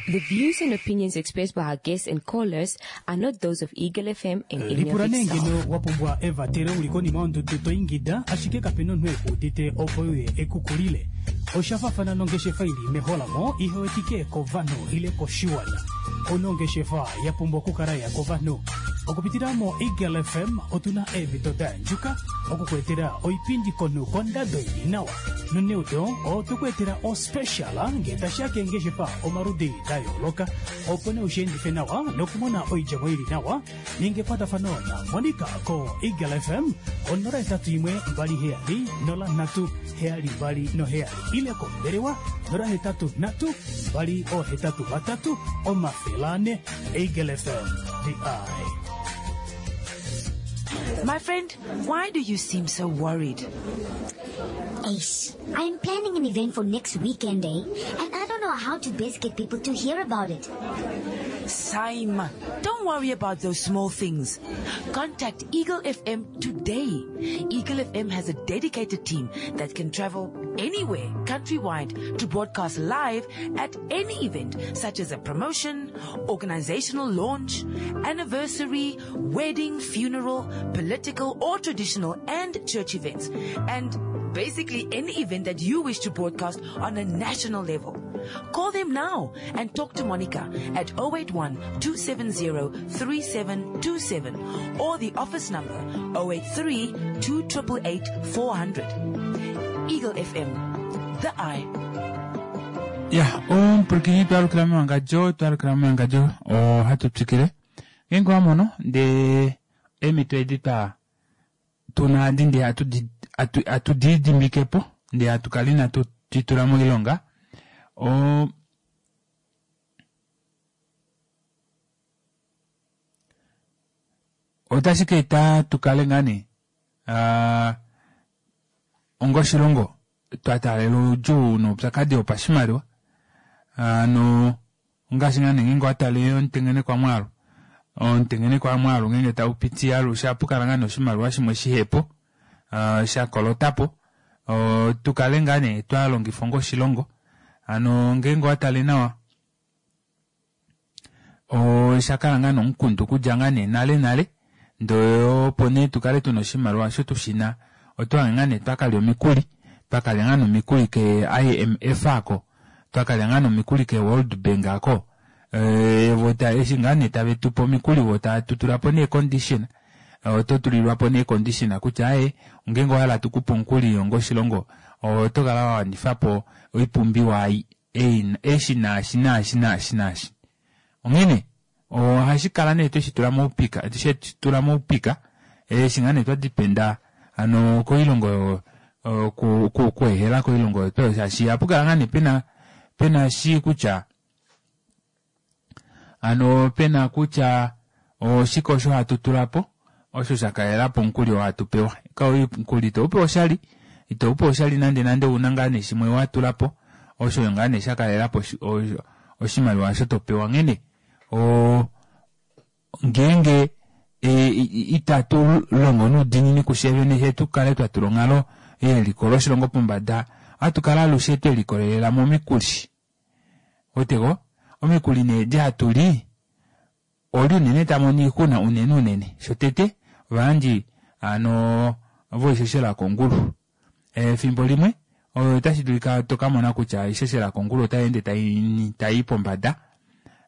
The views and opinions expressed by our guests and callers are not those of Eagle FM and any of Lipula nee its staff. ngeno wa pumbwa evatelo uli konima yondudu to ingida ashike kape na omunhu eku udite opo uye ekukulile. Osha fafana nongeshefa ili meholamo ihe wetike kovanhu ile koshiwana. Ouna ongeshefa ya pumbwa okukala ya kovanhu. Okupitila moEagle FM otu na eemhito da yandjuka oku ku etela oipindi konhu kondado ili nawa. Noneudo otwe ku etela ospecial ngee tashi ya keengeshefa omaludi da yooloka opo nee ushiendife nawa nokumona oidjemo ili nawa. Ninga ekwatafano na Monica ko Eagle FM ko 081 27 03 72 ile kombelewa 083 283 400. Eagle FM, the eye. My friend, why do you seem so worried? Ace, I am planning an event for next weekend, eh? And I don't know how to best get people to hear about it. Saima, don't worry about those small things. Contact Eagle FM today. Eagle FM has a dedicated team that can travel anywhere, countrywide, to broadcast live at any event, such as a promotion, organizational launch, anniversary, wedding, funeral, political or traditional and church events. And basically any event that you wish to broadcast on a national level. Call them now and talk to Monica at 081 270 3727 or the office number 083 288 400. Eagle FM, the eye. Ya, omupwilikini twalukila mewangadjo, twalukila mewangadjo, ohatu twikile. Ngeenge wa mono ndee eemhito edi twa tuna adi ndee hatu di lidimbike po ndee hatu kala inatu di tula moilonga, o otashi ka eta tu kale ngaa nee onga oshilongo twa taalela oudjuu noupyakadi wopashimaliwa. Hano ongaashi ngaa nee ngeenge owa tale omutengenekwa mwaalu, omutengenekwa mwaalu ngeenge tau piti alushe ohapu kala ngaa nee oshimaliwa shimwe shihepo sha kolotapo tu kale ngaa nee twa longifa onga oshilongo. Hano ngeenge owa tale nawa osha kala ngaa nomukundu okudja ngaa nee nale nale ndee opo nee tukale tuna oshimaliwa osho tushina otwahange ngaa nee twakalya omikuli twakalya ngaa nee omikuli ke IMF aako twakalya ngaa nee omikuli ke World Bank aako vo eshi ngaa nee tave tupe omikuli vo tava tutulapo nee condition oto tulilwapo nee condition kutya aaye ngeenge owahala tukupe omukuli onga oshilongo oto kala wawanifapo oipumbiwa ei eshi naashi naashi naashi naashi. Onghene ohashi kala nee tweshi tula moupika, shetu tula moupika eshi ngaa nee twa dependa hano koilongo okuehela koilongo oyo twaya shaashi ohapu kala ngaa nee pena pena shi kutya hano pena kutya oshike osho hatu tula po osho sha kalela po omukuli oo hatu pewa. Omukuli ito upewa oshali, ito upewa oshali nande nande ouna ngaa nee shimwe wa tula po osho ngaa nee sha kalela po oshimaliwa osho to pewa. Onghene ngeenge itatu longo noudiinini kufye vene fye tu kale twa tula onghalo yeliko loshilongo pombada, ohatu kala alushe twe likolelela momikuli. Weteko? Omikuli nee edi hatu li oli unene ta mono oixuna unene unene. Shotete, ovayandji hano voishoshela kongulu. Efimbo limwe otashi dulika to ka mona kutya oishoshela kongulu otai ende tai i pombada.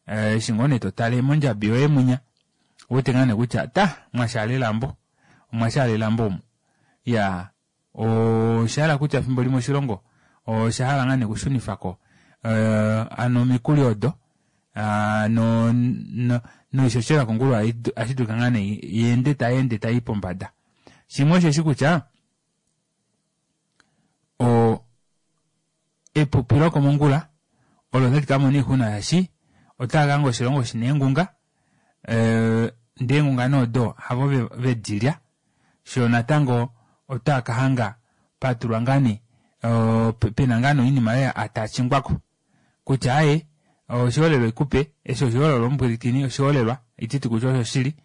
Eshi ngoo nee to tale mondjabi yoye munya, ouwete ngaa nee kutya ta, mwashaala elambo. Omwashaala elambo omu. Iyaa, Osha hala kutya efimbo limwe oshilongo osha hala ngaa nee okushunifa ko hano omikuli odo no noishoshela kongulu ohashi dulika ngaa nee yeende tai ende tai i pombada. Shimwe osheshi kutya o epupi lokomongula olo tali ka mona oixuna shaashi otava ka hanga oshilongo shina eengunga ndee eengunga nee odo havo ve di lya shoo natango otaa ka hanga pa tulwa ngaa nee pena ngaa nee oinima oyo atachingwako kutya aaye oshiholelwa ikupe eshi oshiholelwa omupwilikini oshiholelwa ititi kutya osho shili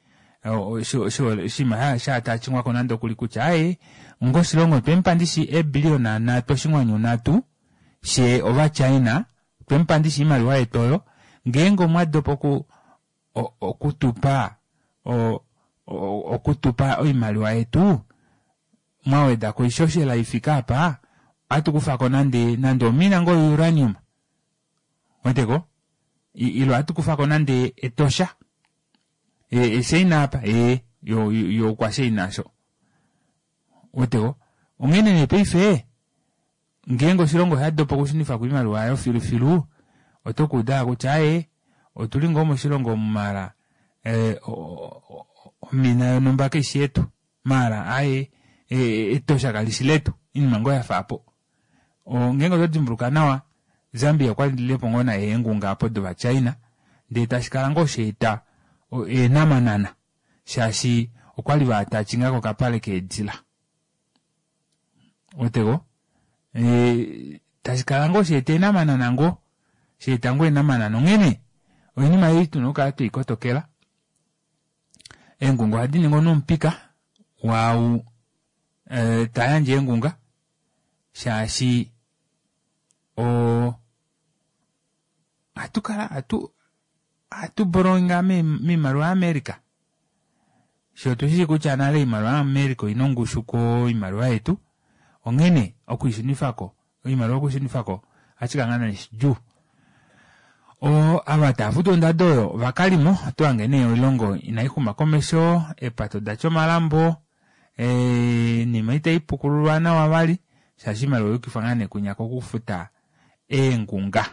oshinima sha atachingwako nande okuli kutya aaye onga oshilongo twemupa ndishi eebiliyona nhatu oshinghwanyu nhatu she ovaChina twemupa ndishi oimaliwa yetu oyo ngeenge omwa dopa oku okutupa okutupa oimaliwa yetu mwa weda ko oishoshela ifike apa ohatu kufa ko nande nande omina ngoo youranium weteko ilo ohatu kufa ko nande etosha eshaina apa ee yo okwashaina asho weteko onghene nee paife Ngeenge oshilongo osha dopa okushunifa ko oimaliwa yayo filufilu, oto ka uda kutya aaye, otu li ngoo moshilongo omu maala omina yonhumba kai shi yetu, maala aaye, etosha kali shi letu, oinima ngoo ya fa aapo. Ngeenge oto dimbuluka nawa, Zambia okwa lile po ngoo naye eengunga apo dOvachina, ndee tashi kala ngoo sha eta eenhamanana, shaashi okwa li va attachinga kokapale keedila. Weteko? E, tashi kala ngoo sheeta eenamanana ngoo. Sheeta ngoo eenamanana. Onghene, oinima ei tuna okukala twei kotokela. Eengunga ohadi ningi omunhu omupika waau e, ta yandje eengunga shaashi o ohatu kala hatu ohatu borrowinga miimaliwa yaAmerica. Fye otu shi kutya nale oimaliwa yaAmerica oina ongushu koimaliwa yetu, onghene okuishunifa ko, oimaliwa okuishunifa ko ohashi kala ngaa shidjuu. O, ava tava futu ondado oyo ovakalimo, oto hange nee oilongo inai xuma komesho, eepato da tya omalambo, oinima itai pukululwa nawa vali, shaashi oimaliwa oya yukifwa ngaa nee kunya kokufuta eengunga.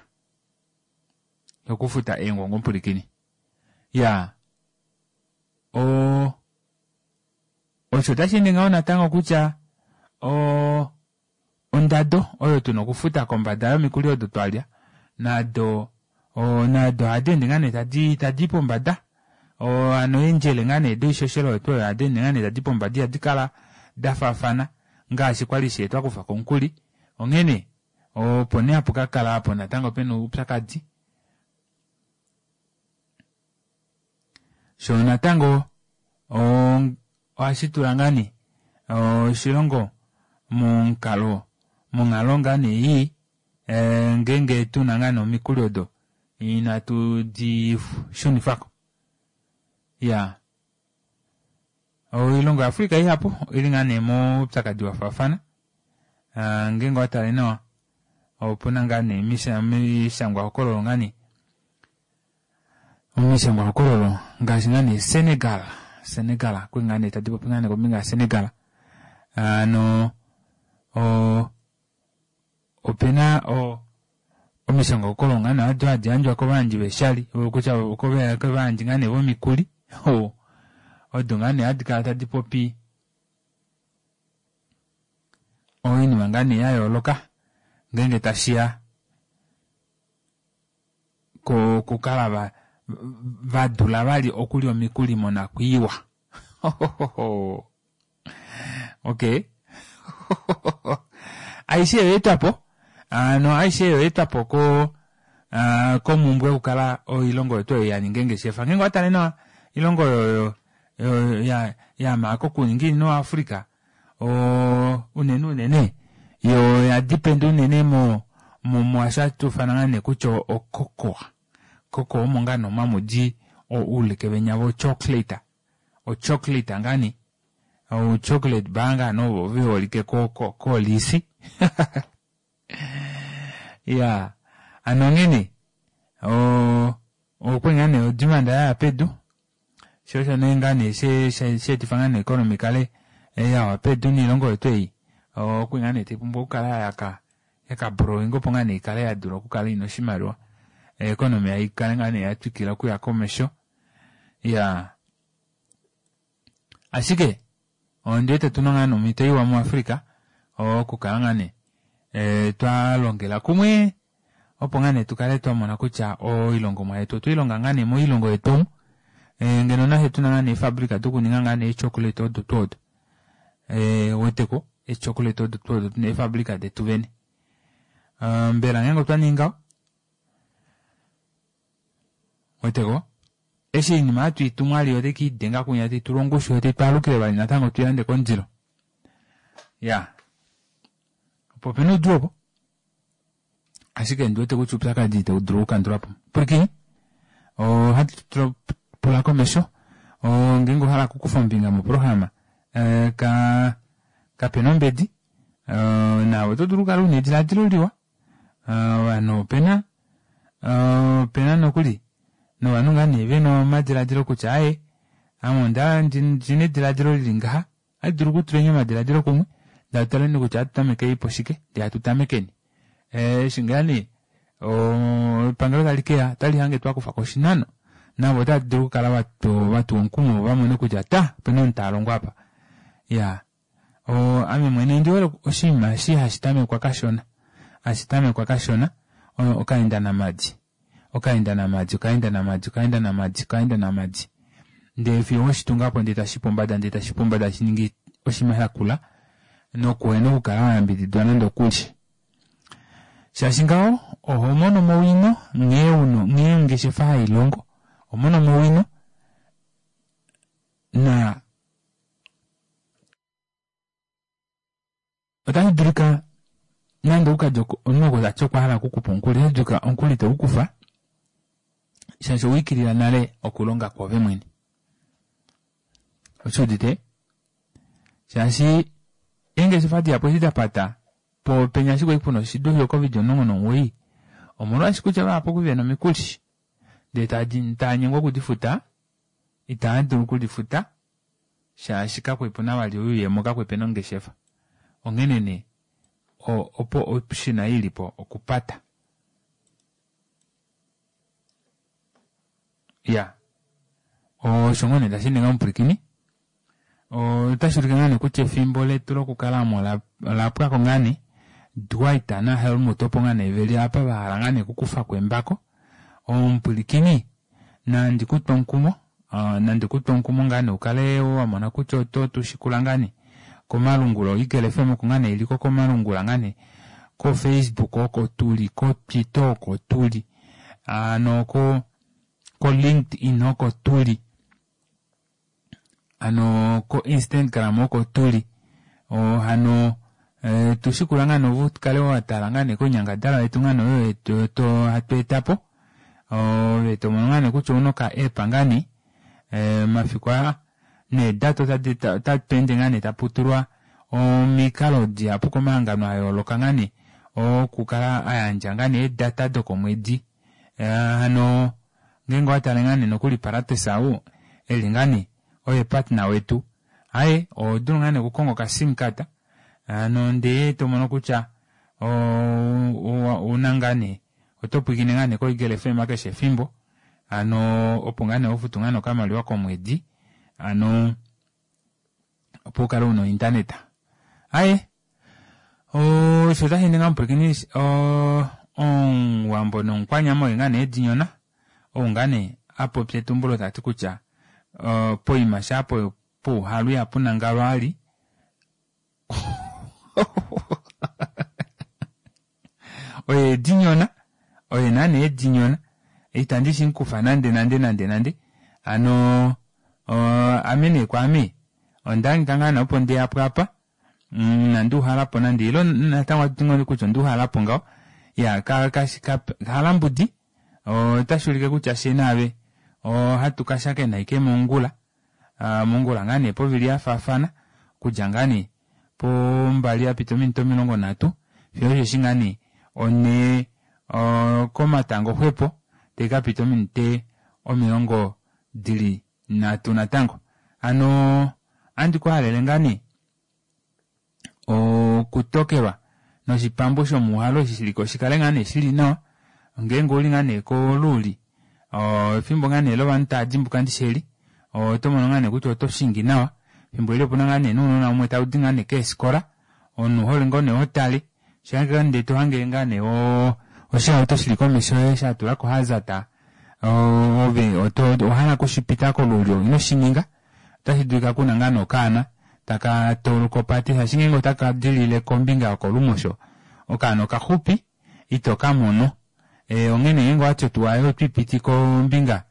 Okufuta eengongo omupulikini. Ya. O osho otashi ende ngaho natango kutya o ondado oyo tuna okufuta kombada yomikuli odo twalya nado o nado ohadi ende ngaa nee tadi tadi pombada o hano eendjele ngaa nee doishoshela oyo tuu oyo ohadi ende ngaa nee tadi pombada ihadi kala da faafana ngaashi kwali shee twa kufa ko omukuli onghene opo nee hapu ka kala apo natango pena oupyakadi Sho natango ohashi tula ngaa nee oshilongo momukalo monghalo ngaa nee ii ngeenge tuna ngaa nee omikuli odo inatu di shunifako. Iyaa oilongo yaAfrica ihapu oili ngaa nee moupyakadi wafaafana ngeenge owa tale nawa opuna ngaa nee omishangwahokololo ngaa nee Omishangwahokololo ngaashi ngaa nee Senegal, Senegal okuli ngaa nee tadi popi ngaa nee kombinga yaSenegal ano o opena o omishangwahokololo ngaa nee odo hadi yandjwa kovayandji veeshali kutya kovayandji ngaa nee vomikuli odo ngaa nee hadi kala tadi popi oinima ngaa nee ya yooloka ngeenge tashiya kokukala va va dula vali okulya omikuli monakwiiwa. Okay. Aishe oyo etwa po ano aishe oyo etwa po ko ah, komumbwe yokukala oilongo yetu oyo ya ninga engeshefa ngeenge owa tale nawa oilongo oyo oyo ya ya kokuninga ino Africa o unene unene yo oya depend unene mo mo mwaasho hatu ufana ngaa nee kutya o cocoa. Cocoa omo ngaa nee omo hamu di uuleke venya vo chocolate. O chocolate ngaa nee o chocolate bar ngaa nee ovo ve holike ko ko kooliisi. Iyaa ano onghene o okwali ngaa nee odimanda yaya pedu Sho osho nee ngaa nee she sheetifa ngaa nee economy kale yawa pedu niilongo yetu ei okuli ngaa nee tayi pumbwa okukala yaka yaka borrowing opo ngaa nee ikale ya dula okukala ina oshimaliwa economy ayi kale ngaa nee ya twikila okuya komesho ya ashike Ondi wete tuna ngaa nee omhito iwa muAfrica okukala ngaa nee eh, twa longela kumwe opo ngaa nee tu kale twa mona kutya oilongomwa yetu otwe i longa ngaa nee moilongo yetu omu eh, ngeno nafye tuna ngaa nee eefabrika dokuninga ngaa nee eechocolate odo tuu odo eh, weteko eechocolate odo tuu odo tuna eefabrika detu vene uh, mbela ngeenge otwa ningi ngaho Weteko? Eshi oinima hatu i tumu ali otai ke i denga kunya tai tulwa ongushu yo tai twaalukile vali natango tu i lande kondilo. Ya. Opo opena oudjuu opo. Ashike ndi wete kutya oupyakadi itau dulu okukandulwa po. Pwilikini. Ohatu pula komesho. Ngeenge owa hala okukufa ombinga moprograma, eh, ka kapena ombedi. Eh, naave oto dulu okukala una ediladilo liwa. Ovanhu opena opena nokuli novanhu ngaa nee vena omadiladilo kutya aaye ame onda ndina ediladilo lili ngaha ohandi dulu okutuleni omadiladilo kumwe ndee hatu taleni kutya ohatu tameke po shike ndee hatu tamekeni eshi ngaa nee epangelo tali keya otali hange twakufako oshinano navo otava dulu okukala vatuwa omukumo vo vamone kutya ta opena omunhu talongo apa iyaa Ame mwene ondi hole oshinima eshi hashi tamekwa kashona, hashi tamekwa kashona, okaenda namadi, okaenda namadi, okaenda namadi, okaenda namadi, okaenda namadi, ndele fiyo weshi tunga po ndele tashi pombada, ndele tashi pombada, tashi ningi oshinima sha kula nokuhena okukala wa yambididwa nande okulye. Shaashi ngaho oho mono mo owino nghee uno nghee ongeshefa hai longo, oho mono mo owino na Otashi dulika nande ou kadja omunhu oko tati okwa hala okukupa omukuli, otashi dulika omukuli te u kufa shaashi owa ikilila nale okulonga kwoove mwene. Oshi udite? Shaashi eengeshefa dihapu eshi da pata po penya ashike puna oshidu sho COVID 19 omolwaashi kutya vahapu oku vena omikuli ndee tava nyengwa okudifuta, itava dulu okudifuta shaashi kakwe pu na vali oyuuyemo kakwe pe na ongeshefa. Onghene nee opo option i li po okupata. Ya osho ngoo nee tashi ninga omupwilikini otashi ulike ngaa nee kutya efimbo letu lokukalamo ola pwako ngaa nee Dwight naHelmut opo ngaa nee veli apa vahala ngaa nee okukufako embako omupwilikini nandi kutwe omukumo nandi kutwe omukumo ngaa nee ukale wamona kutya oto tushikula ngaa nee komalungula oEagle FM oko ngaa nee iliko komalungula ngaa nee ko Facebook oko tuli ko Twitter oko tuli ano ko ko LinkedIn oko tuli ano ko Instagram oko tuli hano e, tushikula ngaa nee ukale watala ngaa nee koinyangadalwa yetu ngaa nee oyo hatu etapo ove tomono ngaa nee kutya ouna oka app ngaa nee mafiku aa needata otatu ende ngaa nee taputulwa omikalo dihapu komahangano ayooloka ngaa nee okukala ayandja ngaa nee eedata dokomwedi hano ngeenge owatale ngaa nee nokuli Paratus ou eli ngaa nee oye partner wetu aaye ohodulu ngaa nee okukonga okasim card hano ndee tomono kutya ouna ngaa nee oto pwiikine ngaa nee koEagle FM keshe efimbo hano opo ngaa nee hofutu ngaa nee okamaliwa komwedi hano opo ukale una ointaneta aye osho tashi ninga omupwilikini omuwambo nomukwanyama oye ngaa nee edinyona ou ngaa nee apopya etumbulo tati kutya poima shaa pouhalu ihapu nangalwa ali oye edinyona oye naana edinyona itandi shi mukufa nande nande nande nande hano ame nee kwaame ondahangika ngaa nee opo ndeyapo apa inandi uhalapo nande ile natango ohatu ti ngoo kutya onda uhalapo ngaho ya kalambudi otashi ulike kutya fye naave ohatu kashakena ashike mongula mongula ngaa nee povili yafaafana okudja ngaa nee pombali yapita ominute 30 fiyo osheshi ngaa nee onhee komatango xwepo taikapita ominute 30 natango. Hano ohandi ku halele ngaa nee okutokelwa noshipambu shomuuhalo eshi shiliko shikale ngaa nee shili nawa ngeenge ouli ngaa nee koluuli efimbo ngaa nee lovanhu tava dimbuka ndishi eli oto mono ngaa nee kutya oto shingi nawa efimbo eli opuna ngaa nee nounona umwe taudi ngaa nee keefikola omunhu ouhole ngoo nee hotale shanga ndee tohange ngaa nee oshihauto shili komesho yoye shatulako hazard ove owahala okushipita kolulyo ino shininga otashi dulika kuna ngaa nee okaana taka tauluka opate shaashi ngeenge otaka dilile kombinga yokolumosho okaana okaxupi ito kamono onghene ngeenge owati otuwa yoye otwiipiti kombinga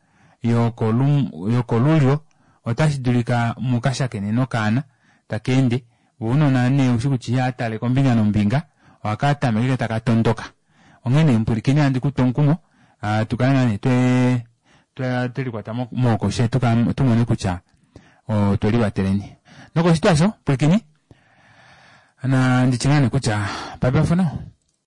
yokolulyo otashi dulika mukashakene nokaana taka ende Vo ounona nee oushi kutya ihava tale kombinga nombinga, ohaka tameke ashike taka tondoka. Onghee nee mupwilikini ohandi ku tu omukumo tu kale ngaa nee twe twe likwata mooko fye tu mone kutya otwe livateleni. Nokoshitwa osho pwilikini nandi tye ngaa nee kutya bye bye for now.